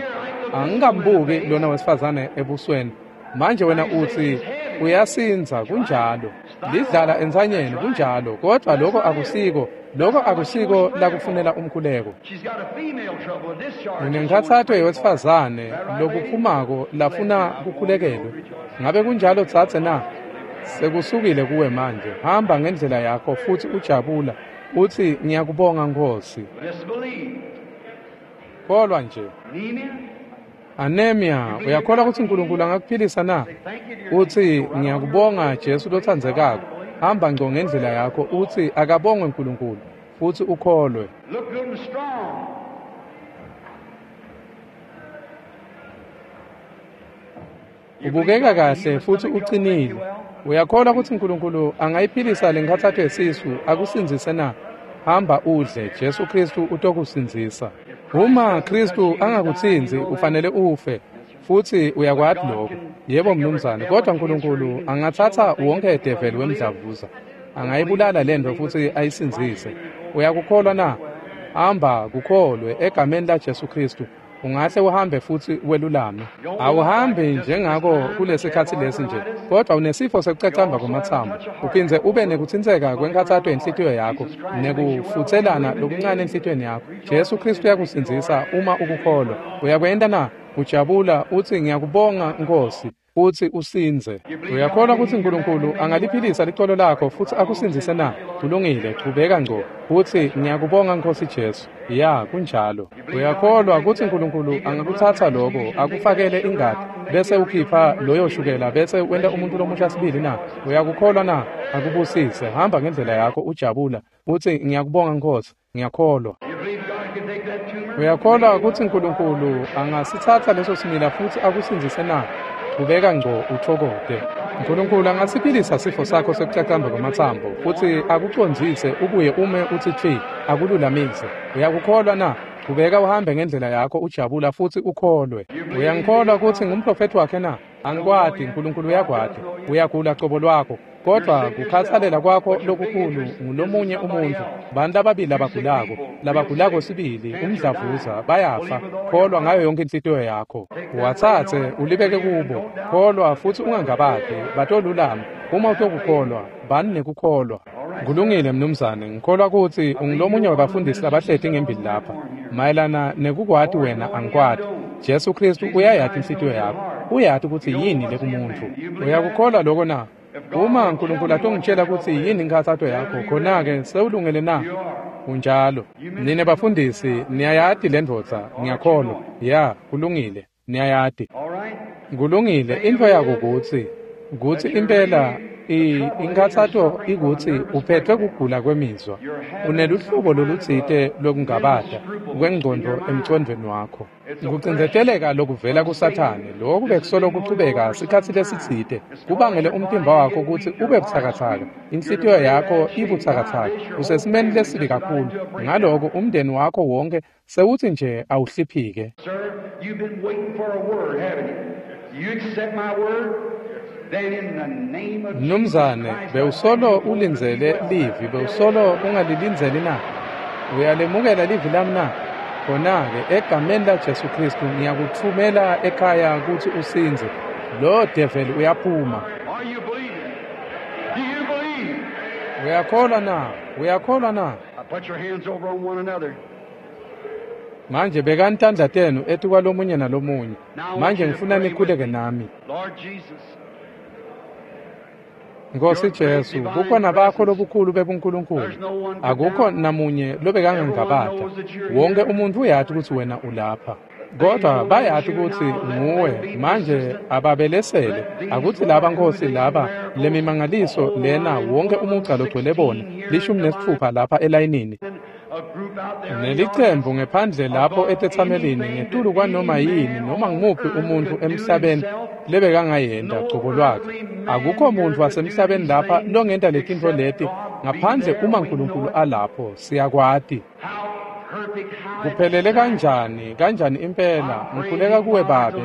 Angikambuki lona wesifazane ebusweni. Manje wena uthi uyasinza, kunjalo. Lidlala entsanyeni, kunjalo. Kodwa lokho akusiko, lokho akusiko lakufunela umkhuleko. Unenkhatsato yewesifazane lokuphumako lafuna kukhulekelwe. Ngabe kunjalo dzadze na? Sekusukile kuwe manje. Hamba ngendlela yakho futhi ujabula. Uthi ngiyakubonga Nkosi. Kholwa nje. Anemia, uyakholwa kutsi Nkulunkulu angakuphilisa na? Uthi ngiyakubonga Jesu lotsandzekako. Hamba ngco ngendlela yakho, uthi akabongwe Nkulunkulu, futhi ukholwe. Ubukeka kahle futhi uqinile. Uyakholwa kutsi Nkulunkulu angayiphilisa lenkhatsato yesisu akusindzise na? Hamba udle, Jesu Kristu utokusindzisa. Uma Kristu angakutsintsi, ufanele ufe. Futsi uyakwati lokho. Yebo mnumzane, kodwa Nkulunkulu angatsatsa wonke develi wemdlavuza. Angayibulala lento futsi ayisindzise. Uyakukholwa na? Hamba kukholwe egameni laJesu Kristu. Ungahle uhambe futsi welulame. Awuhambi njengako kulesikhatsi lesi nje, kodwa unesifo sekucacamba kwamatsambo. Uphindze ube nekutsintseka kwenkhatsato yenhlitiyo yakho, nekufutselana lokuncane enhlitiyweni yakho. Jesu Kristu uyakusindzisa uma ukukholwa. Uyakwenta na? Ujabula uthi ngiyakubonga Nkosi, futsi usindze. Uyakholwa kutsi Nkulunkulu angaliphilisa licolo lakho futsi akusindzise na? Kulungile, chubeka ngco. Futsi ngiyakubonga Nkosi Jesu. Ya, kunjalo. Uyakholwa kutsi Nkulunkulu angakutsatsa lokho, akufakele ingati, bese ukhipha loyo shukela, bese wenta umuntu lomusha sibili na? Uyakukholwa na? Akubusise. Hamba ngendlela yakho ujabula. Utsi ngiyakubonga Nkosi, ngiyakholwa. Uyakholwa kutsi Nkulunkulu angasitsatsa leso simila futsi akusindzise na? Chubeka ngco uthokote. Nkulunkulu angasiphilisa sifo sakho sekucacamba kwamatsambo futsi akucondzise ubuye ume utsi tfi, akululamise. Uyakukholwa na? Chubeka uhambe ngendlela yakho ujabula futsi ukholwe. Uyangikholwa kutsi ngumprofethi wakhe na? Angikwati, Nkulunkulu uyakwati. Uyagula cobo lwakho, kodwa kukhatsalela kwakho lokukhulu ngulomunye umuntfu. Bantu lababili labagulako, labagulako sibili, umdlavuza, bayafa. Kholwa ngayo yonke inhlitiyo yakho. Uwatsatse ulibeke kubo. Kholwa futsi ungangabati, batolulama. Uma utokukholwa, bani nekukholwa. Kulungile mnumzane, ngikholwa kutsi ungulomunye wabafundisi labahleti ngembili lapha. Mayelana nekukwati wena angikwati. Jesu Kristu uyayati inhlitiyo yakho. Uyati kutsi yini lekumuntu. Uyakukholwa lokho na? Uma Nkulunkulu atongitshela kutsi yini inkhatsato yakho, khona-ke sewulungele na? Kunjalo. Nine bafundisi, niyayati le ndvodza, ngiyakholwa. Ya, kulungile, niyayati. Kulungile, intfo yako kutsi kutsi impela inkhatsato ikutsi uphethwe kugula kwemizwa. Uneluhlobo lolutsite lwekungabata kwengcondvo emcondvweni wakho. Kucindzeteleka lokuvela kuSathane, loku bekusolo kuchubeka sikhatsi lesitsite, kubangele umtimba wakho kutsi ube butsakatsaka, inhlitiyo yakho ibutsakatsaka, usesimeni lesibi kakhulu. Ngaloko umndeni wakho wonke sewutsi nje awuhliphike. Sir, you've been waiting for a word, haven't you? You accept my word? Then in the name of Jesus Mnumzane, Christ, bewusolo ulindzele livi, bewusolo ungalilindzeli na? Uyalemukela livi lami na? Khona-ke egameni laJesu Khristu ngiyakutfumela ekhaya kutsi usindze. Lo develi uyaphuma. Are you believing? Do you believe? Uyakholwa na? Uyakholwa na? Uh, Put your hands over on one another. Manje bekani tandla tenu etikwalomunye nalomunye. Manje ngifuna nikhuleke nami. Lord Jesus, Nkosi Jesu, bukhona bakho lobukhulu bebuNkulunkulu. Akukho namunye lobekangangabata. Wonke umuntu uyati kutsi wena ulapha. Kodwa bayati kutsi nguwe manje ababelesele akuthi laba Nkosi laba lemimangaliso lena wonke umugca logcwele bona lishumi nesitfupha lapha elayinini a group out there in the nelicembu ngephandle lapho etetsamelini ngetulu kwanoma yini noma ngumuphi umuntfu emhlabeni lebekangayenta cobo lwakhe. Akukho muntfu wasemhlabeni lapha longenta letintfo leti ngaphandle uma Nkulunkulu alapho. Siyakwati. How perfect, how Kuphelele kanjani, kanjani impela. Ngikhuleka kuwe Babe,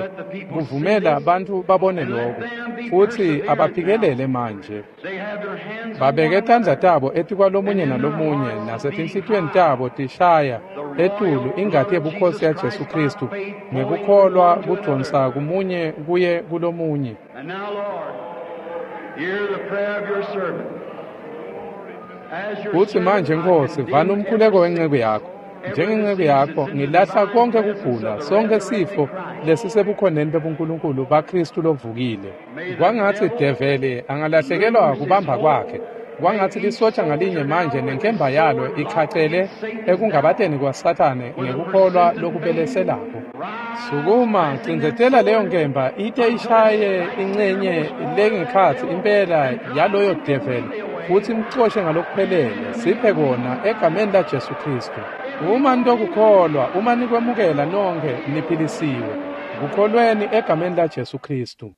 kuvumela bantfu babone lokhu futsi abaphikelele manje. they have their hands on Babeke one tandla another. tabo etikwalomunye nalomunye nasetinhlitiyweni tabo tishaya etulu ingati yebukhosi yaJesu Khristu ngekukholwa kudvonsa kumunye kuye kulomunye. And now, Lord, hear the prayer of your servant. As your Kutsi manje servant, I Nkosi, condemn vana umkhuleko every wenceku yakho. Njengenceku yakho ngilahla konke kugula, sonke sifo lesisebukhoneni bebuNkulunkulu baKhristu lovukile. Kwangatsi develi angalahlekelwa kubamba kwakhe. Kwangatsi lisotsha ngalinye manje nenkemba yalo ikhacele ekungabateni kwaSathane ngekukholwa lokubeleselako. Sukuma, cindzetela leyo nkemba ite ishaye incenye lengekhatsi impela yaloyo develi futsi imcoshe ngalokuphelele. Siphe kona egameni laJesu Khristu. Uma nitokukholwa, uma nikwemukela nonkhe niphilisiwe. Kukholweni egameni laJesu Khristu.